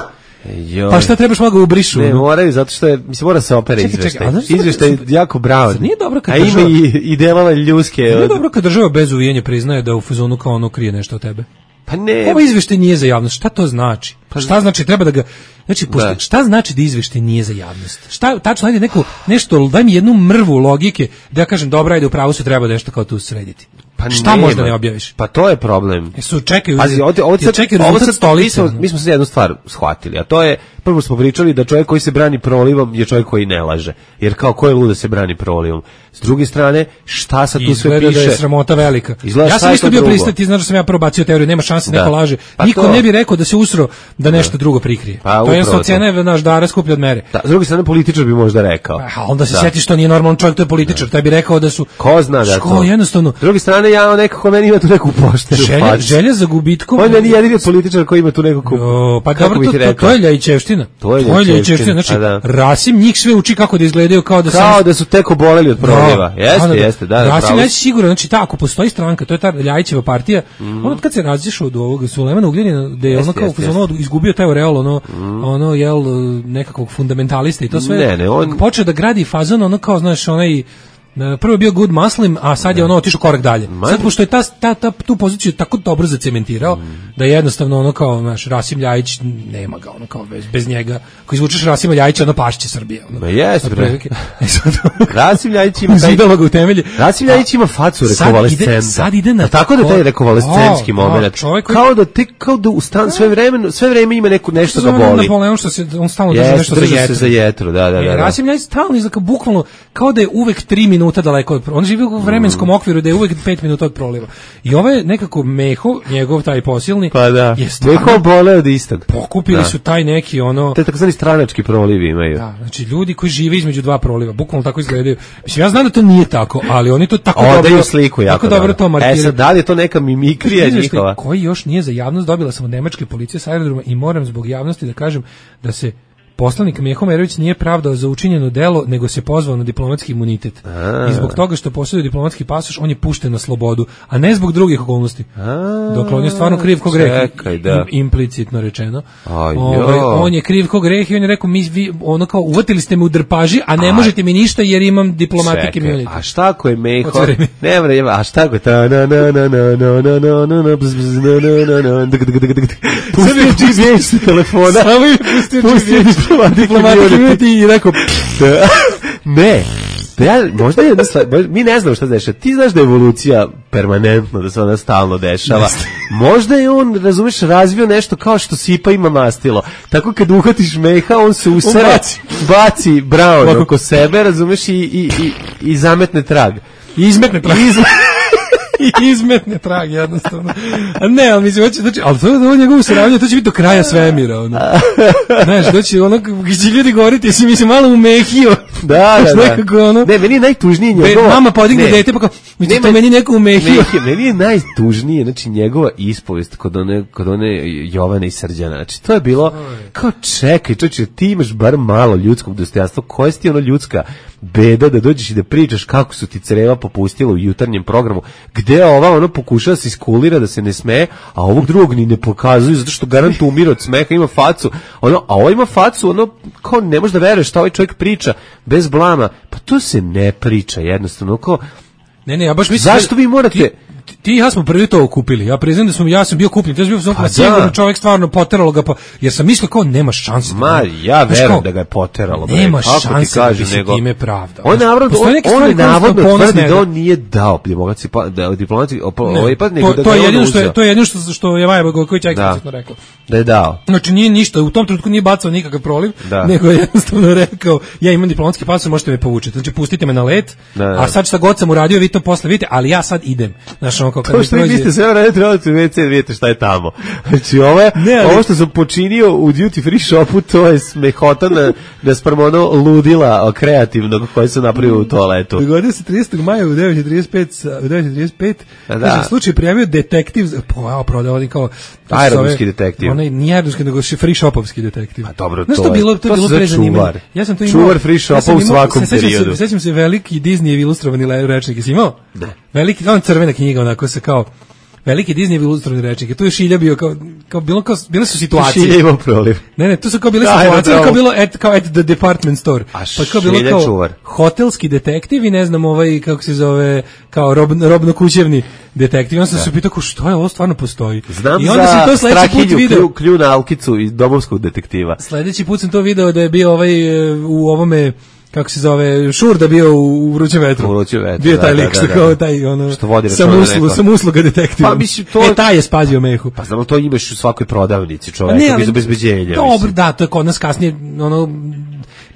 joj. Pa šta trebaš malo ga ubrišu? Ne, ono? moraju, zato što je, mislim, mora se opere Čekaj, čekaj, izveštaj. a znaš šta- Izveštaj je jako brown. Zar nije dobro kad A ima država- i, i delova ljuske. Nije od- dobro kad država bez uvijenja priznaje da u fazonu kao ono krije nešto od tebe. Pa ne, Ovo izveštaj nije za javnost. Šta to znači? Šta znači treba da ga znači pošto, Da. šta znači da izveštaj nije za javnost? Šta tačno ajde neko nešto daj mi jednu mrvu logike da ja kažem dobra ajde u pravu se treba nešto kao tu srediti. Pa šta nema. možda ne objaviš? Pa to je problem. Jesu čekaju. Pazi, ovdje, ovdje sad, čekaju ovo rezultat sad, stolice. mi smo, mi smo sad jednu stvar shvatili, a to je, prvo smo pričali da čovjek koji se brani prolivom je čovjek koji ne laže. Jer kao ko je lud da se brani prolivom? S druge strane, šta sad tu sve Izgleda piše? da je sramota velika. Izgleda Ja šta sam je isto to bio drugo? pristati, ti znaš da sam ja prvo bacio teoriju, nema šanse Da. neko laže. Pa Niko to. ne bi rekao da se usro da nešto drugo prikrije. Pa to je upravo jednostavno to. cena je naš dara skuplja od mere. Da, s druge strane, političar bi možda rekao. A onda se Da. sjetiš što nije normalan čovjek, to je političar. Taj bi rekao da su Ko zna da je Ško, to? jednostavno S druge strane, ja nekako meni ima tu neku pošteru želja, facu. želja za gubitkom. On je ni jedini političar koji ima tu nekako... O, pa kako dobro, bi to, ti to, rekao? to je Ljajićevština. To je Ljajićevština. Ljajićevština, Znači, a da. Rasim njih sve uči kako da izgledaju kao da Kao sam... da su tek oboleli od proliva. Jeste, jeste, da, da, Rasim pravo Ljajić si. sigurno, znači ta, ako postoji stranka, to je ta Ljajićeva partija, mm. on od kad se razišao od ovog Sulejmana Ugljanina, da je Jeste, ono kao jeste, ono izgubio taj oreol, ono, mm. ono, jel, nekakvog fundamentalista i to sve, Ne, ne, on- počeo da gradi fazon, ono kao, znaš, onaj, prvo je bio good muslim, a sad je ono otišao korak dalje. Sad pošto je ta, ta, ta tu poziciju tako dobro zacementirao Mm. da je jednostavno ono kao, znaš, Rasim Ljajić nema ga, ono kao bez, bez njega. Ako izvučeš Rasima Ljajića, ono pašće Srbije. Ono. Ma jeste, bre. Otprilike. E sad, Rasim Ljajić ima taj... Zidalo ga u temelji. Rasim Ljajić ima facu Sad rekovalescenta. ide- sad ide na A tako da taj ko- rekovalescenski O, moment. o, čovjek koji- Kao da te, kao da u stan sve vreme, sve vreme ima neku, nešto ga Zove ono boli. Napoleon što se, on stalno drži Jeste, nešto za drži se jetru. za jetru, da, da, E, da, da. Rasim Ljajić stalno izgleda bukvalno kao da je uvek tri minuta daleko od proliva. On živi u vremenskom okviru da je uvek pet minuta od proliva. I ovo je nekako Meho, njegov taj posilni, Pa da. je stvarno Meho bole od istog. pokupili Da. su taj neki ono... Te takozvani stranački prolivi imaju. Da, znači ljudi koji žive između dva proliva, bukvalno tako izgledaju. Mislim, ja znam da to nije tako, ali oni to tako Odaju dobro... sliku jako tako dobro to markiraju. E sad, da li je to neka mimikrija Izveštaj njihova? koji još nije za javnost, dobila sam od nemačke policije sa aerodroma i moram zbog javnosti da kažem da se poslanik Meho Merović nije pravdao za učinjeno delo, nego se pozvao na diplomatski imunitet. A. I zbog toga što posjeduje diplomatski pasoš, on je pušten na slobodu, a ne zbog drugih okolnosti. A, Dokle on je stvarno kriv ko greh. čekaj, da. Im- implicitno rečeno. Aj, Ovaj, jo. on je kriv ko greh i on je rekao, mi, vi, ono kao, uvatili ste me u drpaži, a ne A. možete mi ništa jer imam diplomatik Čekaj, imunitet. a šta ako je Meho? Otvori mi. Ne mre, a šta ako je ta na na na na na na na na na bz bz na na na na dik dik dik dik. Pustio G P S telefona. Samo je pustio Pustio G P S. diplomatik Diplomatik immunitet. imunitet i rekao, Da. Ne. Da ja, možda je jedna stvar, možda- mi ne znamo šta se dešava. Ti znaš da je evolucija permanentno, da se ona stalno dešava. Možda je on, razumeš, razvio nešto kao što sipa ima mastilo. Tako kad uhvatiš Meha, on se usere, On baci. baci Brown Ovako. oko sebe, razumeš, i, i, i, i zametne trag. i izmetne trag. Iz- I izmetne trag jednostavno. A ne, ali mislim, hoće, znači, ali to je ovo njegovo saravnje, to će biti do kraja svemira, ono. Znaš, to će ono, gdje će ljudi govoriti, jesi mi se malo umehio. Da, da, Znaš, da. nekako, ono, Ne, meni je najtužnije Be, njegova... mama podigne ne. dete, pa kao, mi Nema- to meni neko umehio. Mehije, meni je najtužnije, znači njegova ispovest kod one, kod one Jovane i Srđana. Znači to je bilo kao čekaj, čovječe, ti imaš bar malo ljudskog dostojanstva. Koja si ti ono ljudska beda da dođeš i da pričaš kako su ti creva popustila u jutarnjem programu, gde ova ono pokušava da se iskulira da se ne smeje, a ovog drugog ni ne pokazuju zato što garant umire od smeha, ima facu, ono, a ovo ima facu, ono, kao ne možeš da veruješ šta ovaj čovjek priča bez blama. Pa to se ne priča jednostavno, kao Ne, ne, ja baš mislim... zašto da- vi morate... Ti, ti i ja smo prvi to okupili. Ja priznam da smo, ja sam bio kupljen. Ja sam bio Pa pa sigurno da. čovjek stvarno poteralo ga, pa, jer sam mislio kao nema šanse. da- Ma, ja Znaš, verujem kao, da ga je poteralo. bre, Nema kako ti šanse da bi kažem, se nego- time pravdao. On, navodno, Postoje on, neke on stvari je koje su navodno ponos tvrdi njega. da on nije dao diplomatski pa, da diplomatski opo- Ne, ovaj pa nego to, da to ga je on jedino što je uzeo. to je jedino što što je Maja Gojković eksplicitno rekao. Da je dao. Znači nije ništa, u tom trenutku nije bacao nikakav proliv, Da. nego je jednostavno rekao, ja imam diplomatski pasoš, možete me povučiti. Znači pustite me na let, Da, da. a sad šta god sam uradio, vi to posle vidite, ali ja sad idem. Znaš, ono kao kad To mi što vi prođe- mislite sve vreme trebate u ve ce, vidite šta je tamo. Znači ovo, je, Ne, ali- ovo što sam počinio u duty free shopu, to je smehota na, na sprem ono ludila kreativnog koje se napravio u toaletu. Dogodio se tridesetog maja u devet i trideset pet, sa- u devet i trideset pet, Da. kaže, slučaj prijavio detektiv, za- po, evo, prodao oni kao... to se Aerodromski zove- detektiv. Onaj, nije aerodromski, nego še- free shopovski detektiv. Pa dobro, Znaš, to to je- bilo, to to je bilo se zove prezanimanje. čuvar. Ja sam to imao. Čuvar free shopa ja sam u imao- svakom se- sećam se- periodu. Sećam se veliki Disney ilustrovani le- rečnik, jesi imao? Da. Veliki, on crvena knjiga, onako se kao... Veliki Disney ilustrovani rečnik. Tu je Šilja bio kao, kao, bilo kao, bile su situacije. Šilja imao proliv. Ne, ne, tu su kao bile Da, situacije, da, da. kao bilo at, kao at the department store. A pa kao bilo Šilja kao čuvar. hotelski detektiv i ne znam ovaj, kako se zove, kao rob, robno-kućevni detektiv. On sam se pitao, kao, što je ovo stvarno postoji? Znam I onda za sam to sledeći put Strahinju, video. klju, klju na Alkicu iz domovskog detektiva. Sledeći put sam to video da je bio ovaj e, u ovome kako se zove, Šurda bio u Vrućem vetru. U Vrućem vetru, bio da, taj da, lik da, što da, kao da. taj ono Što vodi sa računa muslu, neko. sa musluga detektiva. Pa, mislim, to- E, taj je spazio Mehu. Pa znamo, to imaš u svakoj prodavnici Pa čoveka ali- bez obezbeđenja. Dobro, mislim. da, to je kod nas kasnije, ono,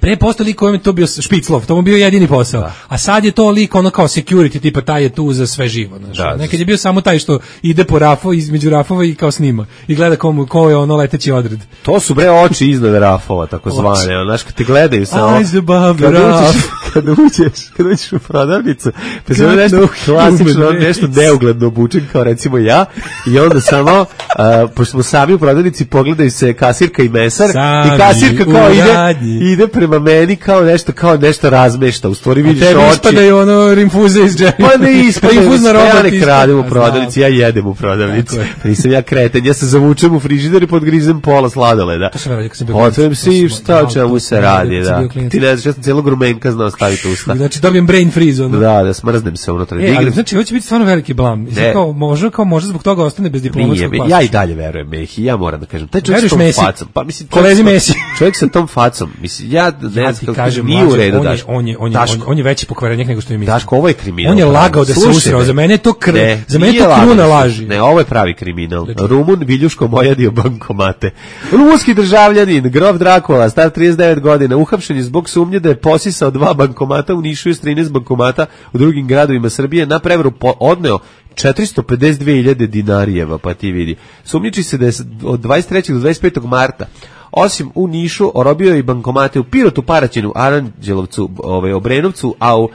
pre posto lik kojem je to bio špiclov, to mu bio jedini posao. Da. A sad je to lik ono kao security, tipa taj je tu za sve živo. Znaš. Da. Nekad je bio samo taj što ide po rafu, između rafova i kao snima. I gleda komu, ko je ono leteći odred. To su bre oči iznad rafova, tako zvane. ono, Znaš, kad te gledaju sa ovo. Eyes above the Kad raf. uđeš, kad uđeš, kad uđeš u prodavnicu, pa se Got nešto no klasično, human nešto race. neugledno obučen, kao recimo ja, i onda samo, a, pošto smo sami u prodavnici, pogledaju se kasirka i mesar, Sami i kasirka kao u ide, radnji. ide prema meni kao nešto, kao nešto razmešta. U stvari A vidiš tebi oči. ispadaju ono rimfuze iz džepa. Pa ne ispada, Rimfuzna roba ja ti ne ispada. kradem u Pa prodavnici, znam. ja jedem u prodavnici. Tako je. Pa nisam ja kreten, ja se zavučem u frižider i podgrizem pola sladoleda. To sam radio kad sam bio Otvorim klinac. se i To sam- šta o da, čemu to se sam radio radi, kad sam da. bio klinac. Ti ne znaš, ja sam cijelog rumenka znao staviti u usta. Znači dobijem brain freeze ono. Da, da smrznem se unutra. E, ali Dignem- znači ovo će biti stvarno veliki blam. Mislim, Ne. kao, može, kao može zbog toga ostane bez Nije, diplomatskog ja pasoša. i dalje verujem Mehi, ja moram da kažem. Taj čovjek Veruješ sa tom Mesi? facom, pa mislim, čovjek Kolezi sa tom- Mesi. čovjek sa tom facom, mislim, ja ne Ja znam ti kako kažem, kažem, nije u mlađe, redu, on je, Daško. on je, on je, Daško, on je, on je veći pokvarenik nego što je mislio. Daško, ovo je kriminal. On je pravi. lagao da se Slušaj usrao, me. za mene je to kr, Ne, za mene je nije to lagao kruna da se- laži. Ne, ovo je pravi kriminal. Znači- Rumun Viljuško mojadio bankomate. Rumunski državljanin, grof Drakula, star trideset devet godina, uhapšen je zbog sumnje da je posisao dva bankomata, u Nišu je s trinaest bankomata u drugim gradovima Srbije, na prevaru po- odneo četiristo pedeset dve hiljade dinarijeva, pa ti vidi. Sumnjiči se da je s- od dvadeset trećeg do dvadeset petog marta osim u Nišu, orobio je i bankomate u Pirotu, Paraćinu, Aranđelovcu, ovaj, Obrenovcu, a u, uh,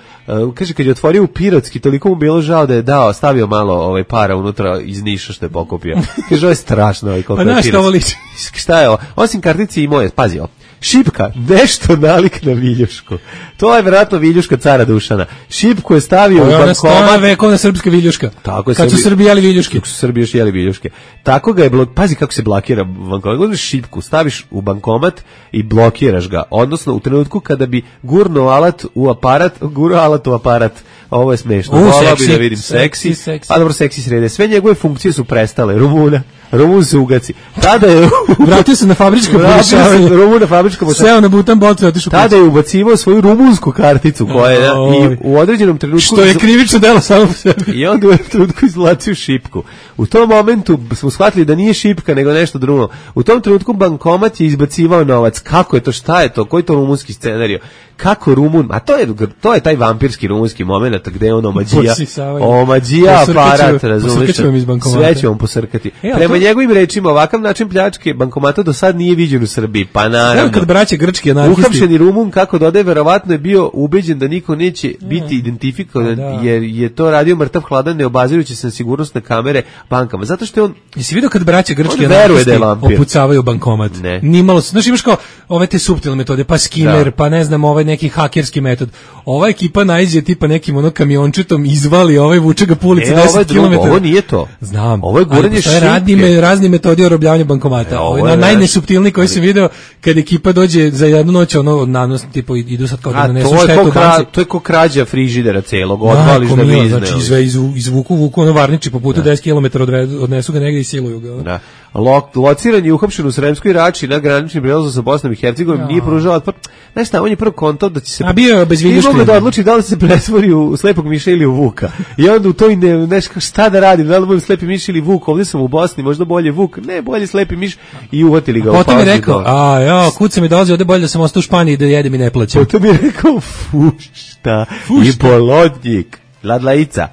kaže, kad je otvorio u Pirotski, toliko mu bilo žao da je dao, stavio malo ovaj, para unutra iz Niša što je pokupio. Kaže, ovo je strašno. Ovaj, Pa znaš što ovo liči? Šta je ovo? Osim kartice i moje, pazi ovo. Šipka, nešto nalik na viljušku. To je vjerojatno viljuška cara Dušana. Šipku je stavio Ovo u je ona stara bankomat. vekovna srpska viljuška. Tako je, Kad su Srbi- Srbi jeli viljuške. Kako su Srbi još jeli viljuške. Tako ga je blok, pazi kako se blokira bankomat. Gledaš šipku, staviš u bankomat i blokiraš ga. Odnosno u trenutku kada bi gurnuo alat u aparat, gurnuo alat u aparat. Ovo je smešno. U, Volao bi seksi. da vidim seksi. Seksi, seksi. Pa dobro, seksi srede. Sve njegove funkcije su prestale. Rumuna. Rumun se ugaci. Tada je Vratio se na fabričko Vratio se pokušavanje. Rumun na fabričko pokušavanje. Seo na butan bocu i otišao Tada je ubacivao svoju rumunsku karticu koja je Oj. i u određenom trenutku Što je krivično delo samo po sebi. i onda u jednom trenutku izvlačio šipku. U tom momentu smo shvatili da nije šipka nego nešto drugo. U tom trenutku bankomat je izbacivao novac. Kako je to, šta je to, koji je to rumunski scenario? Kako Rumun, a to je to je taj vampirski rumunski momenat gde on omađija, Posisavanje. omađija Posrkaće- aparat, razumiješ? posrkaće vam iz bankomata. Sve će vam posrkati. E, a Prema to- njegovim rečima, ovakav način pljačke bankomata do sad nije viđen u Srbiji. Pa naravno. Evo kad braće grčki anarhisti. Uhapšeni Rumun, kako dodaje, verovatno je bio ubeđen da niko neće biti identifikovan, Da. jer je to radio mrtav hladan, ne obazirujući se na sigurnosne kamere bankama. Zato što je on... Jesi vidio kad braće grčki On veruje anarhisti da je vampir. opucavaju bankomat? Ne. Nimalo, znaš imaš kao ove te suptilne metode, pa skimer, Da. pa ne znam, ovaj neki hakerski metod. Ova ekipa najđe tipa nekim ono kamiončetom, izvali ovaj, vuče ga po ulici E, ovo je deset drugo, kilometara. ovo nije to. Znam. Ovo je ali guranje postoje šipke. radni, me- razni metodi orobljavanja bankomata. E, ovo ovo je je na naš- najnesuptilniji koji sam video kad ekipa dođe za jednu noć, ono, nanos, tipo, idu sad kao da A, nanesu to je, štetu ko u kra, banci. to je ko krađa frižidera celog, odvališ Majko da mila, vizne. znači izve, izvu, izvuku, vuku ono varniči po putu deset kilometara odre- odnesu ga negdje i siluju ga. ono. Da. Lo, lociran je uhapšen u Sremskoj Rači na graničnim prelazu sa Bosnom i Hercegovinom, nije pružao otpor. Znaš šta, on je prvo kontao da će se... A bio je bez Nije viljuške. mogao da odluči da li se pretvori u slepog miša ili u vuka. I onda u toj ne, znaš, šta da radim, da li budem slepi miš ili vuk, ovdje sam u Bosni, možda bolje vuk, ne, bolje slepi miš, i uvatili ga u Potom je pauzi rekao, dole. a ja, kuca mi dolazi, ovde bolje da sam ostao u Španiji i da jedem i ne plaćam. Potom je rekao, fušta, i polodnjik, ladlaica.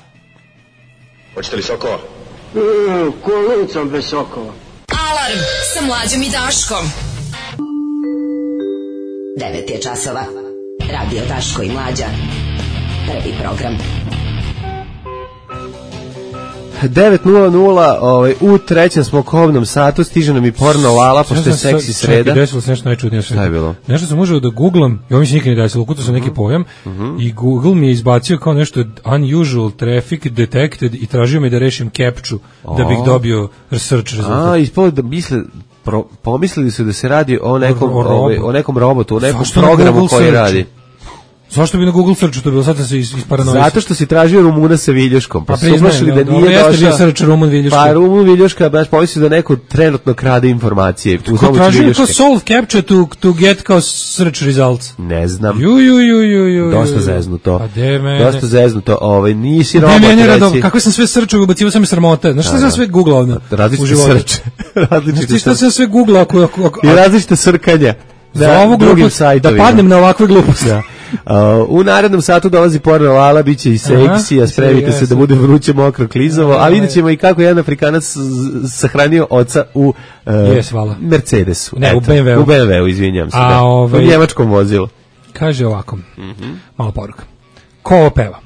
Hoćete li sokova? Mm, kolicom bez sokova. Alarm sa mlađom i Daškom. devet je časova. Radio Daško i Mlađa. Prvi program. devet nula nula, ovaj, u trećem smo kovnom satu, stiže nam i porno Lala, pošto je seksi sreda. Čekaj, desilo se nešto najčudnije. Šta je bilo? Nešto sam užao da googlam, i ovo mi se nikad ne desilo, ukucao sam neki pojam, i Google mi je izbacio kao nešto unusual traffic detected i tražio me da rešim captcha da bih dobio search rezultat. A, ispalo da misle, pro, pomislili su da se radi o nekom, O- o robu. ovaj, o nekom robotu, o nekom Zašto na programu Google koji searchu? radi. Zašto bi na Google searchu to bilo? Sad sam se iz, iz paranoise. Zato što si tražio Rumuna sa viljuškom. Pa, pa su da nije došao. Pa search Rumun viljuška. Pa Rumun viljuška, baš pomislio da neko trenutno krade informacije. Ko tražio kao solve capture to, to get kao search results? Ne znam. Ju, ju, ju, ju, ju. Dosta zeznuto. A de mene? Dosta zeznuto. Ovaj, nisi robot. Ne, mene rado, kako sam sve searchao, ubacivo sam mi sramota. Znaš šta sam sve googlao ovdje? Različite search. Različite šta sam sve googlao ako... ako, ako I različite srkanja. Da, ovu glupost, da padnem na ovakve gluposti. Da. Uh, u narednom satu dolazi porno Lala, bit će i seksi, a spremite se da bude vruće, mokro, klizovo, a vidjet ćemo i kako jedan Afrikanac sahranio oca u uh, yes, Mercedesu. Ne, Eto, u B M W-u. U B M W-u, izvinjam se. A, da. Ovaj, u njemačkom vozilu. Kaže ovako, mm-hmm. malo poruka. Ko ovo peva?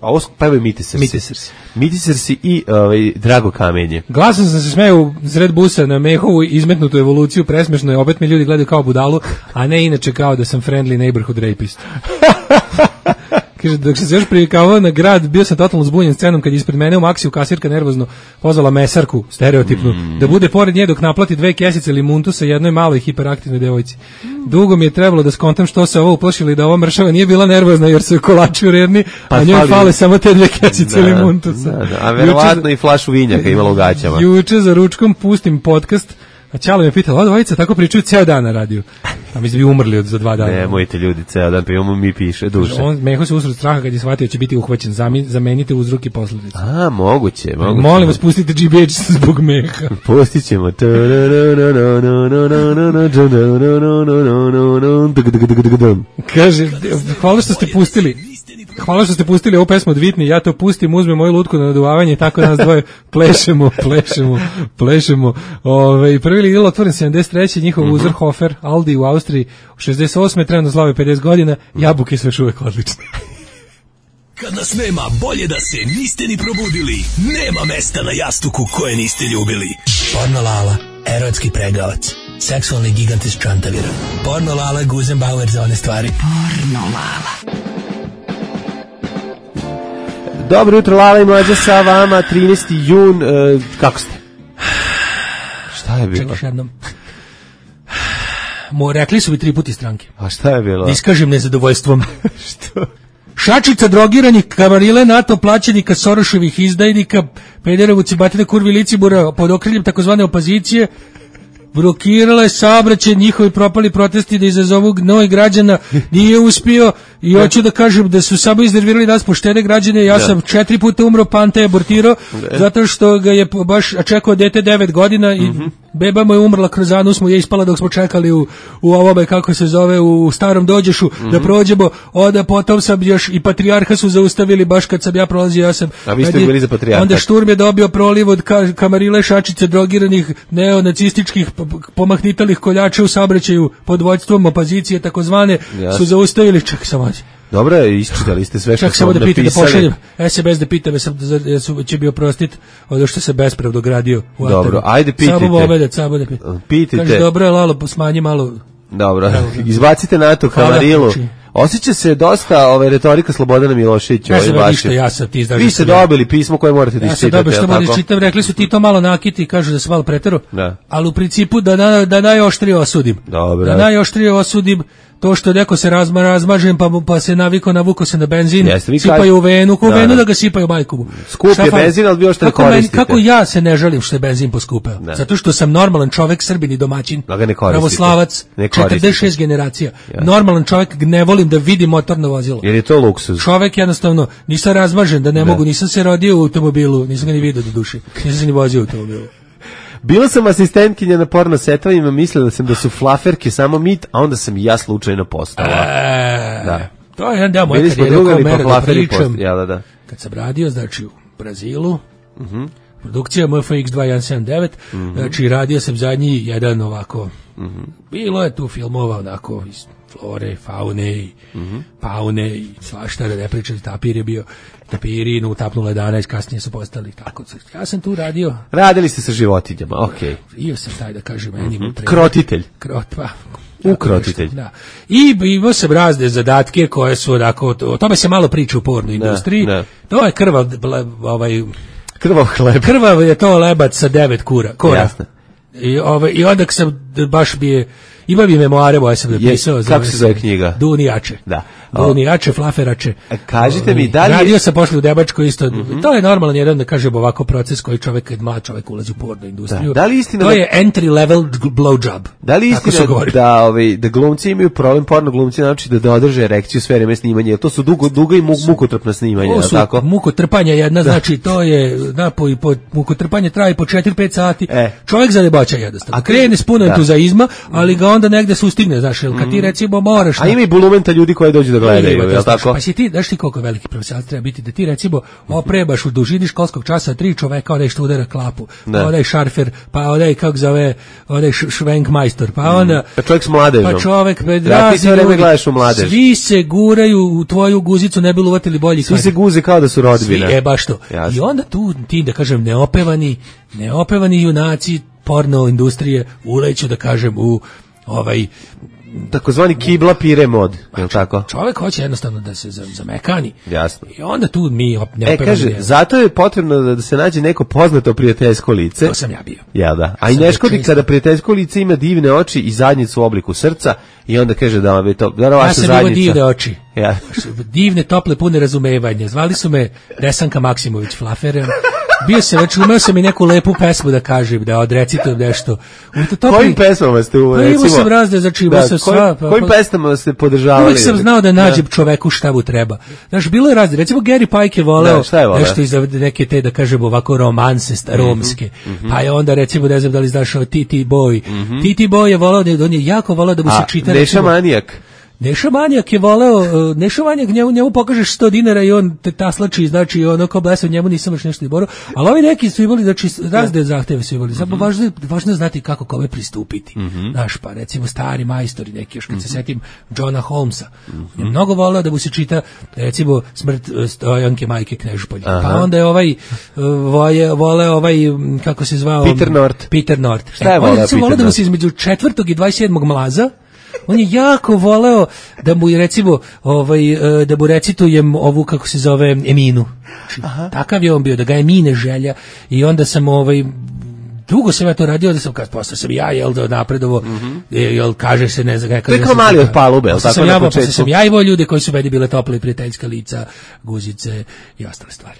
A ovo pevaju Mitisersi. Mitisersi. Mitisersi i ovaj, Drago Kamenje. Glasom sam se smeo u zred busa na Mehovu izmetnutu evoluciju, presmešno je, opet mi ljudi gledaju kao budalu, a ne inače kao da sam friendly neighborhood rapist. Kaže, dok sam se još privikavao na grad, bio sam totalno zbunjen scenom kad je ispred mene u Maksiju kasirka nervozno pozvala mesarku, stereotipnu, mm. da bude pored nje dok naplati dve kesice limuntu sa jednoj maloj hiperaktivnoj devojci. Dugo mi je trebalo da skontam što se ovo uplašili da ova mršava nije bila nervozna jer su kolači uredni, pa a njoj fali... fale samo te dve kesice da, limuntusa. Da, da. A verovatno i flašu vinjaka imala u gaćama. Juče za ručkom pustim podcast, a Ćale me pitala, ova dvojica tako pričaju ceo dan na radiju. A mi bi umrli od za dva dana. Ne, mojte ljudi, ceo dan, pa imamo mi piše duše. On Meho se usred straha kad je shvatio će biti uhvaćen. Zamenite uzrok i posledice. A, moguće, moguće. Molim vas, pustite G B H zbog Meha. Pustit ćemo. Kaže, hvala što ste pustili. Hvala što ste pustili ovu pesmu od Whitney, ja to pustim, uzmem moju lutku na naduvavanje i tako nas dvoje plešemo, plešemo, plešemo. Ove, prvi lig je otvoren sedamdeset treće njihov mm-hmm. Uzerhofer, Aldi u Austriji, u šezdeset osme trenutno slave pedeset godina, jabuke su još uvek odlične. Kad nas nema, bolje da se niste ni probudili. Nema mesta na jastuku koje niste ljubili. Porno Lala, erotski pregavac, seksualni gigant iz Čantavira. Porno Lala, Guzenbauer za one stvari. Porno Lala. Dobro jutro, Lala i Mlađa sa vama, trinaesti jun, e, kako ste? Šta je bilo? Čekaš jednom. Mo, rekli su mi tri puti stranke. A šta je bilo? Da iskažem nezadovoljstvom. Što? Šačica drogiranih, kamarile NATO plaćenika, Soroševih izdajnika, pederovuci batine kurvi licibura pod okriljem takozvane opozicije, blokirala je saobraćaj, njihovi propali protesti da izazovu gnoj građana, nije uspio i hoću da kažem da su samo iznervirali nas poštene građane, ja sam četiri puta umro, Panta je abortirao, zato što ga je baš čekao dete devet godina i mm-hmm. beba mu je umrla kroz anus, mu je ispala dok smo čekali u, u ovome, kako se zove, u starom dođešu, mm-hmm. da prođemo, onda potom sam još i patrijarha su zaustavili baš kad sam ja prolazio, ja sam... A vi ste bili za patrijarha? Onda šturm je dobio proliv od ka, kamarile šačice drogiranih neonacističkih pomahnitalih koljača u saobraćaju pod vođstvom opozicije takozvane yes. su zaustavili, čak sam ođe. Dobro, isčitali ste sve što čak sam da napisali. Da pošaljem es em es da pita me sam da su, će bi oprostit od što se bespravno gradio u Dobro, Ataru. Ajde pitajte. Samo obedat, samo da pitajte. Pitajte. Kaže, dobro je, Lalo, smanji malo. Dobro, izbacite NATO kamarilu. Osjeća se dosta ove retorika Slobodana Miloševića. Ja sam ništa, ja sam ti Vi ste dobili pismo koje morate da iščitate. Ja sam dobili što morate iščitam, rekli su ti to malo nakiti, kažu da se malo pretero, da. Ali u principu da, na, da najoštrije osudim. Dobro. Da najoštrije osudim to što neko se razma, razmažem pa, pa se naviko, navuko se na benzin, Jeste, sipaju u venu, ko u venu da ga sipaju majku. Skup je benzin, ali bi još ne koristite. Kako ja se ne žalim što je benzin poskupeo? Da. Zato što sam normalan čovek, Srbin i domaćin, pravoslavac, četrdeset šest generacija. Ja. Normalan čovek, ne volim da vidim motorno vozilo. Jer je to luksuz. Čovek jednostavno, nisam razmažen, da ne da. mogu, nisam se rodio u automobilu, nisam ga ni vidio do duše, nisam se ni vozio u automobilu. Bila sam asistentkinja na porno setovima, mislila sam da su flaferke samo mit, a onda sam i ja slučajno postala. E, da. To je jedan deo moje karijere kao mera da pričam. Ja, da, da. Kad sam radio, znači u Brazilu, uh-huh. produkcija M F X dva jedan sedam devet, uh-huh. znači radio sam zadnji jedan ovako, uh-huh. bilo je tu filmova onako iz flore, faune i uh-huh. paune i svašta, da ne pričati, tapir je bio, tapiri, no utapnula jedanaest, kasnije su postali tako. Ja sam tu radio. Radili ste sa životinjama, okej. Okay. Io sam taj da kažem, meni uh-huh. krotitelj. Krot, pa. Ukrotitelj. Da. I imao sam razne zadatke koje su onako, o tome se malo priča u porno industriji. Da, da. To je krvav, ovaj, krvav hleb. Krvav je to lebac sa devet kura. Kora. Jasno. I, ovaj, I onda sam baš bi je, ima bi memoare moje sam napisao. Yes, kako se zove knjiga? Dunijače. Da. glunijače, flaferače. Kažite mi, da li... Radio sam posle u Debačkoj isto. Mm-hmm. To je normalan jedan, da kažem, ovako proces koji čovek, kad mlad čovek ulazi u porno industriju. Da, da li istina to da... je entry level blowjob. Da li istina da, ovaj, da glumci imaju problem, porno glumci, znači da, da održe erekciju sve vreme snimanja, to su dugo, dugo i mukotrpna snimanja, to su tako? Mukotrpanja jedna, da. Znači to je napoj, po, mukotrpanje traje po četiri pet sati, e. čovjek zadeboća jednostavno. A krene s puno entuzaizma, ali ga onda negde sustigne, znaš, jel, kad ti recimo moraš... A ima i bulumenta ljudi koji dođu da gledaju, je li tako? Pa si ti, znaš ti koliko veliki profesionalac treba biti, da ti recimo oprebaš u dužini školskog časa tri čoveka, onaj što udara klapu, pa onaj šarfer, pa onaj, kako zove, onaj švenkmajstor, pa onda... Pa čovjek s mladežom. Pa čovek, pa da, ti sve vreme gledaš u mladež. Svi se guraju u tvoju guzicu, ne bi uvatili bolji. Svi se guze kao da su rodbina. Svi, e, baš to. Jasne. I onda tu, ti, da kažem, neopevani, neopevani junaci porno industrije uleću, da kažem, u ovaj takozvani kibla pire mod, je li tako? Čovjek hoće jednostavno da se zamekani. Jasno. I onda tu mi ne E, kaže, je. Zato je potrebno da, da se nađe neko poznato prijateljsko lice. To sam ja bio. Ja, da. A i ne škodi kada prijateljsko lice ima divne oči i zadnjicu u obliku srca i onda kaže da vam je to, da vaša ja sam zadnjica. Imao divne oči. Ja. Divne, tople, pune razumevanja. Zvali su me Desanka Maksimović Flaferem. Bio sam, znači, umeo sam i neku lepu pesmu da kažem, da odrecitujem nešto. Topli... Kojim pesmama ste u, pa, recimo? Imao sam razne, znači, imao da, sam koj, sva... Pa, kojim pesmama ste podržavali? Uvijek sam znao da nađem da. čoveku šta mu treba. Znaš, bilo je razne. Recimo, Gary Pike je voleo da, je nešto iz neke te, da kažemo, ovako romanse romske. Mm-hmm. Pa je onda, recimo, ne znam da li znaš o T T Boy. Mm-hmm. T T Boy je voleo, on je jako voleo da mu se čita... A, Neša Manijak? Neša Manijak je voleo, Neša Manijak, njemu, njemu pokažeš sto dinara i on te taslači, znači ono kao blesav, njemu nisam još nešto izborio, ali ovi neki su imali, znači razne zahteve su imali, samo važno, važno je znati kako kome pristupiti, mm-hmm. znaš, pa recimo stari majstori neki, još kad mm-hmm. se setim Johna Holmesa, mm-hmm. je mnogo voleo da mu se čita, recimo, Smrt Stojanke majke Knežupolje, pa onda je ovaj, voje, voleo ovaj, kako se zvao? Peter North. Peter North. Šta je voleo Peter North? On je da mu se između četvrtog i dvadeset sedmog mlaza, on je jako voleo da mu recimo ovaj da mu recitujem ovu, kako se zove, Eminu. Aha. Takav je on bio, da ga Emine želja, i onda sam ovaj dugo sam ja to radio, da sam kad posle sam ja jel da napredovo, mm-hmm. jel kaže se ne znam kako. To je kao mali od palube, al tako na početku. Sam ja i volio ljude koji su meni bile tople i prijateljska lica, guzice i ostale stvari.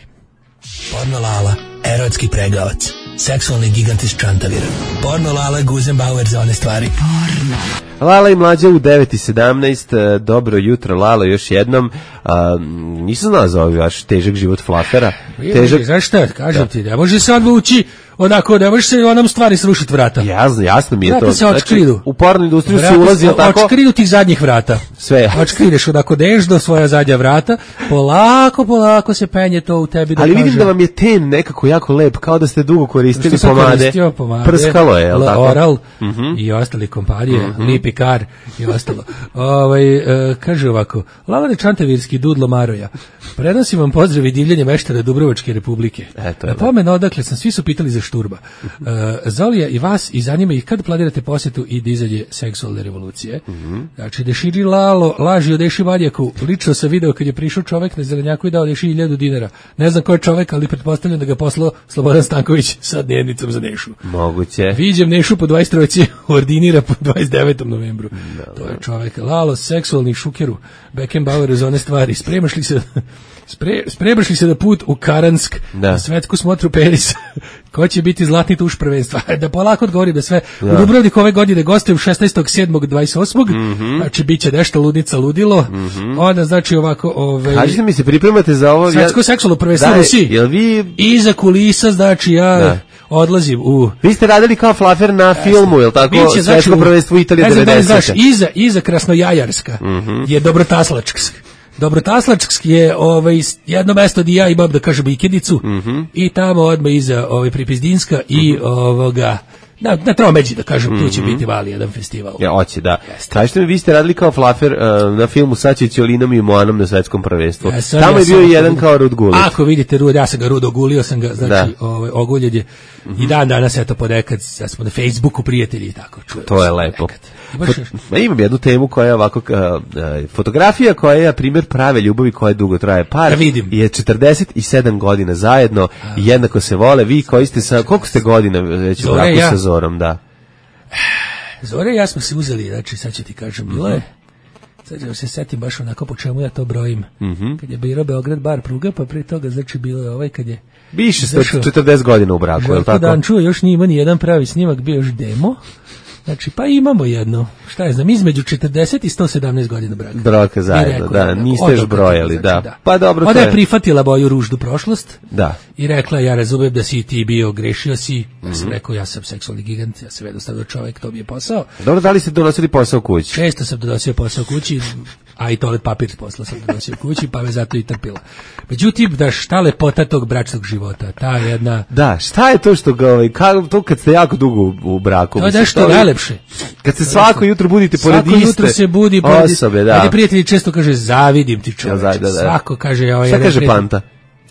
Porno Lala, erotski pregavac, seksualni gigant iz Čantavira. Porno Lala, Guzenbauer za one stvari. Porno. Lala i Mlađa u devet i sedamnaest, dobro jutro Lala još jednom. A, nisam znao za ovaj vaš težak život Flafera. Težak... Znaš šta, kažem ti, ne može se odvući onako, ne može se onom stvari srušiti vrata. Jasno, jasno mi je vrata to. Se očkridu. Znači, u pornu industriju se ulazi tako. Očkridu tih zadnjih vrata. Sve. Očkrideš onako dežno svoja zadnja vrata, polako, polako se penje to u tebi. Da ali kaže... vidim da vam je ten nekako jako lep, kao da ste dugo koristili pomade. pomade. Prskalo je, jel tako? Oral uh-huh. i ostali kompanije, uh-huh. Lipi Kar i ostalo. Ovaj uh, kaže ovako, Lavane Čantavirski Dudlo Maroja. Prenosim vam pozdrav i divljenje meštara Dubrovačke republike. Eto, na pomen odakle sam, svi su pitali za Šturba. Uh, Zolija i vas i zanima ih kad planirate posjetu i dizanje seksualne revolucije. Mm-hmm. Znači, Deširi Lalo laži o Deši Manjaku. Lično sam video kad je prišao čovek na Zelenjaku i dao Deši hiljadu dinara. Ne znam ko je čovek, ali pretpostavljam da ga poslao Slobodan Stanković sa dnevnicom za Nešu. Moguće. Viđem Nešu po dvadeset trojici, ordinira po dvadeset devetom novembru. Da, to je čovek. Lalo, seksualni šukeru, Beckenbauer za one stvari. Spremaš li se... Spre, spremaš li se da put u Karansk, da. Na svetsku smotru Paris, ko će biti zlatni tuš prvenstva? Da polako odgovorim da sve. Da. U Dubrovniku ove godine gostujem šesnaestog sedmog dvadeset osmog Mm-hmm. Znači, bit će nešto ludnica ludilo. Mm-hmm. Onda, znači, ovako... Ove, kažite mi, se pripremate za ovo... Svetsko seksualno prvenstvo u Rusiji. Jel vi... Iza kulisa, znači, ja... Da. Odlazim u... Vi ste radili kao Flafer na Jeste. filmu, jel tako? Biće, Svetsko znači, prvenstvo Italije devedesete Znaš, iza, iza Krasnojajarska mm-hmm. je Dobrotaslačksk. Dobrotaslački je ovaj jedno mesto gdje ja imam, da kažem, ikedicu, mm-hmm. i tamo odmah iza ovaj Pripizdinska mm-hmm. i ovoga na, na Tromeđi, da kažem, mm-hmm. tu će biti vali jedan festival. Ja, hoće, da. Kažete mi, vi ste radili kao Flafer uh, na filmu sa Ćolinom i Moanom na svetskom prvenstvu. Ja, tamo ja je bio jedan kao Rud Gulić. Ako vidite Rud, ja sam ga Rud ogulio, sam ga, znači, ovaj, oguljen je. Mm-hmm. I dan danas, eto, ponekad, ja smo na Facebooku prijatelji i tako. To je lepo. Fot, imam jednu temu koja je ovako, uh, uh, fotografija koja je, na primjer, prave ljubavi koja dugo traje. Par vidim. je četrdeset sedam godina zajedno a. i jednako se vole. Vi koji ste sa, koliko ste godina već u braku ja. sa Zorom, da? Zore i ja smo se uzeli, znači, sad ću ti kažem, bilo je, Sad se setim baš onako po čemu ja to brojim. Mhm. Kad je bilo Beograd bar pruga, pa pre toga znači bilo je ovaj kad je Više sto četrdeset godina u braku, je li tako? Dan čuo, još nije ima ni jedan pravi snimak, bio još demo. Znači, pa imamo jedno, šta je znam, između četrdeset i sto sedamnaest godina braka. Braka zajedno, rekao, da, niste još brojali, znači, da. da. Pa dobro, Onda je prihvatila moju ružnu prošlost. Da. I rekla, ja razumijem da si ti bio, grešio si. Ja sam mm-hmm. rekao, ja sam seksualni gigant, ja sam jednostavno čovjek, to mi je posao. Dobro, da li ste donosili posao kući? Često sam donosio posao kući, a i toalet papir posla sam donosio kući, pa me zato i trpila. Međutim, da šta lepota tog bračnog života, ta jedna... Da, šta je to što ga, ovaj, ka, to kad ste jako dugo u, u braku? To je nešto najlepše. Kad se svako jutro budite pored iste svako jutro se budi pored osobe, da. Ajde, prijatelji često kaže, zavidim ti čoveče. Ja, da, da. Svako kaže... Ovaj, šta kaže Panta?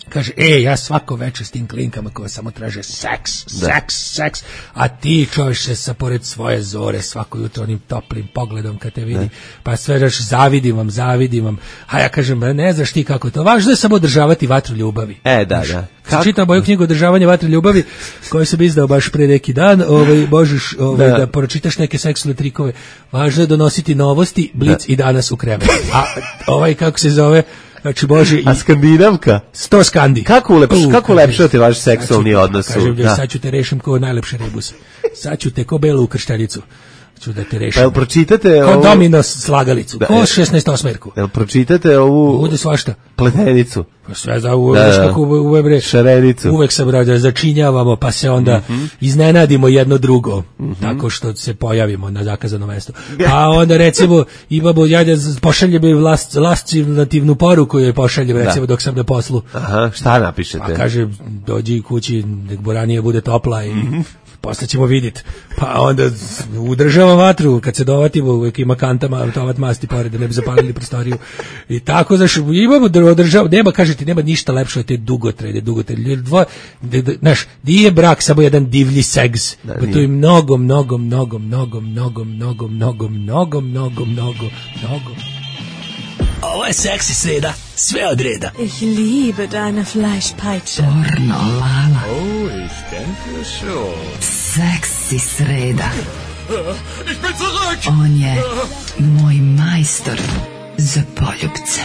Kaže, e, ja svako večer s tim klinkama koje samo traže seks, da. seks, seks, a ti čovječe sa pored svoje zore svako jutro onim toplim pogledom kad te vidi, da. Pa sve daš, zavidim vam, zavidim vam, a ja kažem, ne znaš ti kako je to, važno je samo održavati vatru ljubavi. E, da, da. Kako? Čitam moju knjigu Održavanje vatre ljubavi, koju sam izdao baš pre neki dan, ovaj, možeš ovaj, da. da pročitaš neke seksualne trikove, važno je donositi novosti, blic da. I danas u krevet. A ovaj, kako se zove, znači Bože i... A skandinavka? Sto skandi. Kako ulepš, uh, kako ulepšati vaš seksualni odnos? Kažem, da. Sad ću te rešim kao najlepše rebuse. Sad ću te ko belu u kršteljicu. Ću da te rešim. Pa jel pročitate ovu... Ko domino slagalicu, da, ko šesnaest osmerku. Jel pročitate ovu... Bude svašta. Pletenicu. Pa sve za u, da, kako u, u, u, šarenicu. Uvek se brada začinjavamo, pa se onda mm-hmm. iznenadimo jedno drugo, mm-hmm. tako što se pojavimo na zakazano mesto. A onda recimo imamo, ja pošaljem last, lascivativnu poruku je pošaljem recimo da. Dok sam na poslu. Aha, šta napišete? Pa kaže, dođi kući, nek boranije bude topla i... Mm-hmm. Posle ćemo vidjeti. Pa onda udržava vatru, kad se dovatimo, uvijek ima kantama, tovat masti pored, da ne bi zapalili prostoriju. I tako, znaš, imamo da održava, nema, kažete, nema ništa lepše od te dugotrajne, dugotrajne. Dvo, znaš, nije brak samo jedan divlji seks, da, pa to je mnogo, mnogo, mnogo, mnogo, mnogo, mnogo, mnogo, mnogo, mnogo, mnogo, mnogo. Ovo je seksi sreda, sve od reda. Ich liebe deine Fleischpeitsche. Pornolala. Oh, ich denke schon. Seksi sreda. Ich bin zurück. On je moj majstor za poljupce.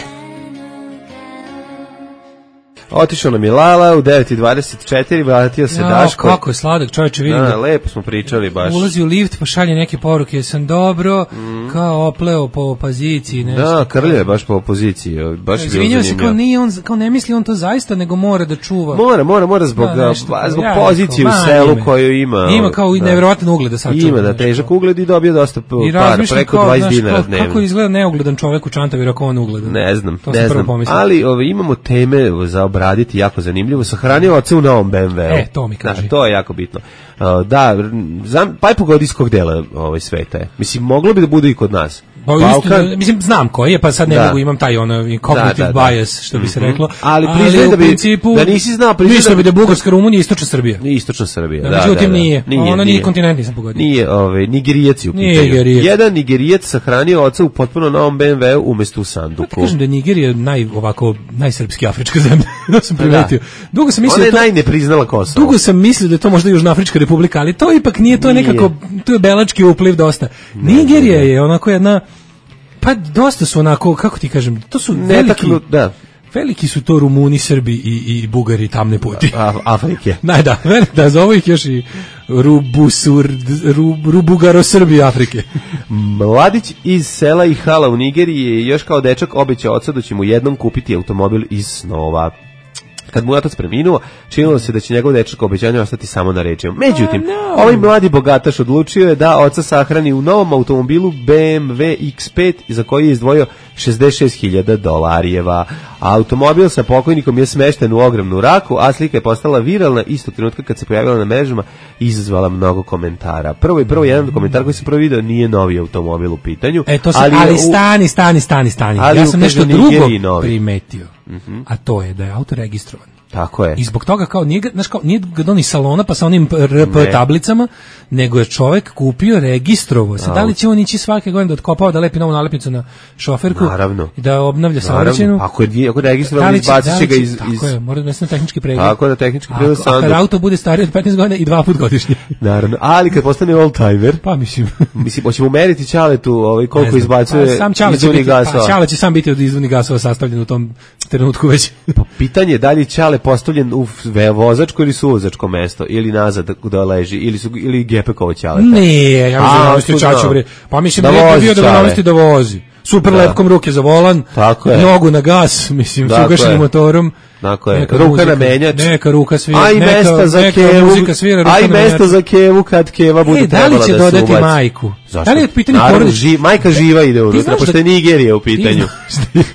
Otišao nam je Lala u devet i dvadeset četiri, vratio se ja, Daško. Kako je sladak, čovječe, vidim. Da, lepo smo pričali baš. Ulazi u lift, pa šalje neke poruke, sam dobro, mm. kao opleo po opoziciji. Nešto. Da, krlje baš po opoziciji. Baš je izvinjava se, kao, nije on, kao ne misli on to zaista, nego mora da čuva. Mora, mora, mora zbog, da, nešto, zbog ja, pozicije u selu ime. Koju ima. Ima kao da. Nevjerovatan ugled da sačuva. Ima, da, težak ugled i dobio dosta para, preko dvadeset dinara dnevno. Kako izgleda neugledan čovek u Čantaviru ako on ugledan? Ne znam, ne znam, ali imamo teme za obraditi jako zanimljivo. Sahranio oca u novom be em ve. E, to mi kaže. Da, to je jako bitno. Uh, da, znam, pa je pogodi iz kog dela ovaj sveta je. Mislim, moglo bi da bude i kod nas. Pa, Balkan, mislim, znam koji je, pa sad ne da. Mogu, imam taj ono cognitive da, da, bias, što bi se mm-hmm. reklo. Ali priznaj da bi, principu, da nisi znao, priznaj da bi da Bugarska, Rumunija i Istočna Srbija. Istočna Srbija, da, da. Međutim, da, da. Nije. nije. Ono nije kontinent, nisam pogodio. Nije, ovaj, Nigerijac je u pitanju. Nigerijac. Jedan Nigerijac sahranio oca u potpuno novom be em ve umesto u sanduku. Pa kažem da je Nigerija naj, ovako, najsrpski afrička zemlja. Da sam primetio. Dugo sam mislio ona je to, najnepriznala Kosovo. Dugo sam mislio da je to možda Južnoafrička republika, ali to ipak nije, to je nekako, to je belački upliv dosta. Nigerija je onako jedna. Pa dosta su onako, kako ti kažem, to su veliki, Netaknu, da. veliki su to Rumuni, Srbi i, i Bugari tamne puti. A, Afrike. Naj, da, da, zovu ih još i Rubusur, Rub, Rubugaro Srbi Afrike. Mladić iz sela i hala u Nigeriji je još kao dečak obećao oca da će mu jednom kupiti automobil iz snova. Kad mu je otac preminuo, činilo se da će njegov dečak obećanje ostati samo na rečima. Međutim, oh, no. ovaj mladi bogataš odlučio je da oca sahrani u novom automobilu be em ve iks pet za koji je izdvojio šezdeset šest hiljada dolarijeva. A automobil sa pokojnikom je smešten u ogromnu raku, a slika je postala viralna istog trenutka kad se pojavila na mrežama i izazvala mnogo komentara. Prvo i prvo jedan komentar koji se prvo video nije novi automobil u pitanju. E, to se, ali, ali stani, stani, stani, stani. Ja sam nešto drugo primetio. Mm-hmm. A to je da je auto registrovan. Tako je. I zbog toga kao nije, ga- znaš, kao, nije ga donio iz salona pa sa onim R P Ne. tablicama, nego je čovek kupio, registrovo. Sad, da li će on ići svake godine da otkopava, da lepi novu nalepnicu na šoferku Naravno. i da obnavlja Naravno, saobraćajnu? ako je ako je Da registrovan, li će- izbacit da će li ga iz... iz... Tako je, mora da donese na tehnički pregled. Tako da tehnički Ako- pregled a kad sandu. auto bude stariji od petnaest godina i dva put godišnje. Naravno, ali kad postane old-timer, Pa mislim... mislim, hoćemo meriti Ćaletu ovaj, Ne koliko znam. izbacuje Pa, sam Ćale će izduvnih biti, gasova. pa, Ćale će sam biti od izduvnih gasova sastavljen u tom trenutku već. Pa pitanje je da li je Ćale postavljen u ve- vozačko ili suvozačko mesto, ili nazad da leži, ili su ili Gepekovo Ćaleta. Ne, ja mislim A, da namesti tu Čaču, da. bre. Pa mislim Da da je vozi bio da ga Ćale. namesti da vozi. Super Da. lepkom ruke za volan, Tako je. nogu na gas, mislim, s Tako ugašenim je. motorom. Tako je. Neka Ruka muzika- na menjač. Neka ruka svira, A i neka, mesta za neka kevu. muzika svira, ruka A i na mesta menjaču. za kevu kad keva bude E, da li trebala će da se dodati ubaci. majku? Zašto? Da li je pitanje Naravno, porodice? ži- majka živa ide Ti unutra, znaš pošto da- je Nigerija u Ti pitanju. znaš-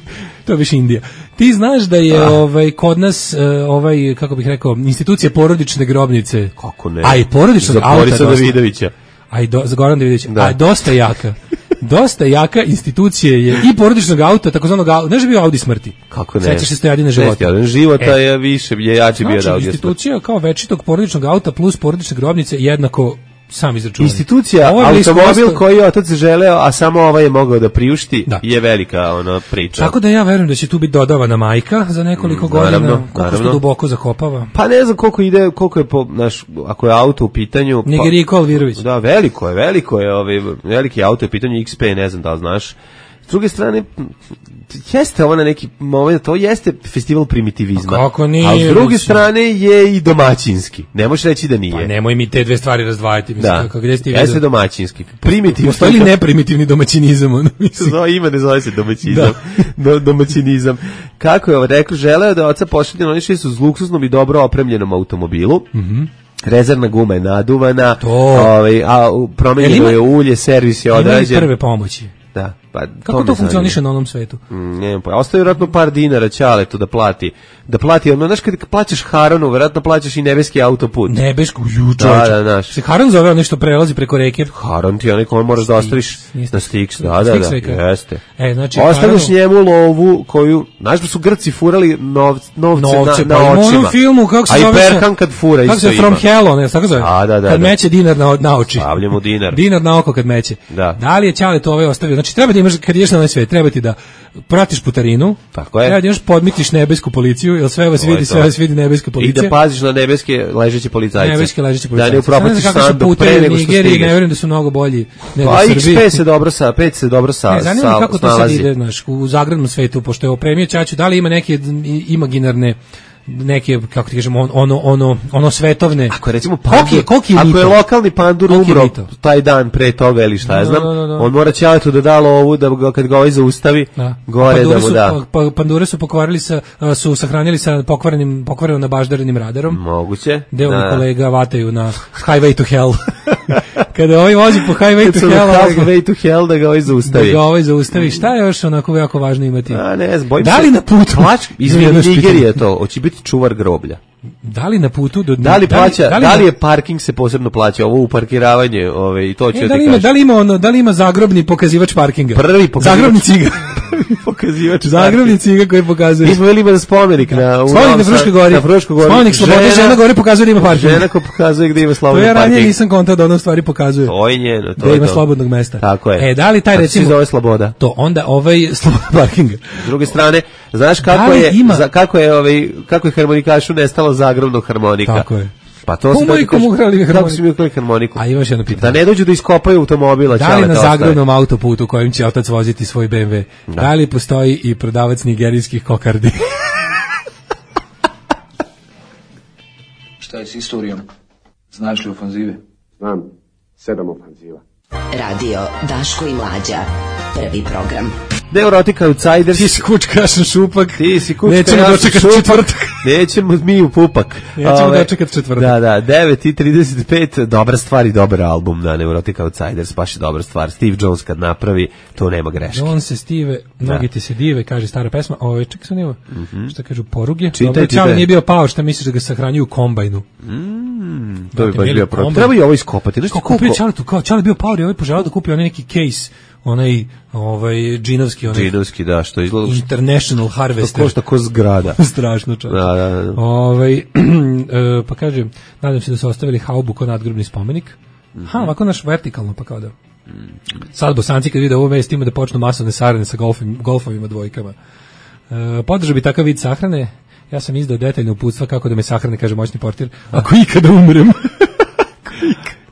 to je više Indija. Ti znaš da je ovaj kod nas e, ovaj kako bih rekao institucija porodične grobnice. Kako ne? A i porodičnog Za auta. Borisa dosta- Davidovića. A i do, za Goran Davidović. Da. A dosta jaka. Dosta jaka institucija je i porodičnog auta, takozvanog auta. Znaš da je bio Audi smrti? Kako ne? Sećaš se Stojadine života? Stojadine života E. je više, je jači bio Znači, da ovdje. institucija kao večitog porodičnog auta plus porodične grobnice jednako sam izračunano. Institucija, Ovo je blisko automobil ostalo- koji je otac želeo, a samo ovaj je mogao da priušti, Da. je velika ona priča. Tako da ja verujem da će tu biti dodavana majka za nekoliko Mm, naravno, godina, koliko se naravno. to duboko zakopava. Pa ne znam koliko ide, koliko je po, naš, ako je auto u pitanju. Pa, Nigeriko Alvirović. da, veliko je, veliko je, ovaj, veliki auto je u pitanju X P, ne znam da li znaš. S druge strane, jeste ovo na neki moment, to jeste festival primitivizma. A kako nije, A s druge mislim. strane je i domaćinski. Ne možeš reći da nije. Pa nemoj mi te dve stvari razdvajati, mislim, da, kako gde ste ti jeste vidio? domaćinski. Primitivno. Postoji li neprimitivni domaćinizam? ono, mislim? Zove ime, ne zove se domaćinizam. Do, domaćinizam. Kako je ovo rekao, želeo da oca pošalje naoniše su s luksuznom i dobro opremljenom automobilu. Mhm. Rezervna guma je naduvana, To. ovaj, a u- promenjeno Jel ima- je ulje, servis je Ima li odrađen. prve pomoći? Da, pa Kako me to zanima. funkcioniše na onom svetu? Mm, ne znam, pa ostaje vjerojatno par dinara Ćaletu da plati. Da plati, ono, znaš kad plaćaš Haronu, vjerojatno plaćaš i nebeski autoput. Nebeško, ju, Da, čovječe. da, znaš. Se Haran zove ono što prelazi preko reke? Haron ti je onaj koji moraš da ostaviš Stix, na Stix, da, da, Stix da, reka. jeste. E, znači, Ostaviš Haranu- njemu lovu koju, znaš da su Grci furali novce, novce, Novce, na, pa na ima u očima. onom filmu, kako se A i zove se- Perkan kad fura Kako isto se From ima. Hell, ne, tako zove? A, da, da, Kad da. meće dinar na, na oči. Stavlja mu dinar. Dinar na oko kad meće. Da. Da li je Ćale to ovaj ostavio? Znači, treba da imaš, kad ideš na ovaj svet, treba ti da pratiš putarinu, Tako je. treba da imaš podmitiš nebesku policiju, jer sve vas To je vidi, to. sve vas vidi nebeska I policija. da paziš na nebeske ležeće policajce. Nebeske ležeće Da policajce. ne upropastiš Sad ne znam kako su sandu putevi pre u nego što Nigeriji, ne stigneš. verujem da su mnogo bolji nego Pa u X Srbiji. P se dobro sa, pet se dobro sa, Ne, zanima me sa, kako to sad snalazi. ide, znaš, u zagradnom svetu, pošto je opremio Ćaću, da li ima neke i- imaginarne neke, kako ti kažemo, on- ono, ono, ono svetovne. Ako je recimo Koliki je- pandur, koliki je ako je mito? lokalni pandur Koliki je umro mito? taj dan pre toga ili šta ja Da, znam, da, da, da. on mora Ćaletu da da lovu da ga, kad ga ovaj zaustavi, Da. gore da Pandure mu su, da. pa, pa, pandure su pokvarili sa, a, su sahranili sa pokvarenim, pokvareno nabaždarenim radarom. Moguće. Gde ovi Da. kolega vataju na Highway to Hell. Kada ovaj vozi po Highway Kad to su na Hell, ovaj ga- halfway to hell da ga ovaj da zaustavi. ga ovaj zaustavi. Šta je još onako jako važno imati? A ne znam, bojim Da se. li na putu? Plač, izvini, Jedno pitanje. Nigerija to, hoće biti čuvar groblja. Da li na putu do Da li plaća, da li, na- je parking se posebno plaća, ovo uparkiravanje, ove, i to ću E, ja da li ti ima, kažem. da li ima ono, da li ima zagrobni pokazivač parkinga? Prvi pokazivač. Zagrobni ciga. Pokazivač. Zagrobni ciga koji pokazuje. Mi smo veli ima spomenik na u Spomenik Novom na Fruškoj Sadu- gori. Na Fruškoj gori. Spomenik slobode, žena gore pokazuje da ima parking. Žena ko pokazuje gde ima To slobodan ja ranije parking. nisam kontao da ono stvari pokazuje. To je njeno, to Da je ima to. slobodnog mesta. Tako je. E, da li taj Tako recimo se zove sloboda. to onda ovaj slobodan parkinga. S druge strane, znaš kako Da li je ima- za, kako je ovaj kako je harmonikašu nestalo zagrobnog harmonika. Tako je. Pa to Ko se mu i komu ukrali Kako harmoniku? su mi ukrali harmoniku? A imaš jedno pitanje. Da ne dođu da iskopaju automobila, Da li Ćale na to ostaje. zagrobnom autoputu kojim će otac voziti svoj B M W, da, li postoji i prodavac nigerijskih kokardi? Šta je s istorijom? Znaš li ofanzive? Znam, sedam ofanziva. Radio Daško i Mlađa. Prvi program. Neurotika Outsiders. Ti si kučka, ja sam šupak. Ti si kučka, Nećemo ja sam dočekati šupak. četvrtak. Nećemo mi u pupak. Nećemo Ove, dočekati četvrtak. Da, da, devet i trideset pet, dobra stvar i dobar album na Neurotica Outsiders, baš je dobra stvar. Steve Jones kad napravi, to nema greške. On se stive, mnogi Da. ti se dive, kaže stara pesma. Ove, čekaj sam nema. Šta kažu, poruge? Čitaj, Dobro, čitaj. Čale nije bio pao, šta misliš da ga sahranjuju u kombajnu? To bi baš Bili bio problem. kombajn. Treba i ovo iskopati. Znaš ti Kao kupio koliko? Čale tu, kao Čale bio pao i ovaj poželao da kupi onaj neki case onaj ovaj džinovski onaj džinovski, da, što izgleda International Harvester. To košta ko zgrada. Strašno čovječe. Da, da, da. Ovaj e, pa kaže, nadam se da su ostavili haubu kao nadgrobni spomenik. Mm-hmm. Ha, ovako naš vertikalno, pa kao da. Sad Bosanci kad vide ovo vest ima da počnu masovne sarane sa golfim, golfovima dvojkama. E, podržao bi takav vid sahrane. Ja sam izdao detaljno uputstva kako da me sahrane, kaže moćni portir, ako ikada umrem.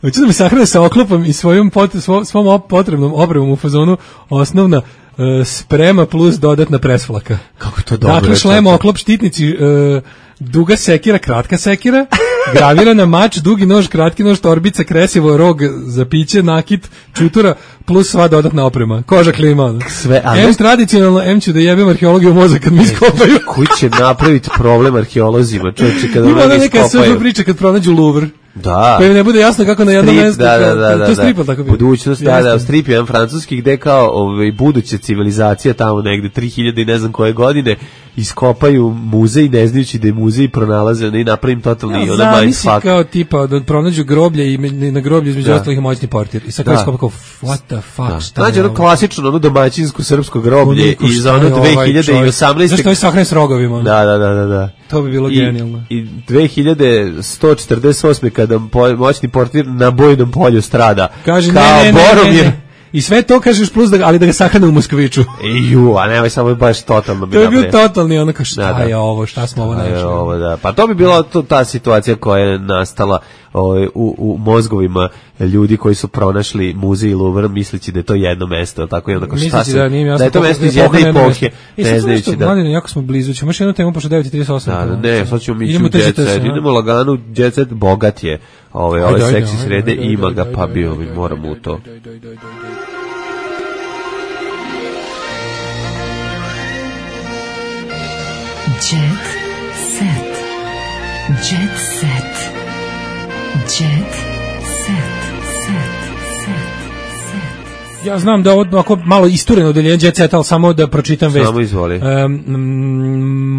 Hoću da me sahrane sa oklopom i svojom pot, svom, svom potrebnom opremom u fazonu osnovna uh, sprema plus dodatna presflaka. Kako to dobro. Dakle, šlem, oklop, štitnici, uh, duga sekira, kratka sekira, gravirana mač, dugi nož, kratki nož, torbica, kresivo, rog za piće, nakit, čutura, plus sva dodatna oprema. Koža klima. Sve, ali... M tradicionalno, M ću da jebem arheologiju u mozak kad mi iskopaju. Koji će napraviti problem arheolozima, čovječe, kada oni iskopaju? Ima neka sve priča kad pronađu Louvre. Da. Pa im ne bude jasno kako na jednom strip, mjestu. Da, da, da, to da, stripal tako bi. Budućnost, da, da, strip jedan francuski gde kao ovaj, buduća civilizacija tamo negde tri hiljade i ne znam koje godine iskopaju muzej, ne znajući da je muzej pronalaze i napravim totalni ja, ona mindfuck. Kao tipa da pronađu groblje i na groblju između ostalih moćni portir. I sad kao iskopa kao, what the fuck, da. Šta znači, ono klasično, ono domaćinsko srpsko groblje iz ono dve hiljade osamnaeste. Zašto je sahran s rogovima? Da, da, da, da, da. To bi bilo I, genijalno. I dve hiljade sto četrdeset osme kada moćni portir na bojnom polju strada. Kaže, kao ne, ne, Boromir. Ne, ne. I sve to kažeš plus da, ali da ga sahrane u Moskviću. Ju, a nemoj samo baš totalno. To je bio totalni ono kao šta da, da. je ovo, šta smo ovo našli. Ovo, da. Pa to bi bila to, ta situacija koja je nastala o, u, u mozgovima ljudi koji su pronašli muzej Louvre misleći da je to jedno mesto, tako je onda šta misleći se, da, nije da je to mesto iz jedne epohe. Ne znajući da. Mladine, jako smo blizu, ćemo još jednu temu pošto devet i trideset osam. Da, ne, sad ćemo mi u Jet Set, idemo lagano, Jet Set bogat je, ove, ove seksi srede, ima ga, pa bio, moramo u to. Jet set. Jet set. Jet set. Set. Set. Ja znam da ovo ako malo istureno odeljenje Jet Set, ali samo da pročitam vest. Samo izvoli. Um,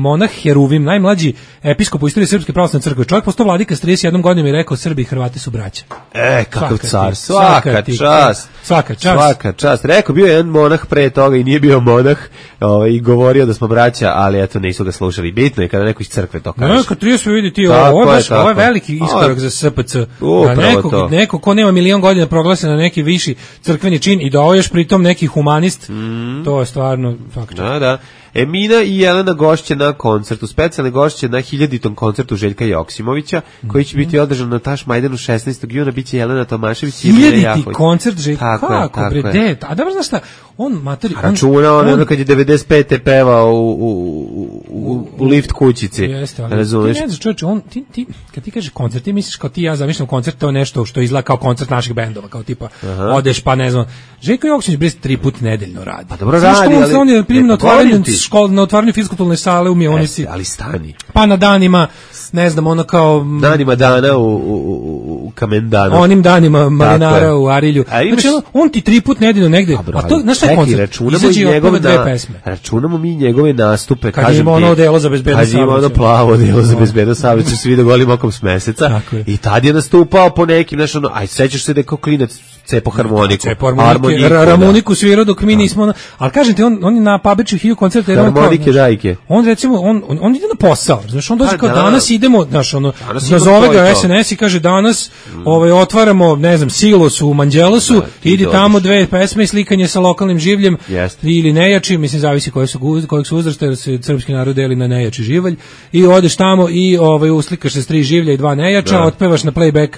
monah Heruvim, najmlađi episkop u istoriji Srpske pravoslavne crkve. Čovjek postao vladika s trideset jednom godinom i rekao Srbi i Hrvati su braća. E, kakav car, svaka čast. Svaka čast. Svaka čast. Rekao, bio je jedan monah pre toga i nije bio monah ovaj, i govorio da smo braća, ali eto nisu ga slušali. Bitno je kada neko iz crkve to kaže. Ne, kad trideset vidi ti, ovo je, baš, ovo je veliki iskorak za S P C. Da neko, neko ko nema milion godina proglasi na neki viši crkveni čin i da ovo još pritom neki humanist, mm. to je stvarno fakt. Da, da. Emina i Jelena gošće na koncertu, specijalne gošće na hiljaditom koncertu Željka Joksimovića, koji će biti održan na Tašmajdanu šesnaestog juna, biće Jelena Tomašević i Emina Jahović. Hiljaditi koncert Željka, kako bre, de, a da znaš šta, on materi... On, računa on, on, on kad je devedeset pete pevao u, u, u, u lift kućici, jeste, ali razumeš? Ti ne znaš, čovječe, on, ti, ti, kad ti kažeš koncert, ti misliš kao ti, ja zamišljam koncert, to je nešto što izgleda kao koncert naših bendova, kao tipa, aha, odeš pa ne znam, Željko Joksimović bre tri put nedeljno radi. Pa dobro radi, ali... On je primjer na otvaranju škole, na otvaranju fiskulturne sale u Mionici. Ali stani. Pa na danima, ne znam, ono kao... Danima dana u, u, u, u Kamendanu. Onim danima marinara u Arilju. Imaš... Znači, on ti tri put nedeljno negde. Dobro, a to, znaš šta je koncert? Izađe i otpeva dve pesme. Računamo mi njegove nastupe. Kad ima ono odelo za bezbedno saobraćaj. Kad ima ono plavo odelo za bezbedno saobraćaj, svi da golim okom s meseca. I tad je nastupao po nekim, znaš, ono, aj, sećaš se da je kao klinac cepo harmoniku. Cepo harmoniku, harmoniku svirao dok mi nismo, ali kažem ti, on, on je na Pabeću hiju koncerta. Harmonike, dajke. On recimo, on, on, on ide na posao, znaš, on dođe kao danas idemo, znaš, ono, nazove ga S N S i kaže danas mm. ovaj, otvaramo, ne znam, Silos u Manđelosu, da, idi dođeš. Tamo dve pesme i slikanje sa lokalnim življem, yes. ili nejači, mislim, zavisi koji su, kojeg su uzrasta, jer se srpski narod deli na nejači živalj, i odeš tamo i ovaj, uslikaš se s tri življa i dva nejača, da. Otpevaš na playback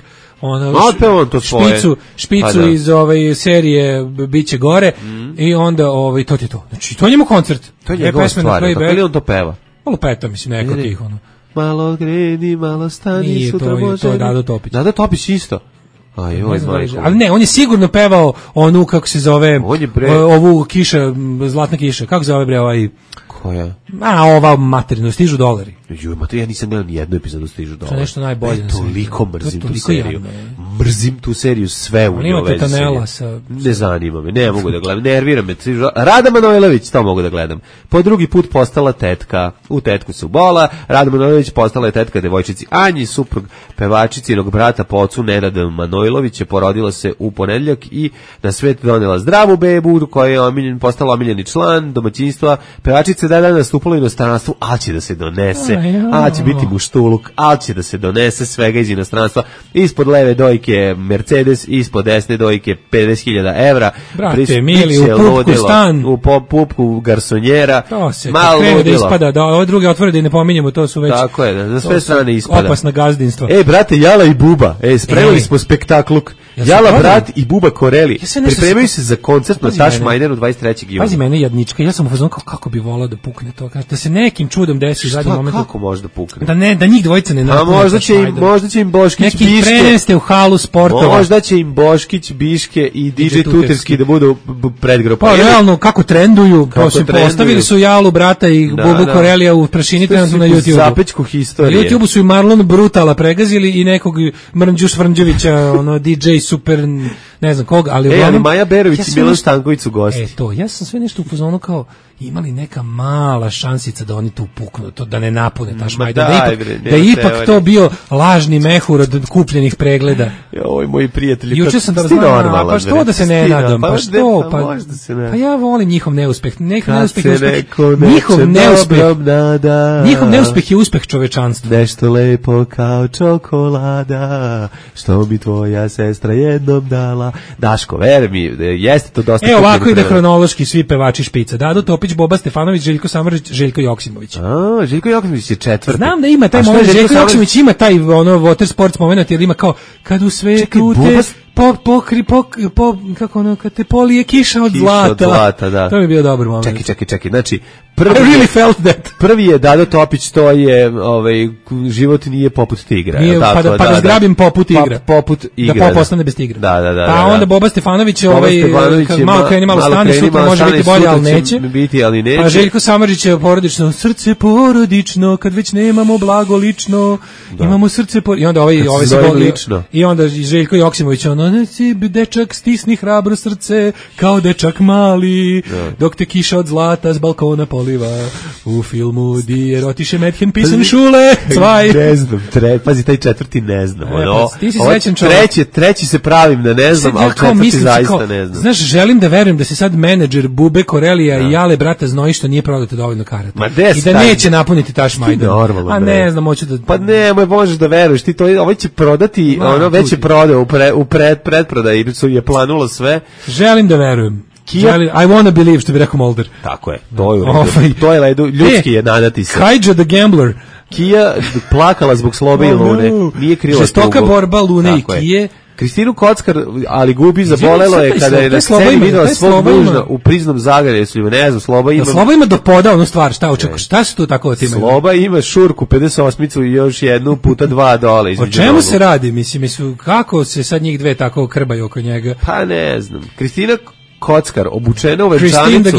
ono, to špicu, špicu pa, iz ove serije Biće gore mm. i onda ovaj, to ti je to. Znači, to je njemu koncert. To je njegova stvar, tako li on to peva? Malo peta, mislim, neko tih, ono. Malo gredi, malo stani, nije, sutra to, može... To je Dado Topić. Dado Topić isto. Aj, oj, majko. Ali ne, on je sigurno pevao onu, kako se zove, bre... ovu kiša, zlatna kiša, kako se zove bre ovaj... Koja? A, ova materinu, stižu dolari. Ju, ma to ja nisam gledao ni jednu epizodu Stižu dolari. To je nešto najbolje. E, toliko mrzim tu seriju. mrzim tu seriju sve u Ali ima njoj. Tetanela sa... Ne zanima me, ne mogu da gledam, nervira me. Rada Manojlović, to mogu da gledam. Po drugi put postala tetka, u tetku se ubola, Rada Manojlović postala je tetka devojčici Anji, suprug pevačicinog brata po ocu Nenada Manojlovića, porodila se u ponedeljak i na svet donela zdravu bebu, koja je omiljen, postala omiljeni član domaćinstva. Pevačica da dana nastupala u inostranstvu, ali će da se donese, ali će biti muštuluk, ali će da se donese svega iz inostranstva. Ispod leve dojke Mercedes, ispod desne dojke pedeset hiljada evra. Brate, mili, u pupku stan. U pupku garsonjera. To se, kad krene da ispada, da ove druge otvore da i ne pominjemo, to su već... Tako je, na sve strane ispada. Opasna gazdinstva. E, brate, Jala i Buba, e, spremili smo spektakluk. Jala, brat i Buba Koreli. Ja pripremaju se za koncert na Taš Majderu dvadeset trećeg juna. Pazi mene jadnička, ja sam u fazonu kako, kako bi volao da pukne to, da se nekim čudom desi u zadnjem momentu. Kako može da pukne? Da ne, da njih dvojica ne napune. A možda će im, možda će im Boškić neki Biške. Neki preneste u halu sportova. Možda će im Boškić, Biške i D J Tuterski da budu predgrupa. Pa realno kako trenduju, postavili su Jalu brata i Bubu Korelija u prašini trenutno na YouTubeu. Zapečku historije. Na YouTubeu su i Marlon Brutala pregazili i nekog Mrnđu Švrnđevića, ono D J super ne znam koga, ali e, ali Maja Berović i Milan Stanković su gosti. E to, ja sam sve nešto u fazonu kao imali neka mala šansica da oni tu puknu, to da ne napune Taš Majdan, da, da ipak, bre, da ipak to bio lažni mehur od kupljenih pregleda. Joj, moji prijatelji, juče sam da znam, pa što da se ne nadam, pa što, pa, pa ja volim njihov neuspeh, njihov neuspeh je uspeh, njihov neuspeh, njihov neuspeh je uspeh čovečanstva. Nešto lepo kao čokolada, što mi tvoja sestra jednom dala. Daško, veri mi, jeste to dosta... E, ovako ide hronološki svi pevači špica. Dado Topić, Boba Stefanović, Željko Samardžić, Željko Joksimović. A, Željko Joksimović je četvrti. Znam da ima taj moment, Željko Joksimović ima taj ono water sports moment, jer ima kao, kad u svetu te... Po, pokri, pok, po, kako ono, kad te polije kiša od kiša zlata. Od zlata, da. To mi je bio dobar moment. Čekaj, čekaj, čekaj, znači, prvi, I really felt that. Prvi je Dado Topić, to je, ovaj, život nije poput tigra. Nije, tako, pa da, pa da, da zgrabim poput igra. Pop, poput igra. Da pop ostane bez tigra. Da, da, da. Pa onda Boba Stefanović, ovaj, kad malo kreni, malo stane, sutra može biti bolje, ali neće. Biti, ali neće. Pa Željko Samardžić je porodično, srce porodično, kad već nemamo blago lično, imamo srce porodično. I onda ovaj, ovaj se lično. I onda Željko Joksimović, ono, dečak stisni hrabro srce kao dečak mali, ja. Dok te kiša od zlata s balkona poliva u filmu di erotische Mädchen pisan Schule cvaj. Ne znam, tre, pazi taj četvrti ne znam. E, ono, pa, ti si srećan čovjek. Treći, treći se pravim da ne znam, ali četvrti mislim, zaista kao, ne znam. Znaš, želim da verujem da se sad menadžer Bube Korelija ja. I Jale brata znoji što nije prodato dovoljno karata. Ma des, i da taj, neće napuniti Taš Majdan. Normalno, a ne znam, hoću da... Pa ne, možeš da veruješ, ti to, ovaj će prodati, Ma, ono već je prodao u, pre, u pred, predprodaj su je planulo sve. Želim da verujem. Želim, I wanna believe, što bi rekao Mulder. Tako je, to je, ovaj, to je ledu, ljudski e, je nadati se. Kajđa the Gambler. Kija plakala zbog Slobe i Lune, nije krila tugu. Žestoka borba Lune i Kije. Kristinu Kockar, ali gubi, zabolelo je kada je na sceni videla svog muža u priznom Zagrebu, ne znam, Sloba ima... Sloba ima dok poda onu stvar, šta očekuješ, šta se tu tako time? Sloba ima šurku, pedeset osmicu i još jednu puta dva dole. O čemu nogu. Se radi, mislim, mislim, kako se sad njih dve tako krbaju oko njega? Pa ne znam, Kristina Kockar, obučena u venčanicu,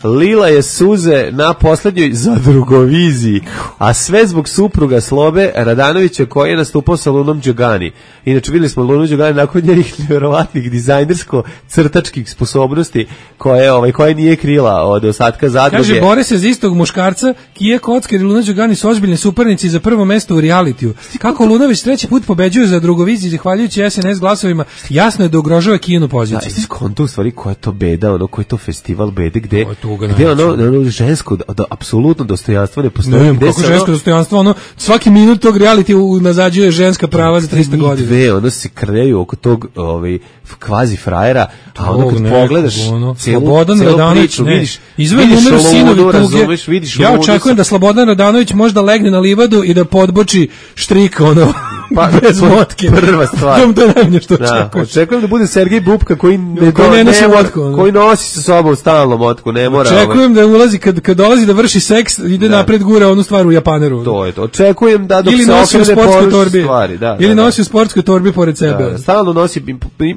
lila je suze na poslednjoj zadrugoviziji, a sve zbog supruga Slobe Radanovića koji je nastupao sa Lunom Đogani. Inače, videli smo Lunu Đogani nakon njenih nevjerovatnih dizajnersko-crtačkih sposobnosti koje, ovaj, koje nije krila od ostatka zadruge. Kaže, bore se za istog muškarca, Kija Kockar i Luna Đogani su ozbiljne suparnici za prvo mesto u realitiju. Kako Lunović treći put pobeđuje za drugoviziji, zahvaljujući S N S glasovima, jasno je da ugrožava Kijinu poziciju. Da, jeste skonto u stvari koja to beda, ono koji je to festival bede, gde, gde ono, ono žensko, da, apsolutno dostojanstvo ne postoji. Ne, kako žensko ono, dostojanstvo, ono, svaki minut tog reality nazađuje ženska prava za tristo godina. Dve, ono se krljaju oko tog ovaj, kvazi frajera, a ono kad ne, pogledaš ono, celu, Slobodan celu Radanović, priču, ne, vidiš, izvedi vidiš numer sinovi tuge, razumeš, vidiš ja očekujem da Slobodan Radanović možda legne na livadu i da podboči štrik, ono, pa, bez motke. Prva stvar. To je najmanje što da, očekujem. Očekujem da bude Sergej Bubka koji ne, koji ne nosi motku. Koji nosi sa sobom stalno motku, ne mora. Očekujem da ulazi, kad, kad dolazi da vrši seks, ide da. Napred gura onu stvar u Japaneru. To je to. Očekujem da dok ili se okrene poruši stvari. Da, ili da, nosi u sportskoj torbi pored sebe. Da, stalno nosi,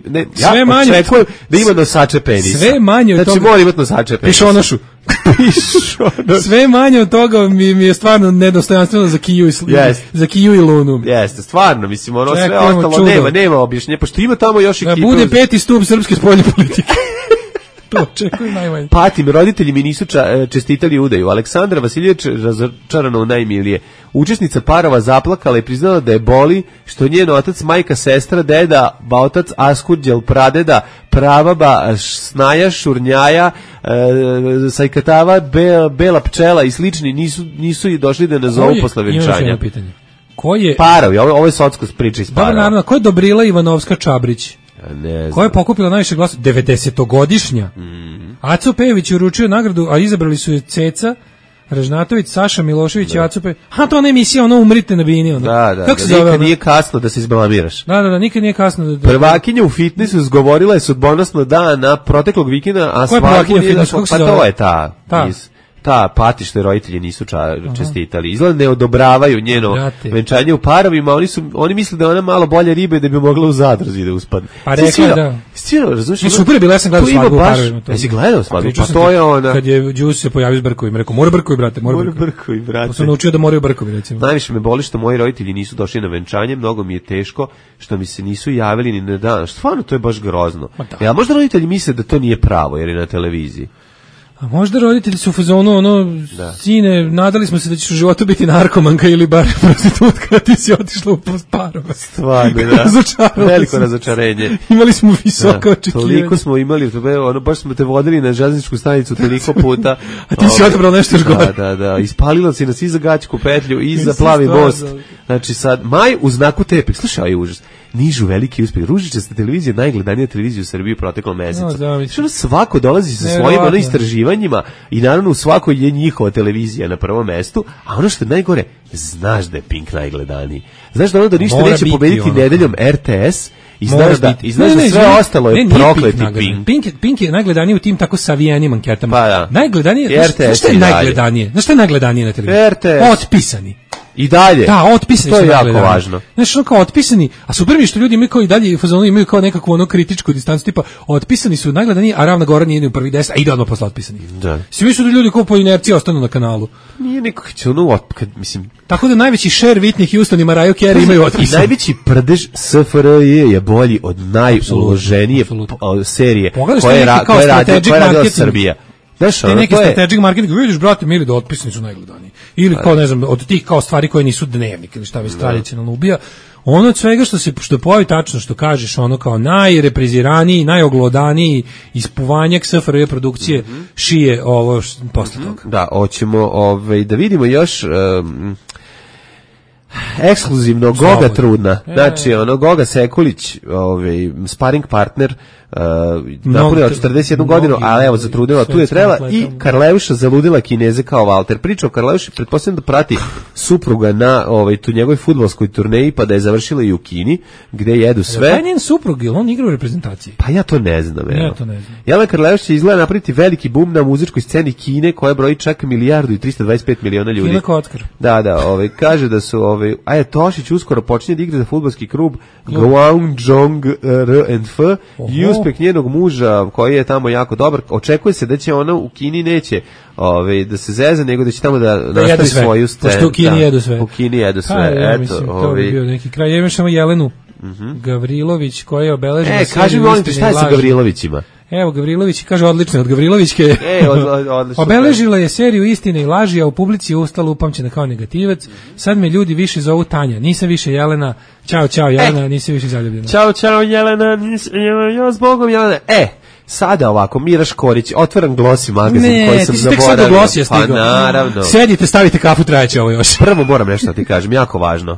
ne, sve ja manje, očekujem da ima nosače penisa. Sve manje od znači, toga. Znači mora imati nosače penisa. Pišonošu. Sve manje od toga mi, mi je stvarno nedostojanstveno za Kiju i, yes. za Kiju i Lunu. Jeste, stvarno, mislim, ono sve Čekajmo ostalo čudo. nema, nema objašnjenja, pošto ima tamo još Da ekipa. bude peti stup srpske spoljne politike. To očekujem najmanje. Patim, roditelji mi nisu ča, čestitali udaju. Aleksandra Vasiljević razočarana u najmilije. Učesnica parova zaplakala i priznala da je boli što njen otac, majka, sestra, deda, baotac, askurđel, pradeda, pravaba, snaja, šurnjaja, e, sajkatava, be, bela pčela i slični nisu, nisu i došli da nazovu posle venčanja. Ko je... Parovi, ovo, ovo je socko priča iz parova. Dobro, naravno, ko je Dobrila Ivanovska Čabrić? Ne Koja je pokupila najviše glasa? devedesetogodišnja. Mm. Aco Pejević je uručio nagradu, a izabrali su je Ceca, Ražnatović, Saša Milošević da. I Aco Pejević. A to ona emisija, ono Umrite na bini. Ono. Da, da, kako da, se zove, nikad nije kasno da se izblamiraš. Da, da, da, nikad nije kasno. Da, da, Prvakinja u fitnessu zgovorila je sudbonosno dana proteklog vikenda, a Koja je prvakinja u fitnessu? Kako se pa zove? to je ta. Ta. Iz, ta pati što je roditelji nisu ča, čestitali. Izgleda ne odobravaju njeno Brate. venčanje u parovima, oni su oni misle da je ona malo bolje ribe da bi mogla u zadruzi da uspadne. Pa rekla je da. Stvarno, razumiješ? Ne, super je bila, ja sam gledao svadbu u parovima. Jesi gledao svadbu? Pa, pa to je ona. Kad je Đus se pojavio s brkovima, rekao, mora brkovi, brate, mora, mora brkovi. brkovi, brate. Pa sam naučio da moraju brkovi, recimo. Najviše me boli što moji roditelji nisu došli na venčanje, mnogo mi je teško što mi se nisu javili ni na dan. Stvarno, to je baš grozno. Ja, možda roditelji misle da to nije pravo, jer je na televiziji. A možda roditelji su u fazonu, ono, da. Sine, nadali smo se da ćeš u životu biti narkomanka ili bar prostitutka, ti si otišla u parova. Stvarno, da. Veliko razočarenje. Imali smo visoka očekivanja. Toliko smo imali, ono, baš smo te vodili na železničku stanicu toliko puta. A ti si odabrao nešto još gore. Da, da, da. Ispalila si nas i za Gaćku petlju, i za Plavi most. Znači sad, maj u znaku tepek. Slušaj, ovaj užas. Nižu veliki uspeh. Ružičasta televizija, najgledanija televizija u Srbiji u proteklom mesecu. No, što svako dolazi sa svojim ono istraživanjima i naravno u svakoj je njihova televizija na prvom mestu, a ono što je najgore, znaš da je Pink najgledaniji. Znaš da ono da ništa Mora neće pobediti ono. Nedeljom R T S i znaš da, i znaš ne, ne, da sve ne, ostalo je ne, prokleti Pink. Pink. Pink. Pink je najgledaniji u tim tako savijenim anketama. Pa da. Najgledanije, znaš što je najgledanije? Znaš što je najgledanije na televiziji? R T S. Otpisani. I dalje. Da, otpisani to su je jako gledani. važno. Znaš, ono kao otpisani, a super mi što ljudi imaju kao i dalje, fazonu imaju kao nekakvu ono kritičku distancu, tipa otpisani su najgledaniji, a Ravna Gora nije ni u prvi deset, a ide odmah posle otpisani. Da. Svi misle da ljudi kao po inerciji ostanu na kanalu. Nije neko će ono, kad, mislim... Tako da najveći share Whitney Houston i Mariah Carey imaju otpisani. I najveći prdež S F R J je bolji od najuloženije serije koje je radila Srbija. Znaš, te neki strategic marketing, vidiš, brate, mili da otpisani su najgledaniji. Ili kao, ne znam, od tih kao stvari koje nisu dnevnik ili šta već tradicionalno ubija. Ono od svega što se što pojavi tačno što kažeš, ono kao najrepreziraniji, najoglodaniji ispovanjak S F R J produkcije mm -hmm. šije ovo što, posle toga. Da, hoćemo ovaj, da vidimo još... Um, ekskluzivno Goga Trudna. Znači, ono, Goga Sekulić, ovaj, sparing partner, uh, napunila četrdeset jednu godinu, ali evo, zatrudila, tu je trebala, i Karleuša zaludila Kineze kao Valter. Priča o Karleuši, pretpostavljam da prati supruga na ovaj, tu njegovoj fudbalskoj turneji, pa da je završila i u Kini, gde jedu sve. Pa je njen suprug, ili on igra u reprezentaciji? Pa ja to ne znam, evo. Ja to ne znam. Jelena Karleuša će izgleda napraviti veliki bum na muzičkoj sceni Kine, koja broji čak milijardu i trista dvadeset pet miliona ljudi. Kina kockar. Da, da, ovaj, kaže da su, ovaj, a je Tošić uskoro počinje da igra za fudbalski klub Guangdong R and F i uspeh njenog muža koji je tamo jako dobar. Očekuje se da će ona u Kini neće ovaj, da se zeze, nego da će tamo da, da nastavi svoju scenu. Pošto u Kini jedu sve. U Kini jedu sve. Ha, ja, mislim, Eto, to bi bio neki kraj. Ja imam samo Jelenu uh-huh. Gavrilović koja je obeležena. E, kaži mi molim te šta je sa Gavrilovićima? Evo, Gavrilović kaže odlično, od Gavrilovićke. E, od, od, odlično. Obeležila je seriju Istine i laži, a u publici je ustala upamćena kao negativac. Sad me ljudi više zovu Tanja, nisam više Jelena. Ćao, ćao Jelena, e. nisam više zaljubljena. Ćao, ćao Jelena, nisam, ja zbogom Jelena. E, sada ovako, Mira Škorić, otvaram Glossy magazin ne, koji sam zaboravio. Ne, ti si tek sad do Glossy je stigao. Pa naravno. Sedite, stavite kafu, trajeće ovo još. Prvo moram nešto da ti kažem, jako važno.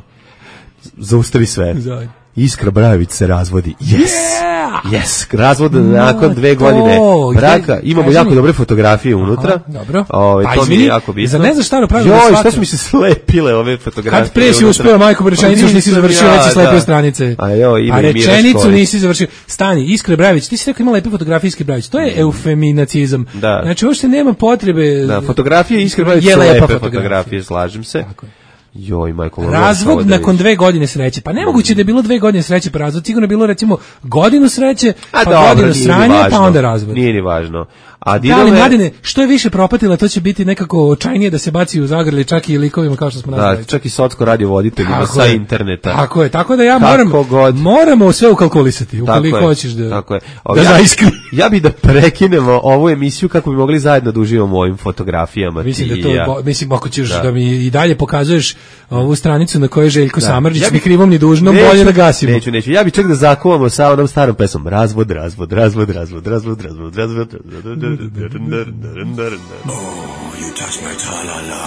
Zaustavi sve. Zaj. Iskra Brajović se razvodi. Yes! Yeah! Yes! Razvod nakon dve godine braka. Imamo jako dobre fotografije unutra. Aha, dobro. Ove, pa to izvini, mi je jako bitno. za ne znaš šta je pravilo. Joj, šta su mi se slepile ove fotografije. Kad pre si uspeo, majko, po rečenicu još nisi završio, već si slepio stranice. A, jo, ima a rečenicu nisi završio. Stani, Iskra Brajović, ti si rekao ima lepe fotografije Iskre Brajović. To je mm. eufeminacizam. Da. Znači, uopšte nema potrebe. Da, fotografije Iskre Brajović su lepe fotografije, fotografije, slažem se. Tako je. Joj, majko, razvod nakon dve godine sreće. Pa nemoguće da je bilo dve godine sreće, pa razvod sigurno je bilo recimo godinu sreće, pa a dobro, godinu sranja, pa onda razvod. Nije ni važno. A da, ali mladine, što je više propatila, to će biti nekako očajnije da se baci u zagrli čak i likovima kao što smo nazvali. Da, čak i socko radio voditeljima sa je. interneta. Tako je, tako da ja moram, moramo sve ukalkulisati, ukoliko hoćeš da, tako je. da ja, zaiskri. Ja bi da prekinemo ovu emisiju kako bi mogli zajedno da uživamo u ovim fotografijama. Mislim da to, ja. bo, mislim ako ćeš da. da mi i dalje pokazuješ ovu stranicu na kojoj je Željko da. Samardžić ja bi, ni krivom ni dužnom, neću, bolje da gasimo. Neću, neću, ja bi čak da zakuvamo sa onom starom pesmom. Razvod, razvod, razvod, razvod, razvod, razvod, razvod,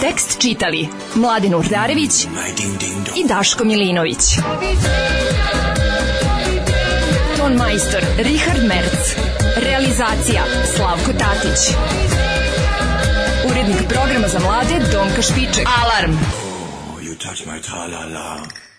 tekst čitali Mladen Urdarević i Daško Milinović. Ton majstor Richard Merc. Realizacija Slavko Tatić. Urednik programa za mlade Donka Špiček. Alarm! Oh, you touch my tra-la-la.